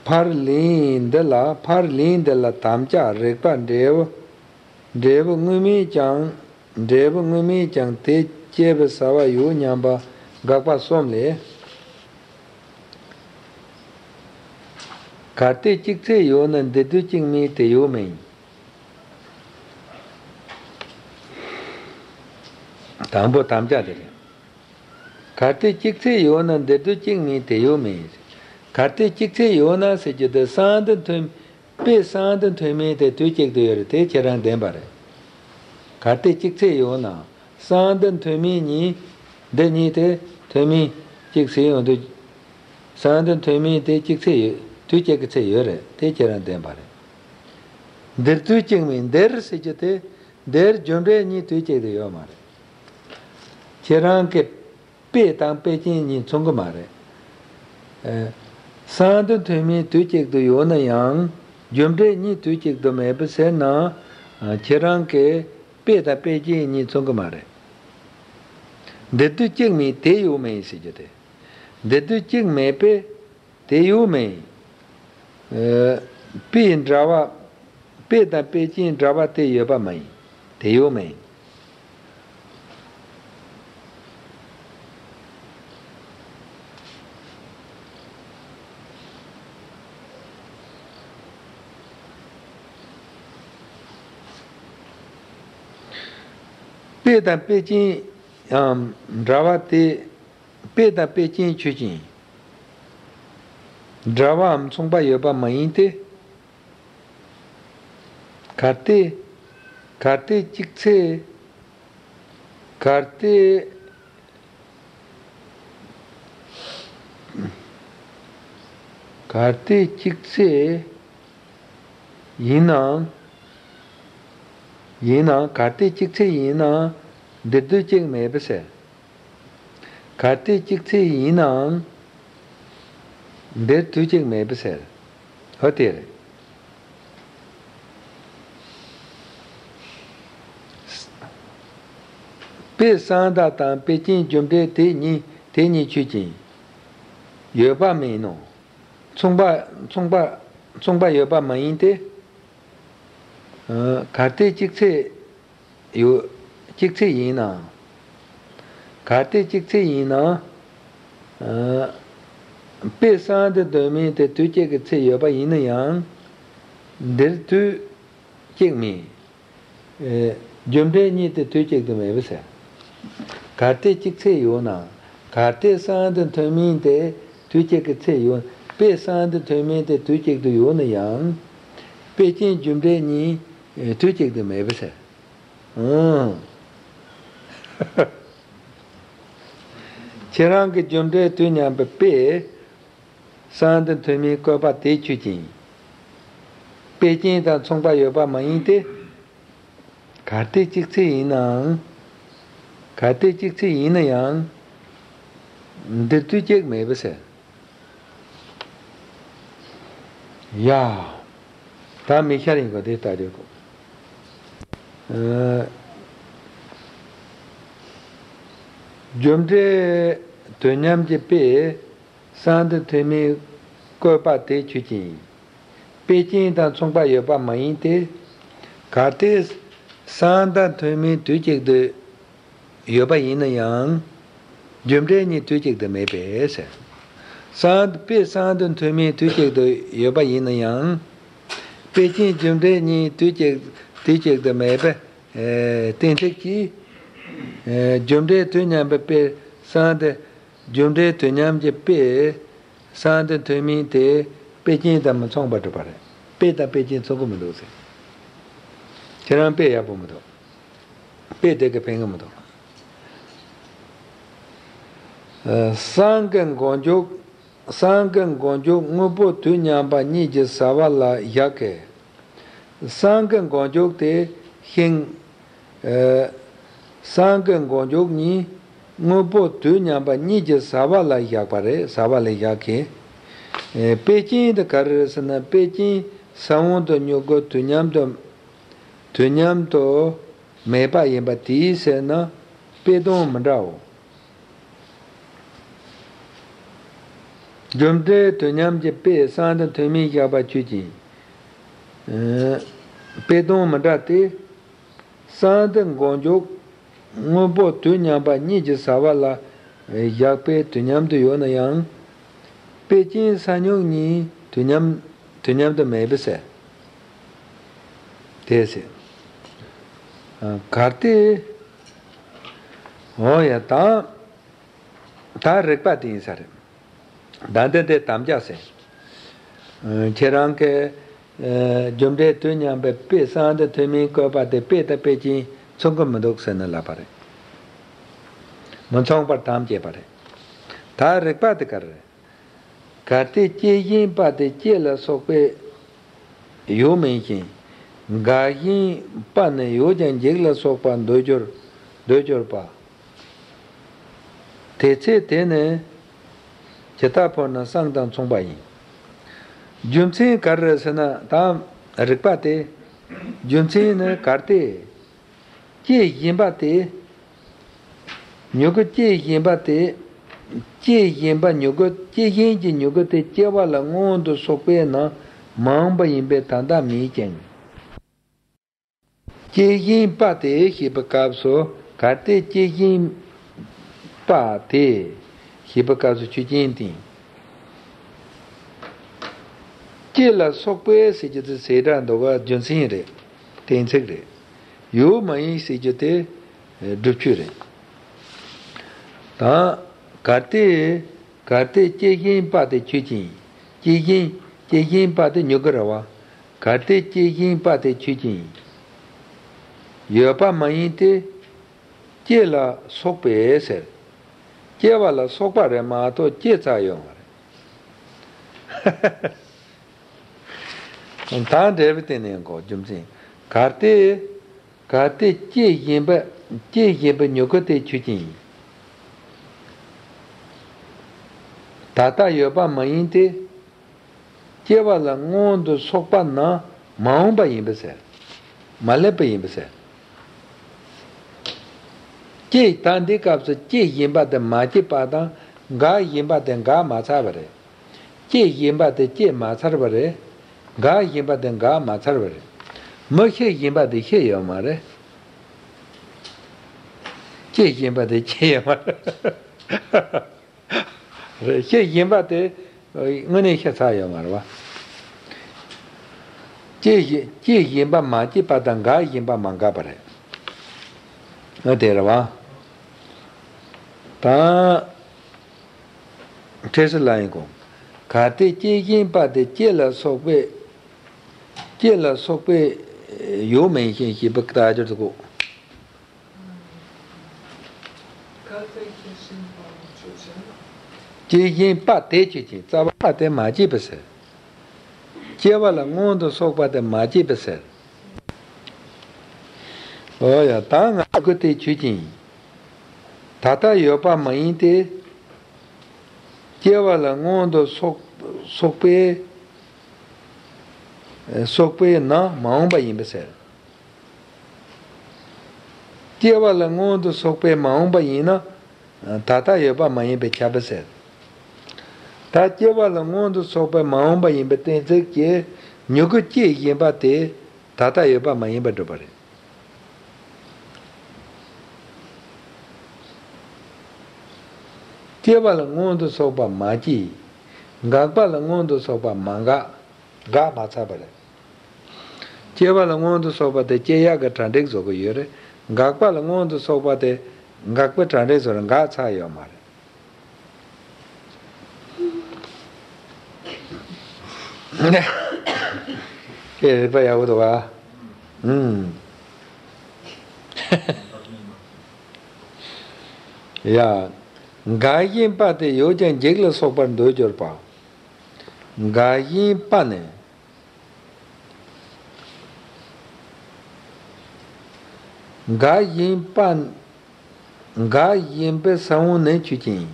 ཕར་ལན་འདི་ལ་ཕར་ལན་འདི་ལ་དམ་བཅའ་རིགས་པ་འབྲས་བུ། འབྲས་བུ་དངོས་མེད་ཀྱང་། འབྲས་བུ་དངོས་མེད་ཀྱང་དེ་སྐྱེ་བའི་ས་བ་ཡོད་སྙམ་པ་དགག་པ་གསུམ་ལས། གལ་ཏེ་གཅིག་ཚེ་ཡོད་ན་འདིར་དུས་གཅིག་མིན་དེ་ཡོད་མིན། དང་པོ་དམ་བཅའ་དེ་རེད། གལ་ཏེ་གཅིག་ཚེ་ཡོད་ན་འདིར་དུས་གཅིག་མིན་དེ་ཡོད་མིན། གལ་ཏེ་གཅིག་ཚེ་ཡོད་ན་ཟེར་རྒྱུ་དེ་གསང་དོན་མཐུན། དཔེ་གསང་དོན་མཐུན་མིན་དེ་དུས་གཅིག་ཏུ་ཡོད་རེད་དེ་ཁྱེད་རང་བདེན་པ་རེད། གལ་ཏེ་གཅིག་ཚེ་ཡོད་ན། གསང་དོན་མཐུན་མིན་གཉིས། འདི་གཉིས་དེ་མཐུན་མིན་གཅིག་ཟེར་ཡོང་དུས། གསང་དོན་མཐུན་མིན་དེ་གཅིག་ཚེ་ཡོད། དུས་གཅིག་གི་ཚེ་ཡོད་རེད་དེ་ཁྱེད་རང་བདེན་པ་རེད། འདིར་དུས་གཅིག་མིན་འདིར་ཟེར་རྒྱུ་དེ། འདིར་རྒྱུ་འབྲས་གཉིས་དུས་གཅིག་ཏུ་ཡོད་མ་རེད། ཁྱེད་རང་གི་དཔེ་དང་དཔེ་ཅན་གཉིས་མཚུངས་ཀྱི་མ་རེད། ཨ། གསང་དོན་མཐུན་མིན་དུས་གཅིག་ཏུ་ཡོད་ན་ཡང་རྒྱུ་འབྲས་གཉིས་དུས་གཅིག་ཏུ་མེད་པ་ཟེར་ན། ཨ། ཁྱེད་རང་གི་དཔེ་དང་དཔེ་ཅན་གཉིས་མཚུངས་ཀྱི་མ་རེད། འདིར་དུས་གཅིག་མིན་དེ་ཡོད་མིན་ཟེར་རྒྱུ་དེ། འདིར་དུས་གཅིག་མེད་པས་དེ་ཡོད་མིན། ཨ། དཔེ་འདྲ་བ། དཔེ་དང་དཔེ་ཅན་འདྲ་བ་དེ་ཡོད་པ་མ་ཡིན། དེ་ཡོད་མིན། དཔེ་དང་དཔེ་ཅན་ཡང་འདྲ་བ་དེ། དཔེ་དང་དཔེ་ཅན་ཆོས་ཅན། འདྲ་བའམ་མཚུངས་པ་ཡོད་པ་མ་ཡིན་ཏེ། གལ་ཏེ། གལ་ཏེ་གཅིག་ཚེ། གལ་ཏེ། གལ་ཏེ་གཅིག་ཚེ་ཡིན་ནའང་། ཡིན་ནའང་གལ་ཏེ་གཅིག་ཚེ་ཡིན་ནའང་འདིར་དུས་གཅིག་མེད་པ་ཟེར། གལ་ཏེ་གཅིག་ཚེ་ཡིན་ནའང་འདིར་དུས་གཅིག་མེད་པ་ཟེར། འོ་དེ་རེད། དཔེ་གསང་བདག་དང་དཔེ་ཅན་རྒྱུ་འབྲས་དེ་གཉིས་དེ་གཉིས་ཆོས་ཅན། ཡོད་པ་མིན་ནོ། མཚུངས་པ་མཚུངས་པ་མཚུངས་པ་ཡོད་པ་མ་ཡིན་ཏེ། ཨ། གལ་ཏེ་གཅིག་ཚེ་ཡོད། གཅིག་ཚེ་ཡིན་ན། གལ་ཏེ་གཅིག་ཚེ་ཡིན་ན། ཨ། དཔེ་གསང་དོན་མཐུན་མིན་དེ་དུས་གཅིག་གི་ཚེ་ཡོད་པ་ཡིན་ན་ཡང་། འདིར་དུས་གཅིག་མིན། ཨེ། རྒྱུ་འབྲས་གཉིས་དེ་དུས་གཅིག་ཏུ་མེད་པ་ཟེར། གལ་ཏེ་གཅིག་ཚེ་ཡོད་ན། གལ་ཏེ་གསང་དོན་མཐུན་མིན་དེ་དུས་གཅིག་གི་ཚེ་ཡོད། དཔེ་གསང་དོན་མཐུན་མིན་དེ་དུས་གཅིག་ཏུ་ཡོད་ན་ཡང་། དཔེ་ཅན་རྒྱུ་འབྲས་གཉིས་དུས་གཅིག་ཏུ་མེད་པ་ཟེར། ཨང་། ཁྱེད་རང་གི་རྒྱུ་འབྲས་དུས་མཉམ་པའི་དཔེ། གསང་དོན་མཐུན་མིན་བཀོད་པ་དེ་ཆོས་ཅན། དཔེ་ཅན་དང་མཚུངས་པ་ཡོད་པ་མ་ཡིན་ཏེ། གལ་ཏེ་གཅིག་ཚེ་ཡིན་ནའང་། གལ་ཏེ་གཅིག་ཚེ་ཡིན་ན་ཡང་། འདིར་དུས་གཅིག་མེད་པ་ཟེར། ཡ། ད་མིག་ཤར་ཡིན་གོ་དེ་ལྟ་རེད་གོ། ཨ། རྒྱུ་འབྲས་དུས་མཉམ་གྱི་དཔེ། གསང་དོན་མཐུན་མིན་བཀོད་པ་དེ་ཆོས་ཅན། དཔེ་ཅན་དང་མཚུངས་པ་ཡོད་པ་མ་ཡིན་ཏེ། གལ་ཏེ་གསང་དོན་མཐུན་མིན་དུས་གཅིག་ཏུ་ཡོད་པ་ཡིན་ན་ཡང་། རྒྱུ་འབྲས་གཉིས་དུས་གཅིག་ཏུ་མེད་པས་ཟེར། གསང་དཔེ་གསང་དོན་མཐུན་མིན་དུས་གཅིག་ཏུ་ཡོད་པ་ཡིན་ན་ཡང་། དཔེ་ཅན་རྒྱུ་འབྲས་གཉིས་དུས་གཅིག་དུས་གཅིག་ཏུ་མེད་པས། ཨེ། གཏན་ཚིགས་ཀྱིས། ཨེ། རྒྱུ་འབྲས་དུས་མཉམ་པའི་དཔེ་གསང་དོན། རྒྱུ་འབྲས་དུས་མཉམ་གྱི་དཔེ། གསང་དོན་མཐུན་མིན་དེ་དཔེ་ཅན་དང་མི་མཚུངས་པར་གྲུབ་པ་རེད། དཔེ་དང་དཔེ་ཅན་མཚུངས་ཀྱི་མི་འདུག་ཟེར། ཁྱེད་རང་དཔེ་ཡག་པོ་མི་འདུག་དཔེ་དེ་གིས་ཕན་གྱི་མི་འདུག་ཨ། གསང་གི་མགོ་མཇུག་གསང་གི་མགོ་མཇུག་དངོས་པོ་དུས་མཉམ་པ་གཉིས་ཀྱི་ས་བ་ལ་བཞག་གི། གསང་གི་མགོ་མཇུག་དེ་ཤིང་། ཨ། གསང་གི་མགོ་མཇུག་གཉིས་དངོས་པོ་དུས་མཉམ་པ་གཉིས་ཀྱི་ས་བ་ལ་བཞག་པ་རེད། ས་བ་ལ་བཞག་གི། ཨེ། པའི་རྐྱེན་དེ་ག་རེ་རེད་ཟེར་ན། པའི་རྐྱེན་ས་བོན་དང་མྱུ་གུ་དུས་མཉམ་དུ་དུས་མཉམ་དུ་མེད་པ་ཡིན་པ་དེའི་ཕྱིར་ན་པའི་དོན་མི་འདྲའོ། རྒྱུ་འབྲས་དུས་མཉམ་གྱི་དཔེས་གསང་བདེ་ཐོན་མིས་བཞག་པ་ཆོས་ཅན། དཔེ་དོན་མི་འདྲ་སྟེ། གསང་བདེ་མགོ་མཇུག་སྔོན་པོ་དུས་མཉམ་པ་གཉིས་ཀྱི་བྱ་བ་ལ་བཞག་པས་དུས་མཉམ་དུ་ཡོད་ན་ཡང་། དཔེ་ཅན་ས་མྱུག་གཉིས་དུས་མཉམ་དུས་མཉམ་དུ་མེད་པས་ཟེར། དེས་ཟེར། གལ་ཏེ། འོ་ཡ། ད་ད་རིགས་པ་དེ་ཡིན་ས་རེད། ད་འདི་འདི་དམ་བཅའ་ཟེར། ཁྱེད་རང་གིས། རྒྱུ་འབྲས་དུས་མཉམ་པའི་དཔེས་གསང་བདེ་ཐོན་མིས་བཀོད་པ་དེ་དཔེ་དང་དཔེ་ཅན་མཚུངས་ཀྱི་མི་འདུག་ཟེར་ནས་ལབ་པ་རེད། མི་མཚུངས་པར་དམ་བཅས་པ་རེད། ད་རིགས་པ་དེ་ག་རེ་རེད། གལ་ཏེ་སྐྱེ་བཞིན་པ་དེ་སྐྱེ་ལ་སོགས་པའི་ཡུལ་མིན་ཞིང་། འགག་བཞིན་པ་ནི་ཡོད་ཀྱང་འཇིག་ལ་སོགས་པ་འདོད་གྱུར་འདོད་གྱུར་པ། དེ་ཚེ་དེ་ནི་ཇི་ལྟར་འཕོ་ན་གསང་དང་མཚུངས་པ་ཡིན། རྒྱུ་མཚན་ག་རེ་རེད་ཟེར་ན། ད་རིགས་པ་དེ། རྒྱུ་མཚན་ནི་གལ་ཏེ། སྐྱེ་བཞིན་པ་དེ། མྱུ་གུ་སྐྱེ་བཞིན་པ་དེ། སྐྱེ་བཞིན་པ་མྱུ་གུ་སྐྱེ་བཞིན་གྱི་མྱུ་གུ་དེ་སྐྱེ་བ་ལ་སྔོན་དུ་སོགས་པས་ན་མ་འོངས་པ་ཡིན་པས་ད་ལྟ་མེད་ཅིང་། སྐྱེ་བཞིན་པ་དེ་ཞེས་པའི་སྐབས་སུ། གལ་ཏེ་སྐྱེ་བཞིན་པ་དེ་ཞེས་པའི་སྐབས་སུ་ཆོས་ཅན་དེ། སྐྱེ་ལ་སོགས་པའི་ཟེར་རྒྱུ་དེ་ཟེ་སྒྲ་འདུག་ག་རྒྱུ་མཚན་རེད། གཏན་ཚིགས་རེད། ཡོད་མ་ཡིན་ཟེར་རྒྱུ་དེ་སྒྲུབ་བྱེད་རེད། ད་གལ་ཏེ། གལ་ཏེ་སྐྱེ་བཞིན་པ་དེ་ཆོས་ཅན། སྐྱེ་བཞིན་སྐྱེ་བཞིན་པ་དེ་མྱུ་གུ་རེད་བ། གལ་ཏེ་སྐྱེ་བཞིན་པ་དེ་ཆོས་ཅན། ཡོད་པ་མ་ཡིན་ཏེ། སྐྱེ་ལ་སོགས་པས་ཟེར། སྐྱེ་བ་ལ་སོགས་པ་རེད་མ་གཏོགས་སྐྱེ་ཚར་ཡོད་མ་རེད། ད་འབྲས་བུ་དེ་ནས་གོ་རྒྱུ་མཚན། གལ་ཏེ། གལ་ཏེ་སྐྱེ་བཞིན་པ། སྐྱེ་བཞིན་པའི་མྱུ་གུ་དེ་ཆོས་ཅན་ཡིན། ད་ལྟ་ཡོད་པ་མ་ཡིན་ཏེ། སྐྱེ་བ་ལ་སྔོན་དུ་སོགས་པ་ན་མ་འོངས་པ་ཡིན་པས་ཟེར། མ་སླེབས་པ་ཡིན་པས་ཟེར། སྐྱེ། ད་འདི་སྐབས་སུ་སྐྱེ་བཞིན་པ་དེ་མ་སྐྱེས་པ་དང་། འགག་བཞིན་པ་དེ་འགག་མ་ཚར་བ་རེད། སྐྱེ་བཞིན་པ་དེ་སྐྱེས་མ་ཚར་བ་རེད། འགག་བཞིན་པ་དེ་འགག་མ་ཚར་བ་རེད། མི་ཤི་བཞིན་པ་དེ་ཤི་ཡོད་མ་རེད། སྐྱེ་བཞིན་པ་དེ་སྐྱེ་ཡོད་མ་རེད། རེད། སྐྱེ་བཞིན་པ་དེ་དངོས་གནས་ཤི་ཚར་ཡོད་མ་རེད་བ། སྐྱེ་བཞིན་སྐྱེ་བཞིན་པ་མ་སྐྱེས་པ་དང་འགག་བཞིན་པ་མ་འགགས་པ་རེད། ཨ། དེ་རེད་བ། ད། འཁྲིད་ཚུལ་ལ་ཡིན་གོ། གལ་ཏེ་སྐྱེ་བཞིན་པ་དེ་སྐྱེ་ལ་སོགས་པའི། སྐྱེ་ལ་སོགས་པའི་ཡུལ་མིན་ཞིང་ཞེས་པའི་རྟགས་སྦྱོར་དུ་གོ། སྐྱེ་བཞིན་པ་དེ་ཆོས་ཅན། རྩ་བ་པ་དེ་མ་སྐྱེས་པས་ཟེར། སྐྱེ་བ་ལ་སྔོན་དུ་སོགས་པ་དེ་མ་སྐྱེས་པས་ཟེར། འོ་ཡ། ད་ང་ཀུན་དེ་ཆོས་ཅན། ད་ལྟ་ཡོད་པ་མ་ཡིན་ཏེ། སྐྱེ་བ་ལ་སྔོན་དུ་སོགས་སོགས་པས། སོགས་པས་ན་མ་འོངས་པ་ཡིན་པས་ཟེར། སྐྱེ་བ་ལ་སྔོན་དུ་སོགས་པས་མ་འོངས་པ་ཡིན་ན། ད་ལྟ་ཡོད་པ་མ་ཡིན་པས་ཁྱབ་པས་ཟེར། ད་སྐྱེ་བ་ལ་སྔོན་དུ་སོགས་པས་མ་འོངས་པ་ཡིན་པའི་གཏན་ཚིགས་ཀྱིས་མྱུ་གུ་སྐྱེ་བཞིན་པ་དེ་ད་ལྟ་ཡོད་པ་མ་ཡིན་པར་སྒྲུབ་པ་རེད། སྐྱེ་བ་ལ་སྔོན་དུ་སོགས་པ་མ་སྐྱེས། འགག་པ་ལ་སྔོན་དུ་སོགས་པ་མ་འགགས། འགག་མ་ཚར་བ་རེད། སྐྱེ་བ་ལ་སྔོན་དུ་སོགས་པ་དེ་སྐྱེ་ཡག་གི་གྲ་སྒྲིག་བཟོ་གི་ཡོད་རེད། འགག་པ་ལ་སྔོན་དུ་སོགས་པ་དེ་འགག་པའི་གྲ་སྒྲིག་བཟོ་རེད། འགག་ཚར་ཡོད་མ་རེད། ཨེ། རིགས་པ་ཡག་པོ་འདུག་ག་ཨུམ། ཡ། འགག་བཞིན་པ་དེ་ཡོད་ཀྱང་འཇིག་ལ་སོགས་པར་འདོད་གྱུར་པ། འགག་བཞིན་པ་ནི། འགག་བཞིན་པ། འགག་བཞིན་པའི་ས་བོན་ནི་ཆོས་ཅན།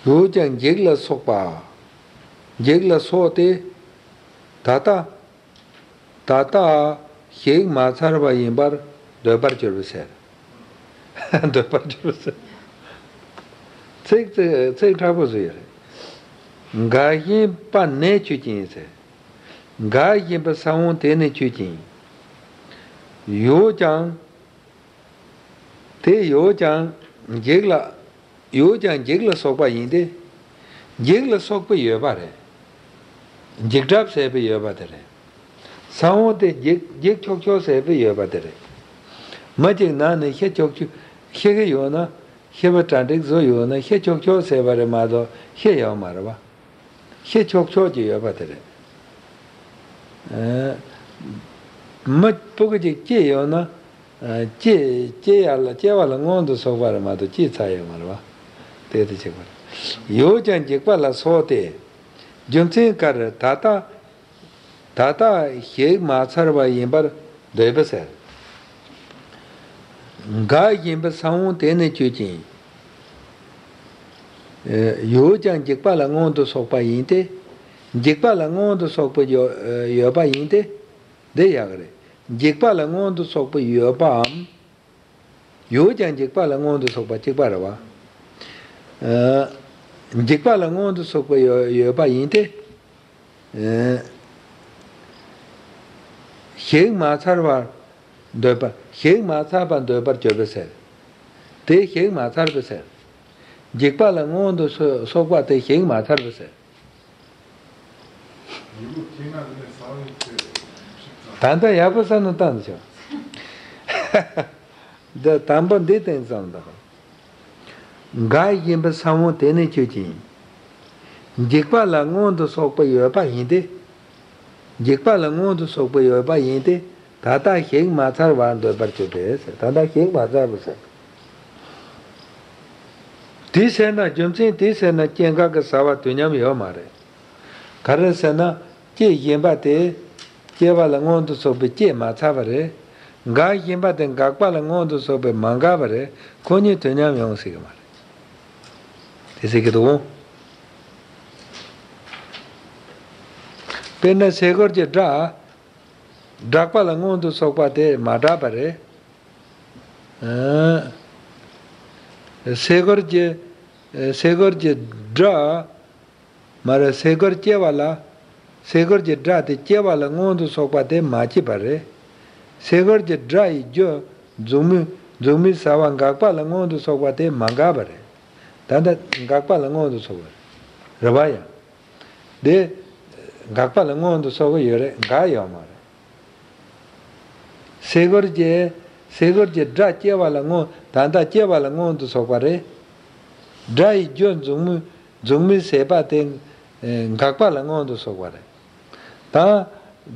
ཡོད་ཀྱང་འཇིག་ལ་སོགས་པ། འཇིག་ལ་སོགས་ཏེ། ད་ལྟ། ད་ལྟ་གཞིག་མ་ཚར་བ་ཡིན་པར་འདོད་པར་གྱུར་པའི་ཕྱིར། འདོད་པར་གྱུར་པའི་ཕྱིར། ཚིག་ཚིག་ཚིག་དྲག་པོ་བཟོས་ཡོད་རེད། འགའ་ཞིག་པ་ནས་ཆོས་ཅན་ཟེར། འགའ་ཞིག་པ་ས་བོན་དེ་ནི་ཆོས་ཅན། ཡོད་ཀྱང་། དེ་ཡོད་ཀྱང་འཇིག་ལ། ཡོད་ཀྱང་འཇིག་ལ་སོགས་པ་ཡིན་ཏེ། འཇིག་ལ་སོགས་པའི་ཡོད་པ་རེད། འཇིག་གྲབས་ཟེར་བའི་ཡོད་པ་དེ་རེད། ས་བོན་དེ་འཇིག་འཇིག་ཆོག་ཆོག་ཟེར་བའི་ཡོད་པ་དེ་རེད། མི་གཅིག་ནང་ནས་ཤི་ཆོག་ཆོག་ཤི་གི་ཡོད་ན། ཤི་བ་གྲ་འགྲིག་བཟོ་ཡོད་ན་ཤི་ཆོག་ཆོག་ཟེར་བ་རེད་མ་གཏོགས་ཤི་ཡོད་མ་རེད་བ། ཤི་ཆོག་ཆོག་ཅིག་ཡོད་པ་དེ་རེད། ཨ། མི་སྤུ་གུ་ཅིག་སྐྱེས་ཡོད་ན། ཨ། སྐྱེ་སྐྱེ་ཡ་ལ་སྐྱེ་བ་ལ་སྔོན་དུ་སོགས་པ་རེད་མ་གཏོགས་སྐྱེས་ཚར་ཡོད་མ་རེད་བ། དེ་དེ་གཅིག་པ་རེད། ཡོད་ཀྱང་འཇིག་པ་ལ་སོགས་ཏེ། རྒྱུ་མཚན་ག་རེ། ད་ལྟ། ད་ལྟ་གཞིག་མ་ཚར་བ་ཡིན་པར་འདོད་པའི་ཕྱིར། འགའ་ཞིག་པ་ས་བོན་དེ་ནི་ཆོས་ཅན། ཡོད་ཀྱང་འཇིག་པ་ལ་སྔོན་དུ་སོགས་པ་ཡིན་ཏེ། འཇིག་པ་ལ་སྔོན་དུ་སོགས་པ་ཡོད་ཡོད་པ་ཡིན་ཏེ། འདི་ཡག་རེད། འཇིག་པ་ལ་སྔོན་དུ་སོགས་པ་ཡོད་པའམ། ཡོད་ཀྱང་འཇིག་པ་ལ་སྔོན་དུ་སོགས་པ་གཅིག་པ་རེད་བ། ཨ། འཇིག་པ་ལ་སྔོན་དུ་སོགས་པ་ཡོད་ཡོད་པ་ཡིན་ཏེ། ཨ། གཞིག་མ་ཚར་བར་འདོད་པ། གཞིག་མ་ཚར་བར་འདོད་པར་གྱུར་པའི་ཕྱིར། དེ་གཞིག་མ་ཚར་བའི་ཕྱིར། འཇིག་པ་ལ་སྔོན་དུ་སོ་སོགས་པ་དེ་གཞིག་མ་ཚར་བའི་ཕྱིར། ད་ལྟ་ཡག་པོ་བསམ་བློ་བཏང་ཆོག་འདི་དང་པོ་འདི་སྟེང་ཙམ་དང་། འགའ་ཞིག་པ་ས་བོན་དེ་ནི་ཆོས་ཅན། འཇིག་པ་ལ་སྔོན་དུ་སོགས་པ་ཡོད་པ་ཡིན་ཏེ། འཇིག་པ་ལ་སྔོན་དུ་སོགས་པ་ཡོད་པ་ཡིན་ཏེ། ད་ལྟ་གཞིག་མ་ཚར་བར་འདོད་པར་གྱུར་ཏེ། ད་ལྟ་གཞིག་མ་ཚར་བ་ཟེར། དེ་ཟེར་ན་རྒྱུ་མཚན་དེ་ཟེར་ན་སྐྱེ་འགག་གི་ཟ་བ་དུས་མཉམ་ཡོད་མ་རེད། ག་རེ་ཟེར་ན། སྐྱེ་བཞིན་པ་དེ། སྐྱེ་བ་ལ་སྔོན་དུ་སོགས་པའི་སྐྱེས་མ་ཚར་བ་རེད། འགག་བཞིན་པ་དེ་འགག་པ་ལ་སྔོན་དུ་སོགས་པའི་མ་འགག་པ་རེད། ཁོ་གཉིས་དུས་མཉམ་ཡོང་སྲིད་ཀྱི་མ་རེད། དེ་ཟེར་གྱི་འདུག་དཔེར་ན་སེ་གོལ་གྱི་སྒྲ། སྒྲག་པ་ལ་སྔོན་དུ་སོགས་པ་དེ་མ་སྒྲག་པ་རེད། ཨ། སེ་གོལ་གྱི། སེ་གོལ་གྱི་སྒྲ། མ་རེད། སེ་གོལ་སྐྱེ་བ་ལ། སེ་གོལ་གྱི་སྒྲ་དེ་སྐྱེ་བ་ལ་སྔོན་དུ་སོགས་པ་དེ་མ་སྐྱེས་པ་རེད། སེ་གོལ་གྱི་སྒྲ་ཡི་རྒྱུ་མཛུབ་མོ། མཛུབ་མོའི་ཟ་བ་འགག་པ་ལ་སྔོན་དུ་སོགས་པ་དེ་མ་འགག་པ་རེད། ད་ལྟ་འགག་པ་ལ་སྔོན་དུ་སོགས་པ་རེད། རེད་བ་ཡ། དེ་འགག་པ་ལ་སྔོན་དུ་སོགས་པ་ཡོད་རེད། འགག་ཡོད་མ་རེད། སེ་གོལ་གྱི། སེ་གོལ་གྱི་སྒྲ་སྐྱེ་བ་ལ་སྔོན། ད་ལྟ་སྐྱེ་བ་ལ་སྔོན་དུ་སོགས་པ་རེད། སྒྲ་ཡི་རྒྱུ་མཛུབ་མོ། མཛུབ་མོའི་ཟད་པ་དེ་འགག་པ་ལ་སྔོན་དུ་སོགས་པ་རེད། ད་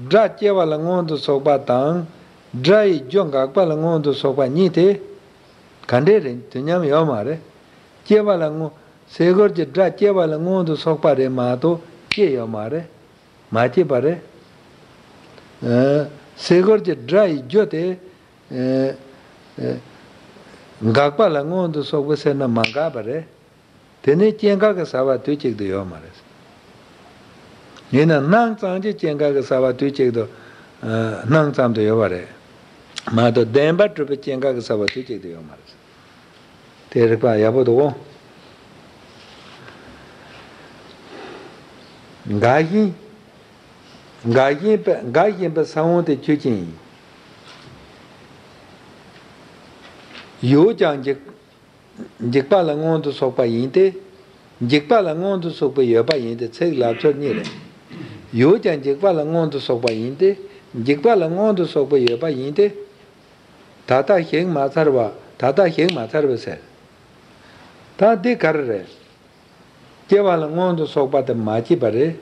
སྒྲ་སྐྱེ་བ་ལ་སྔོན་དུ་སོགས་པ་དང་། སྒྲ་ཡི་རྒྱུ་འགག་པ་ལ་སྔོན་དུ་སོགས་པ་གཉིས་དེ་ག་འདྲས་རེད། དུས་མཉམ་ཡོད་མ་རེད། སྐྱེ་བ་ལ་སྔོན། སེ་གོལ་གྱི་སྒྲ་སྐྱེ་བ་ལ་སྔོན་དུ་སོགས་པ་རེད་མ་གཏོགས་སྐྱེ་ཡོད་མ་རེད། མ་སྐྱེས་པ་རེད། ཨ། སེ་གོལ་གྱི་སྒྲ་ཡི་རྒྱུ་དེ། ཨ། ཨ། འགག་པ་ལ་སྔོན་དུ་སོགས་པ་ཟེར་ན་མ་འགག་པ་རེད། དེ་ནི་སྐྱེ་འགག་གི་ཟ་བ་དུས་གཅིག་ཏུ་ཡོད་མ་རེད། ཡིན་ན་སྣང་ཙམ་གྱི་སྐྱེ་འགག་གི་ཟ་བ་དུས་གཅིག་ཏུ། ཨ། སྣང་ཙམ་དུ་ཡོད་པ་རེད། མ་གཏོགས་བདེན་པར་གྲུབ་པའི་སྐྱེ་འགག་གི་ཟ་བ་དུས་གཅིག་ཏུ་ཡོད་མ་རེད། དེ་རིགས་པ་ཡག་པོ་འདུག་གོ། འགག་བཞིན། འགག་བཞིན་པ། འགག་བཞིན་པ་ས་བོན་དེ་ཆོས་ཅན། ཡོད་ཀྱང་འཇིག་འཇིག་པ་ལ་སྔོན་དུ་སོགས་པ་ཡིན་ཏེ། འཇིག་པ་ལ་སྔོན་དུ་སོགས་པ་ཡོད་པ་ཡིན་ཏེ། ཚིག་ལབ་ཕྱོགས་གཉིས་རེད། ཡོད་ཀྱང་འཇིག་པ་ལ་སྔོན་དུ་སོགས་པ་ཡིན་ཏེ། འཇིག་པ་ལ་སྔོན་དུ་སོགས་པ་ཡོད་པ་ཡིན་ཏེ། ད་ལྟ་གཞིག་མ་ཚར་བ། ད་ལྟ་གཞིག་མ་ཚར་བ་ཟེར། ད་འདི་ག་རེ་རེད། སྐྱེ་བ་ལ་སྔོན་དུ་སོགས་པ་དེ་མ་སྐྱེས་པ་རེད།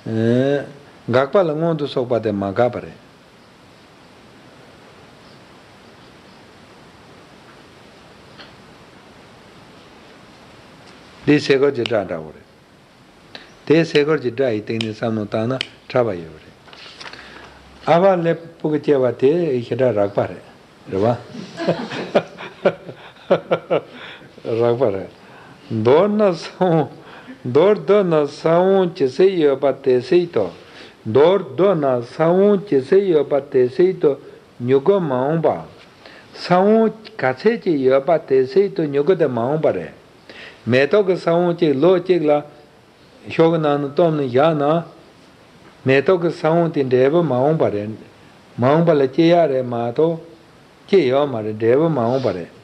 ཨེ། འགག་པ་ལ་སྔོན་དུ་སོགས་པ་དེ་མ་འགག་པ་རེད། འདི་སེ་གོལ་གྱི་སྒྲ་འདྲ་བོ་རེད། དེ་སེ་གོལ་གྱི་སྒྲ་ཡི་སྟེང་ནས་བསམ་བློ་བཏང་ན་ཕྲ་བ་ཡོད་པ་རེད། ཨ་བ་ལེབ་སྤུ་གུ་སྐྱེ་བ་དེ་ཞེ་དྲག་རགས་པ་རེད། རེད་བ། རགས་པ་རེད། མདོར་ན་ས་བོན། མདོར་བསྡུ་ན་ས་བོན་ཇི་སྲིད་ཡོད་པ་དེ་སྲིད་དུ། མདོར་བསྡུ་ན་ས་བོན་ཇི་སྲིད་ཡོད་པ་དེ་སྲིད་དུ་མྱུ་གུ་མ་འོངས་པ། ས་བོན་ག་ཚད་ཅིག་ཡོད་པ་དེ་སྲིད་དུ་མྱུ་གུ་དེ་མ་འོངས་པ་རེད། མེ་ཏོག་གི་ས་བོན་གཅིག་ལོ་གཅིག་ལ་ཤོག་གི་ནང་ནས་བཏོན་ནས་བཞག་ན། མེ་ཏོག་གི་ས་བོན་དེ་འབྲས་བུ་མ་འོངས་པ་རེད། མ་འོངས་པ་ལ་སྐྱེ་ཡག་རེད་མ་གཏོགས། སྐྱེ་ཡོད་མ་རེད། འབྲས་བུ་མ་འོངས་པ་རེད།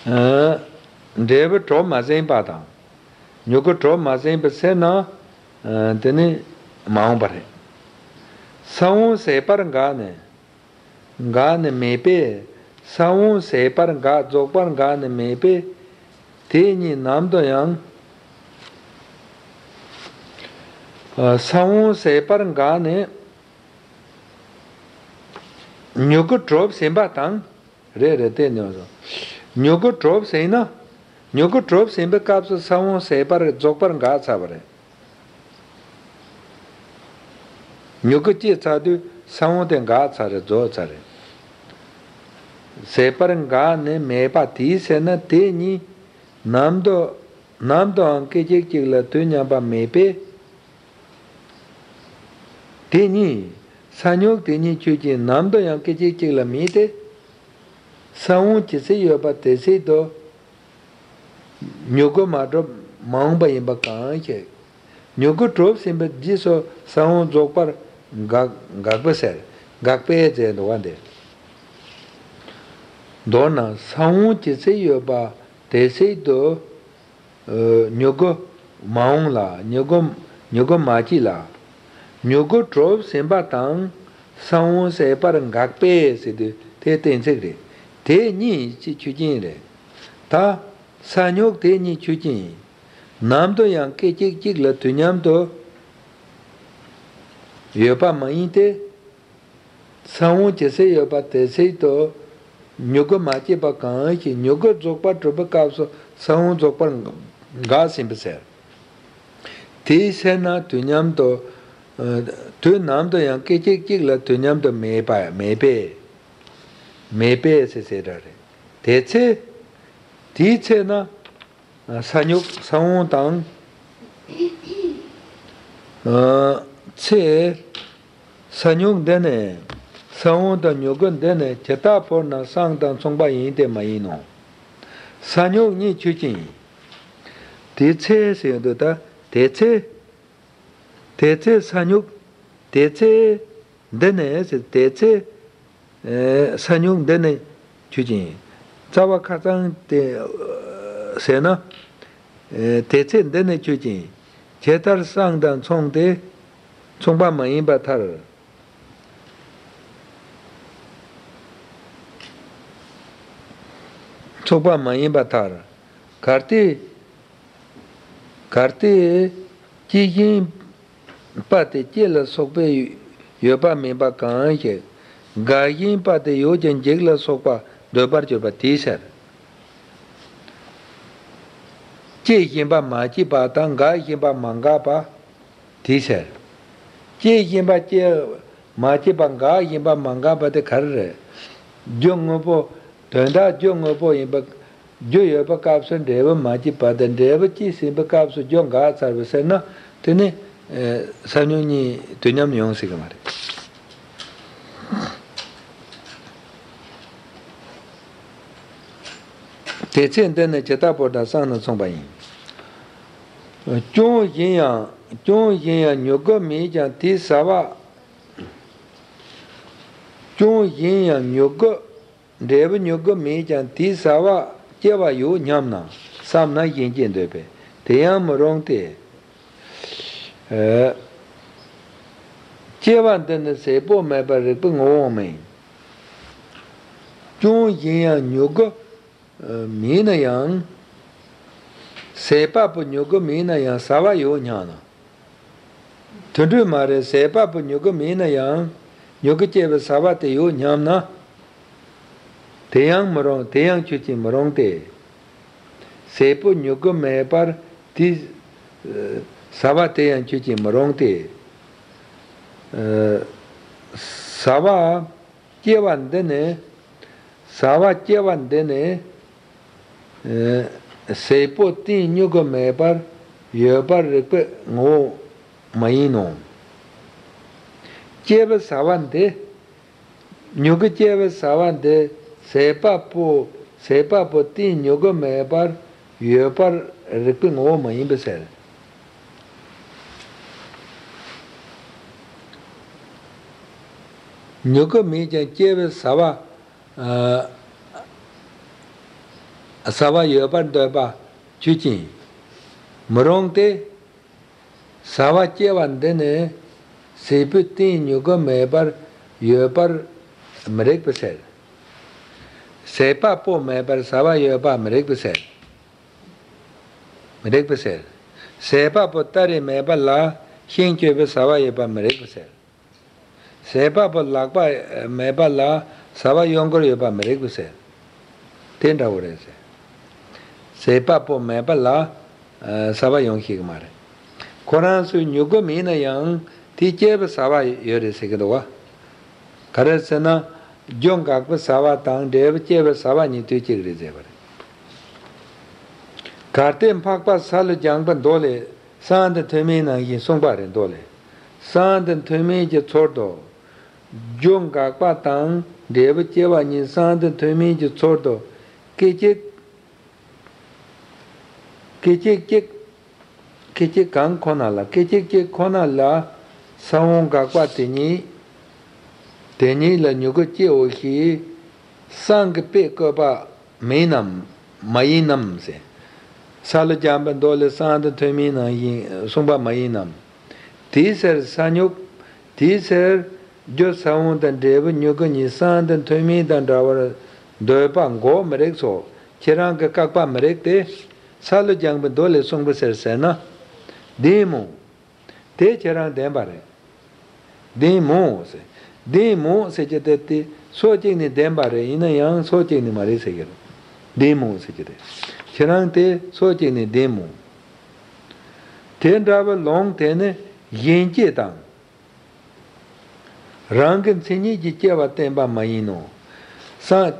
ཨ། འབྲས་བུ་གྲོགས་མ་ཟིན་པ་དང་། མྱུ་གུ་གྲོགས་མ་ཟིན་པ་ཟེར་ན། ཨ། དེ་ནི་མ་འོངས་པ་རེད། ས་བོན་ཟད་པར་འགགས་ནས། འགགས་ནས་མེད་པས། ས་བོན་ཟད་པར་འགགས་རྫོགས་པར་འགགས་ནས་མེད་པས། དེ་གཉིས་ནམ་དུ་ཡང་། ཨ། ས་བོན་ཟད་པར་འགགས་ནས། མྱུ་གུ་གྲོགས་ཟིན་པ་དང་། རེད་རེད། དེ་ནི་མྱུ་གུ་གྲོགས་ཟིན་ན། མྱུ་གུ་གྲོགས་ཟིན་པའི་སྐབས་སུ་ས་བོན་ཟད་པར་རྫོགས་པར་འགགས་ཚར་བ་རེད། མྱུ་གུ་སྐྱེས་ཚར་དུས་ས་བོན་དེ་འགགས་ཚར་རེད། རྫོགས་ཚར་རེད། ཟད་པར་འགགས་ནས་མེད་པ་དེའི་ཚེ་ན་དེ་གཉིས་ནམ་དུ་ནམ་དུའང་སྐད་ཅིག་གཅིག་ལ་དུས་མཉམ་པ་མེད་པས། དེ་གཉིས། ས་མྱུག་དེ་གཉིས་ཆོས་ཅན། ནམ་དུ་ཡང་སྐད་ཅིག་གཅིག་ལ་མེད་དེ། ས་བོན་ཇི་སྲིད་ཡོད་པ་དེ་སྲིད་དུ། མྱུ་གུ་མ་གྲུབ་མ་འོངས་པ་ཡིན་པ་གང་ཞིག་མྱུ་གུ་གྲུབ་ཟིན་པའི་རྗེས་སུ་ས་བོན་རྫོགས་པར་འགག་འགག་པས་ཟེར། འགག་པས་ཟེར་འདུག་པ་འདི། མདོར་ན་ས་བོན་ཇི་སྲིད་ཡོད་པ་དེ་སྲིད་དུ། མྱུ་གུ་མ་འོངས་ལ། མྱུ་གུ་མྱུ་གུ་མ་སྐྱེས་ལ། མྱུ་གུ་གྲུབ་ཟིན་པ་དང་ས་བོན་ཟད་པར་འགག་པས་ཟེར་དུས་དེ་གཏན་ཚིགས་རེད། དེ་གཉིས་ཀྱི་ཆོས་ཅན་རེད། ད་ས་མྱུག་དེ་གཉིས་ཆོས་ཅན་ཡིན། ནམ་དུ་ཡང་སྐད་ཅིག་གཅིག་ལ་དུས་མཉམ་དུ་ཡོད་པ་མ་ཡིན་ཏེ། ས་བོན་ཇི་སྲིད་ཡོད་པ་དེ་སྲིད་དུ། མྱུ་གུ་མ་སྐྱེས་པ་གང་ཞིག་མྱུ་གུ་རྫོགས་པ་གྲུབ་པའི་སྐབས་སུ་ས་བོན་རྫོགས་པར་འགགས་ཟིན་པ་ཟེར། དེའི་ཚེ་ན་དུས་མཉམ་དུ། དུས་ནམ་དུ་ཡང་སྐད་ཅིག་གཅིག་ལ་དུས་མཉམ་དུ་མེད་པ་མེད་པས། མེད་པས་ཟེར་ཟེར་ར་རེད། དེ་ཚེ། དེའི་ཚེ་ན། ས་མྱུག་ས་བོན་དང་། ཨ། ཚེ། ས་མྱུག་འདི་ནི། ས་བོན་དང་མྱུ་གུ་འདི་ནི་ཇི་ལྟ་བར་ན་སྲང་དང་མཚུངས་པ་ཡིན་ཏེ་མ་ཡིན་ནོ། ས་མྱུག་གཉིས་ཆོས་ཅན་ཡིན། དེ་ཚེ་ཟེར་ཡོང་དུས་ད་དེ་ཚེ། དེ་ཚེ་ས་མྱུག་དེ་ཚེ། འདི་ནི་ཟེར། དེ་ཚེ། ས་མྱུག་འདི་ནི་ཆོས་ཅན། རྩ་བ་ཁ་སང་དེ་ཟེར་ན། དེ་ཚེ་འདི་ནི་ཆོས་ཅན། ཇི་ལྟར་སྲང་དང་མཚུངས་ཏེ། མཚུངས་པ་མ་ཡིན་པར་ཐལ། མཚུངས་པ་མ་ཡིན་པར་ཐལ། གལ་ཏེ། གལ་ཏེ། སྐྱེ་བཞིན་པ་དེ་སྐྱེ་ལ་སོགས་པའི་ཡོད་པ་མིན་པ་གང་ཞིག་འགག་བཞིན་པ་དེ་ཡོད་ཀྱང་འཇིག་ལ་སོགས་པ་འདོད་པར་གྱུར་པ་དེའི་ཕྱིར། སྐྱེ་བཞིན་པ་མ་སྐྱེས་པ་དང་འགག་བཞིན་པ་མ་འགགས་པ། དེའི་ཕྱིར། སྐྱེ་བཞིན་པ་སྐྱེ་མ་སྐྱེས་པ། འགག་བཞིན་པ་མ་འགགས་པ་དེ་ག་རེ་རེད། རྒྱུ་དངོས་པོ། དོན་དག་རྒྱུ་དངོས་པོ་ཡིན་པ། རྒྱུ་ཡོད་པའི་སྐབས་སུ་འབྲས་བུ་མ་སྐྱེས་པ་དང་འབྲས་བུ་སྐྱེས་ཟིན་པའི་སྐབས་སུ་རྒྱུ་འགག་ཚར་བ་ཟེར་ན། དེ་ནི་ས་མྱུག་གཉིས་དུས་མཉམ་ཡོང་སྲིད་ཀྱི་མ་རེད། དེ་ཚེ་འདི་ནི་ཇི་ལྟ་བར་ན་སྲང་དང་མཚུངས་པ་ཡིན། ཅུང་ཞན་ཡང་། ཅུང་ཞན་ཡང་མྱུ་གུ་མེད་ཀྱང་དེའི་ཟ་བ། ཅུང་ཞན་ཡང་མྱུ་གུ། འབྲས་བུ་མྱུ་གུ་མེད་ཀྱང་དེའི་ཟ་བ་སྐྱེ་བ་ཡོད་སྙམ་ན་བསམ་ན་གཞན་སྐྱེ་འདོད་པས། དེ་ཡང་མི་རུང་སྟེ། ཨ། སྐྱེ་བ་འདི་ནི་ཟད་པོ་མེད་པར་རིགས་པའི་ངོ་བོ་མིན། ཅུང་ཞན་ཡང་མྱུ་གུ་མེད་ན་ཡང་། ཟད་པ་པོ་མྱུ་གུ་མེད་ན་ཡང་ཟ་བ་ཡོད་སྙམ་ན། དེ་འདྲ་མ་རེད། ཟད་པ་པོ་མྱུ་གུ་མེད་ན་ཡང་མྱུ་གུ་སྐྱེ་བའི་ཟ་བ་དེ་ཡོད་སྙམ་ན། དེ་ཡང་མི་རུང་། དེ་ཡང་ཆོས་ཅན་མི་རུང་སྟེ། ཟད་པོ་མྱུ་གུ་མེད་པར་དེ། ཟ་བ་དེ་ཡང་ཆོས་ཅན་མི་རུང་སྟེ། ཟ་བ་སྐྱེ་བ་འདི་ནི་ ཟ་བ་སྐྱེ་བ་འདི་ནི། ཨེ། ཟས་པོ་གཏིང་མྱུ་གུ་མེད་པར་ཡོད་པར་རིགས་པའི་ངོ་བོ་མ་ཡིན་ནོ། སྐྱེ་བའི་ཟ་བ་འདི། མྱུ་གུ་སྐྱེ་བའི་ཟ་བ་འདི་ཟས་པ་པོ་ཟས་པ་པོ་གཏིང་མྱུ་གུ་མེད་པར་ཡོད་པར་རིགས་པའི་ངོ་བོ་མ་ཡིན་པས་ཟེར། མྱུ་གུ་མེད་ཀྱང་སྐྱེ་བའི་ཟ་བ། ཨ། ཟ་བ་ཡོད་པར་འདོད་པ་ཆོས་ཅན། མི་རུང་སྟེ། ཟ་བ་སྐྱེ་བ་འདི་ནི་ཟས་པོའི་གཏིང་མྱུ་གུ་མེད་པར་ཡོད་པར་མི་རིགས་པས་ཟེར། ཟས་པ་པོ་མེད་པར་ཟ་བ་ཡོད་པ་མི་རིགས་པས་ཟེར། མི་རིགས་པས་ཟེར། ཟས་པ་པོ་སྟ་རེ་མེད་པ་ལ་ཤིང་གཅོད་པའི་ཟ་བ་ཡོད་པ་མི་རིགས་པས་ཟེར། ཟས་པ་པོ་ལག་པ་མེད་པ་ལ་ཟ་བ་གཡོ་འཁོར་ཡོད་པ་མི་རིགས་པས་ཟེར། དེ་འདྲ་བོ་རེད་ཟེར། ཟས་པ་པོ་མེད་པ་ལ་ཟ་བ་ཡོང་ཤེས་ཀྱི་མ་རེད། ཁོ་རང་ཚོའི་མྱུ་གུ་མེད་ན་ཡང་དེ་སྐྱེ་བའི་ཟ་བ་ཡོད་རེད་ཟེར་གྱི་འདུག་བ། ག་རེ་ཟེར་ན། རྒྱུ་འགག་པའི་ཟ་བ་དང་འབྲས་བུ་སྐྱེ་བའི་ཟ་བ་གཉིས་དུས་གཅིག་རེད་ཟེར་བ་རེད། གལ་ཏེ་འཕགས་པ་ས་ལུ་སྦྱངས་པའི་མདོ་ལས་གསང་སྟེ་ཐུན་མིན་ནང་བཞིན་གསུངས་པ་རེད། མདོ་ལས་གསང་སྟེ་ཐུན་མིན་གྱི་ཚུལ་དུ། རྒྱུ་འགག་པ་དང་འབྲས་བུ་སྐྱེ་བ་གཉིས་གསང་སྟེ་ཐུན་མིན་གྱི་ཚུལ་དུ། སྐད་ཅིག་སྐད་ཅིག་གཅིག་སྐད་ཅིག་གང་ཁོ་ན་ལ། སྐད་ཅིག་གཅིག་ཁོ་ན་ལ་ས་བོན་འགག་པ་དེ་ཉིད། དེ་ཉིད་ལ་མྱུ་གུ་སྐྱེའོ་ཞེས་གསང་གི་དཔེ་བཀོད་པ་མིན་ནམ། མ་ཡིན་ནམ་ཟེར། ས་ལུ་སྦྱངས་པའི་མདོ་ལས་གསང་སྟེ་ཐུན་མིན་ནང་བཞིན་གསུངས་པ་མ་ཡིན་ནམ། དེའི་ཕྱིར་ས་མྱུག་དེའི་ཕྱིར་རྒྱུ་ས་བོན་དང་འབྲས་བུ་མྱུ་གུ་གཉིས་གསང་སྟེ་ཐུན་མིན་དང་འདྲ་བར་འདོད་པ་འགོག་མི་རིགས་སོ། ཁྱེད་རང་གི་བཀག་པ་མི་རིགས་ཏེ། ས་ལུ་སྦྱངས་པའི་མདོ་ལས་གསུངས་པའི་ཕྱིར་ཟེར་ན། བདེན་མོ། དེ་ཁྱེད་རང་བདེན་པ་རེད། བདེན་མོ་ཟེར། བདེན་མོ་ཟེར་གྱི་དེ་དེ་ཕྱོགས་གཅིག་ནས་བདེན་པ་རེད། ཡིན་ན་ཡང་ཕྱོགས་གཅིག་ནས་མ་རེད་ཟེར་གྱི་རེད། བདེན་མོ་ཟེར་གྱི་རེད། ཁྱེད་རང་དེ་ཕྱོགས་གཅིག་ནས་བདེན་མོ། དེ་འདྲ་བའི་ལུང་དེ་ནི་གཞན་སྐྱེ་དང་། རང་གི་མཚན་ཉིད་ཀྱིས་སྐྱེ་བ་བསྟན་པ་མ་ཡིན་ནོ། སངས།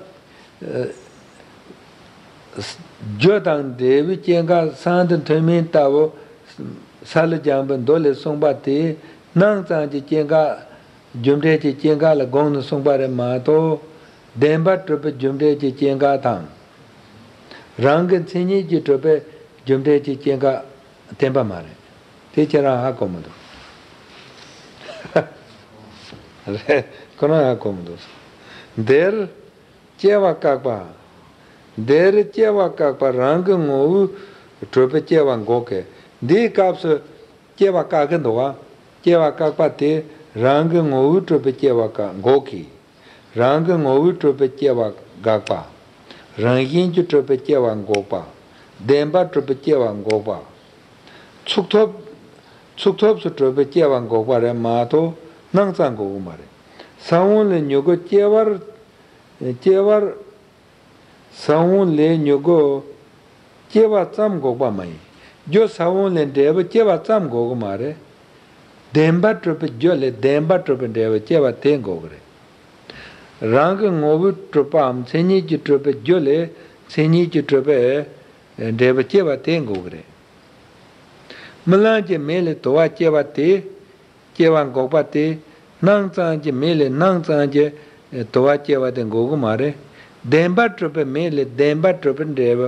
རྒྱུ་དང་འབྲས་བུའི་སྐྱེ་འགག་གསང་སྟེ་ཐུན་མིན་ལྟ་བུ། ས་ལུ་སྦྱངས་པའི་མདོ་ལས་གསུངས་པ་དེ་སྣང་ཙམ་གྱི་སྐྱེ་འགག་རྒྱུ་འབྲས་ཀྱི་སྐྱེ་འགག་ལ་དགོངས་ནས་གསུངས་པ་རེད་མ་གཏོགས། བདེན་པར་གྲུབ་པའི་རྒྱུ་འབྲས་ཀྱི་སྐྱེ་འགག་དང་། རང་གི་མཚན་ཉིད་ཀྱིས་གྲུབ་པའི་རྒྱུ་འབྲས་ཀྱི་སྐྱེ་འགག་བསྟན་པ་མ་རེད། དེ་ཁྱེད་རང་ཧ་གོ་མི་འདུག་རེད། ཁོ་རང་ཧ་གོ་མི་འདུག་འདིར་སྐྱེ་བ་བཀག་པ། འདིར་སྐྱེ་བ་བཀག་པ་རང་གི་ངོ་བོས་གྲུབ་པའི་སྐྱེ་བ་འགོག་གི། འདིའི་སྐབས་སུ་སྐྱེ་བ་བཀག་གི་འདུག་བ། སྐྱེ་བ་བཀག་པ་དེ་རང་གི་ངོ་བོས་གྲུབ་པའི་སྐྱེ་བ་བཀག་འགོག་གི། རང་གི་ངོ་བོས་གྲུབ་པའི་སྐྱེ་བ་དགག་པ། རང་བཞིན་གྱིས་གྲུབ་པའི་སྐྱེ་བ་འགོག་པ། བདེན་པར་གྲུབ་པའི་སྐྱེ་བ་འགོག་པ། ཚུགས་ཐོབ། ཚུགས་ཐོབ་སུ་གྲུབ་པའི་སྐྱེ་བ་འགོག་པ་རེད་མ་གཏོགས་སྣང་ཙམ་འགོག་གི་མ་རེད། ས་བོན་ལས་མྱུ་གུ་སྐྱེ་བར། སྐྱེ་བར། ས་བོན་ལས་མྱུ་གུ་སྐྱེ་བ་ཙམ་འགོག་པ་མ་ཡིན། རྒྱུ་ས་བོན་ལས་འབྲས་བུ་སྐྱེ་བ་ཙམ་འགོག་གི་མ་རེད། བདེན་པར་གྲུབ་པའི་རྒྱུ་ལས་བདེན་པར་གྲུབ་པའི་འབྲས་བུ་སྐྱེ་བ་དེ་འགོག་གི་རེད། རང་གི་ངོ་བོས་གྲུབ་པའམ་མཚན་ཉིད་ཀྱིས་གྲུབ་པའི་རྒྱུ་ལས་མཚན་ཉིད་ཀྱིས་གྲུབ་པའི་འབྲས་བུ་སྐྱེ་བ་དེ་འགོག་གི་རེད། རྨི་ལམ་གྱི་མེ་ལས་དུ་བ་སྐྱེ་བ་དེ། སྐྱེ་བ་འགོག་པ་དེ། སྣང་ཙམ་གྱི་མེ་ལས་སྣང་ཙམ་གྱི་དུ་བ་སྐྱེ་བ་དེ་འགོག་གི་མ་རེད། བདེན་པར་གྲུབ་པའི་མེ་ལས་བདེན་པར་གྲུབ་པའི་འབྲས་བུ་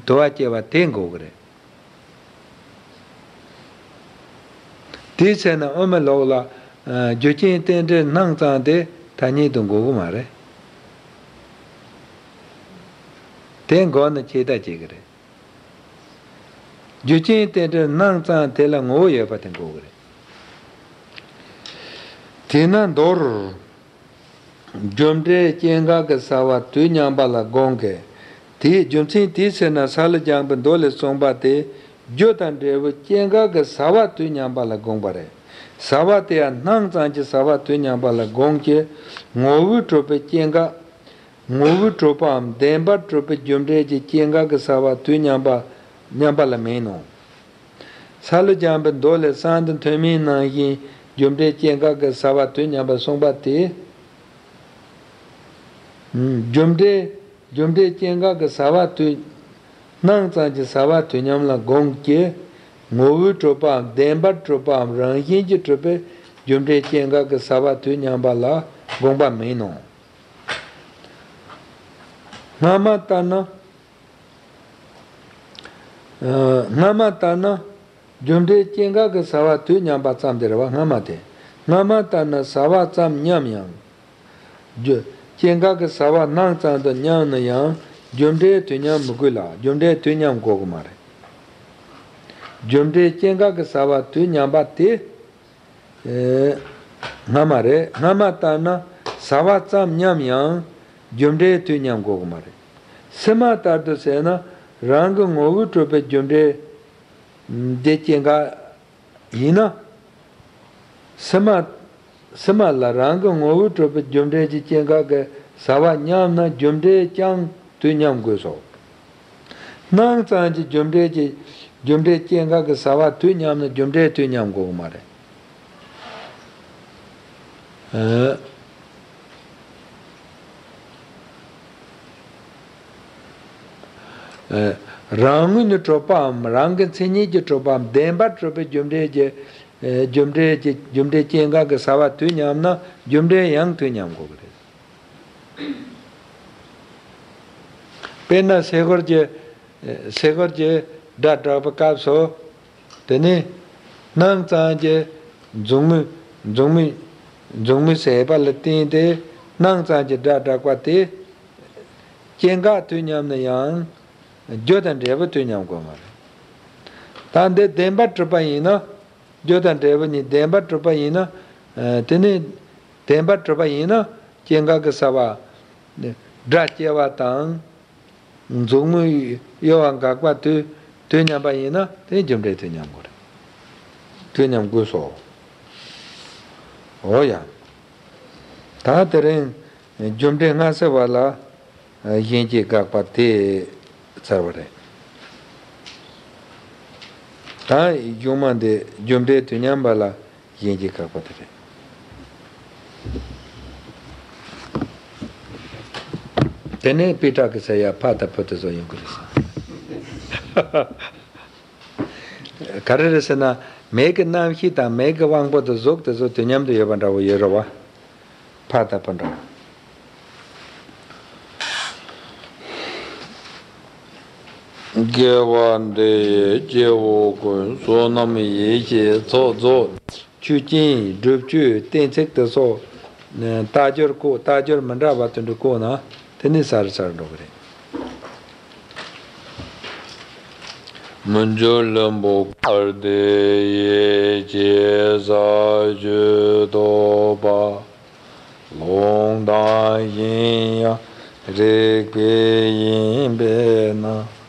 དུ་བ་སྐྱེ་བ་དེ་འགོག་གི་རེད། དེའི་ཚེ་ན་དབུ་མའི་ལུགས་ལ། རྒྱུ་རྐྱེན་རྟེན་འབྲེལ་སྣང་ཙམ་དེ་ཐ་སྙད་དུ་འགོག་གི་མ་རེད། དེ་འགོག་ན་ཆད་ལྟ་བྱེད་ཀྱི་རེད། རྒྱུ་རྐྱེན་རྟེན་འབྲེལ་སྣང་ཙམ་དེ་ལ་ངོ་བོ་ཡོད་པ་དེ་འགོག་གི་རེད། དེས་ན་མདོར། རྒྱུ་འབྲས་སྐྱེ་འགག་གི་ས་བ་དུས་མཉམ་པ་ལ་དགོངས་ཀྱི། དེའི་རྒྱུ་མཚན་དེའི་ཕྱིར་ན་ས་ལུ་སྦྱངས་པའི་མདོ་ལས་གསུངས་པ་དེ། རྒྱུ་དང་འབྲས་བུ་སྐྱེ་འགག་གི་ས་བ་དུས་མཉམ་པ་ལ་དགོངས་པ་རེད། ས་བ་དེ་ཡང་སྣང་ཙམ་གྱི་ས་བ་དུས་མཉམ་པ་ལ་དགོངས་ཀྱི། ངོ་བོས་གྲུབ་པའི་སྐྱེ་འགག་ངོ་བོས་གྲུབ་པའམ་བདེན་པར་གྲུབ་པའི་རྒྱུ་འབྲས་ཀྱི་སྐྱེ་འགག་གི་ས་བ་དུས་མཉམ་པ་མཉམ་པ་ལ་མེད་ནོ། ས་ལུ་སྦྱངས་པའི་མདོ་ལས་གསང་སྟེ་ཐུན་མིན་ནང་བཞིན་རྒྱུ་འབྲས་སྐྱེ་འགག་གི་ས་བ་དུས་མཉམ་པར་གསུངས་པ་དེ། རྒྱུ་འབྲས། རྒྱུ་འབྲས་སྐྱེ་འགག་གི་ས་བ་དུས། སྣང་ཙམ་གྱི་ས་བ་དུས་མཉམ་ལ་དགོངས་ཀྱི། ངོ་བོས་གྲུབ་པའམ་བདེན་པར་གྲུབ་པའམ་རང་བཞིན་གྱིས་གྲུབ་པའི་རྒྱུ་འབྲས་སྐྱེ་འགག་གི་ས་བ་དུས་མཉམ་པ་ལ་དགོངས་པ་མིན་ནོ། སྔ་མ་ལྟར་ན། སྔ་མ་ལྟར་ན། རྒྱུ་འབྲས་སྐྱེ་འགག་གི་ས་བ་དུས་མཉམ་པ་ཙམ་དེ་རེད་བ། སྔ་མ་དེ། སྔ་མ་ལྟར་ན་ས་བ་ཙམ་མཉམ་ཡང་། རྒྱུ། སྐྱེ་འགག་གི་ས་བ་སྣང་ཙམ་དུ་མཉམ་ན་ཡང་རྒྱུ་འབྲས་དུས་མཉམ་མི་དགོས་ལ། རྒྱུ་འབྲས་དུས་མཉམ་དགོས་ཀྱི་མ་རེད། རྒྱུ་འབྲས་སྐྱེ་འགག་གི་ས་བ་དུས་མཉམ་པ་དེ། ཨེ། སྔ་མ་རེད། སྔ་མ་ལྟར་ན་ས་བ་ཙམ་མཉམ་ཡང་རྒྱུ་འབྲས་དུས་མཉམ་དགོས་ཀྱི་མ་རེད། ཕྱི་མ་ལྟར་དུ་ཟེར་ན། རང་གི་ངོ་བོས་གྲུབ་པའི་རྒྱུ་འབྲས་དེ་སྐྱེ་འགག་ཡིན་ན། ཕྱི་མ། ཕྱི་མ་ལ་རང་གི་ངོ་བོས་གྲུབ་པའི་རྒྱུ་འབྲས་ཀྱི་སྐྱེ་འགག་གི་ས་བ་མཉམ་ན་རྒྱུ་འབྲས་ཀྱང་དུས་མཉམ་དགོས་སོ། སྣང་ཙམ་གྱི་རྒྱུ་འབྲས་ཀྱི། རྒྱུ་འབྲས་སྐྱེ་འགག་གི་ས་བ་དུས་མཉམ་ན་རྒྱུ་འབྲས་དུས་མཉམ་དགོས་ཀྱི་མ་རེད། ཨ། ཨ། རང་ངོས་ནས་གྲུབ་པའམ་རང་གི་མཚན་ཉིད་ཀྱིས་གྲུབ་པའམ་བདེན་པར་གྲུབ་པའི་རྒྱུ་འབྲས་ཀྱི། ཨ། རྒྱུ་འབྲས་ཀྱི། རྒྱུ་འབྲས་སྐྱེ་འགག་གི་ས་བ་དུས་མཉམ་ན་རྒྱུ་འབྲས་ཡང་དུས་མཉམ་དགོས་ཀྱི་རེད། དཔེར་ན་སེ་གོལ་གྱི། སེ་གོལ་གྱི་སྒྲ་བསྒྲགས་པའི་སྐབས་སུ། དེ་ནི་སྣང་ཙམ་གྱི་མཛུབ་མོས། མཛུབ་མོས། མཛུབ་མོས་བྱས་པ་ལ་བརྟེན་ཏེ་སྣང་ཙམ་གྱི་སྒྲ་བསྒྲགས་པ་དེ། སྐྱེ་འགག་དུས་མཉམ་ན་ཡང་རྒྱུ་དང་འབྲས་བུ་དུས་མཉམ་དགོས་མ་རེད། ད་འདི་བདེན་པར་གྲུབ་པ་ཡིན་ན། རྒྱུ་དང་འབྲས་བུ་གཉིས་བདེན་པར་གྲུབ་པ་ཡིན་ན། ཨ། དེ་ནི་བདེན་པར་གྲུབ་པ་ཡིན་ན་སྐྱེ་འགག་གི་ས་བ། སྒྲ་སྐྱེ་བ་དང་། མཛུབ་མོས་གཡོ་བ་འགག་པ་དུས། དུས་མཉམ་པ་ཡིན་ན་དེ་རྒྱུ་འབྲས་དུས་མཉམ་དགོས་རེད། དུས་མཉམ་དགོས་སོ། འོ་ཡ། ད་དེ་རིང་རྒྱུ་འབྲས་སྔ་ཕྱི་བར་ལ་གཞན་སྐྱེ་འགག་པ་དེ་ཚར་བ་རེད། ད་གཞུག་མ་འདི་རྒྱུ་འབྲས་དུས་མཉམ་པ་ལ་གཞན་སྐྱེ་འགག་པ་དེ་རེད། དེ་ནས་པི་ཏྲ་གི་ས་ཡ་ཕ་དང་བུ་དེ་ཚོ་ཡོང་གི་རེད་ས། ག་རེ་རེད་ཟེར་ན། མིག་གི་རྣམ་ཤེས་དང་མིག་གི་དབང་པོ་དང་གཟུགས་དེ་ཚོ་དུས་མཉམ་དུ་ཡོད་པ་འདྲ་བོ་ཡོད་རེད་བ། ཕ་དང་བུ་འདྲ་བོ། དགེ་བ་འདི་ཡིས་སྐྱེ་བོ་ཀུན། བསོད་ནམས་ཡེ་ཤེས་ཚོགས་རྫོགས། ཆོས་ཅན། སྒྲུབ་ཆོས་གཏན་ཚིགས་དེ་སོགས། རྟགས་སྦྱོར་བཀོད། རྟགས་སྦྱོར་མི་འདྲ་བ་དེ་འདྲ་བཀོད་ན་དེ་ནི་ས་རུ་ས་རུ་འགྲོ་གི་རེད། མི་འགྱུར་ལྷུན་པོ་གར་དེ་ཡི། ཇི་སྲིད་ཞུ་བདོག་པ། ལུང་དང་གཞན་ཡང་རིགས་པས་ཡིན་པས་ན།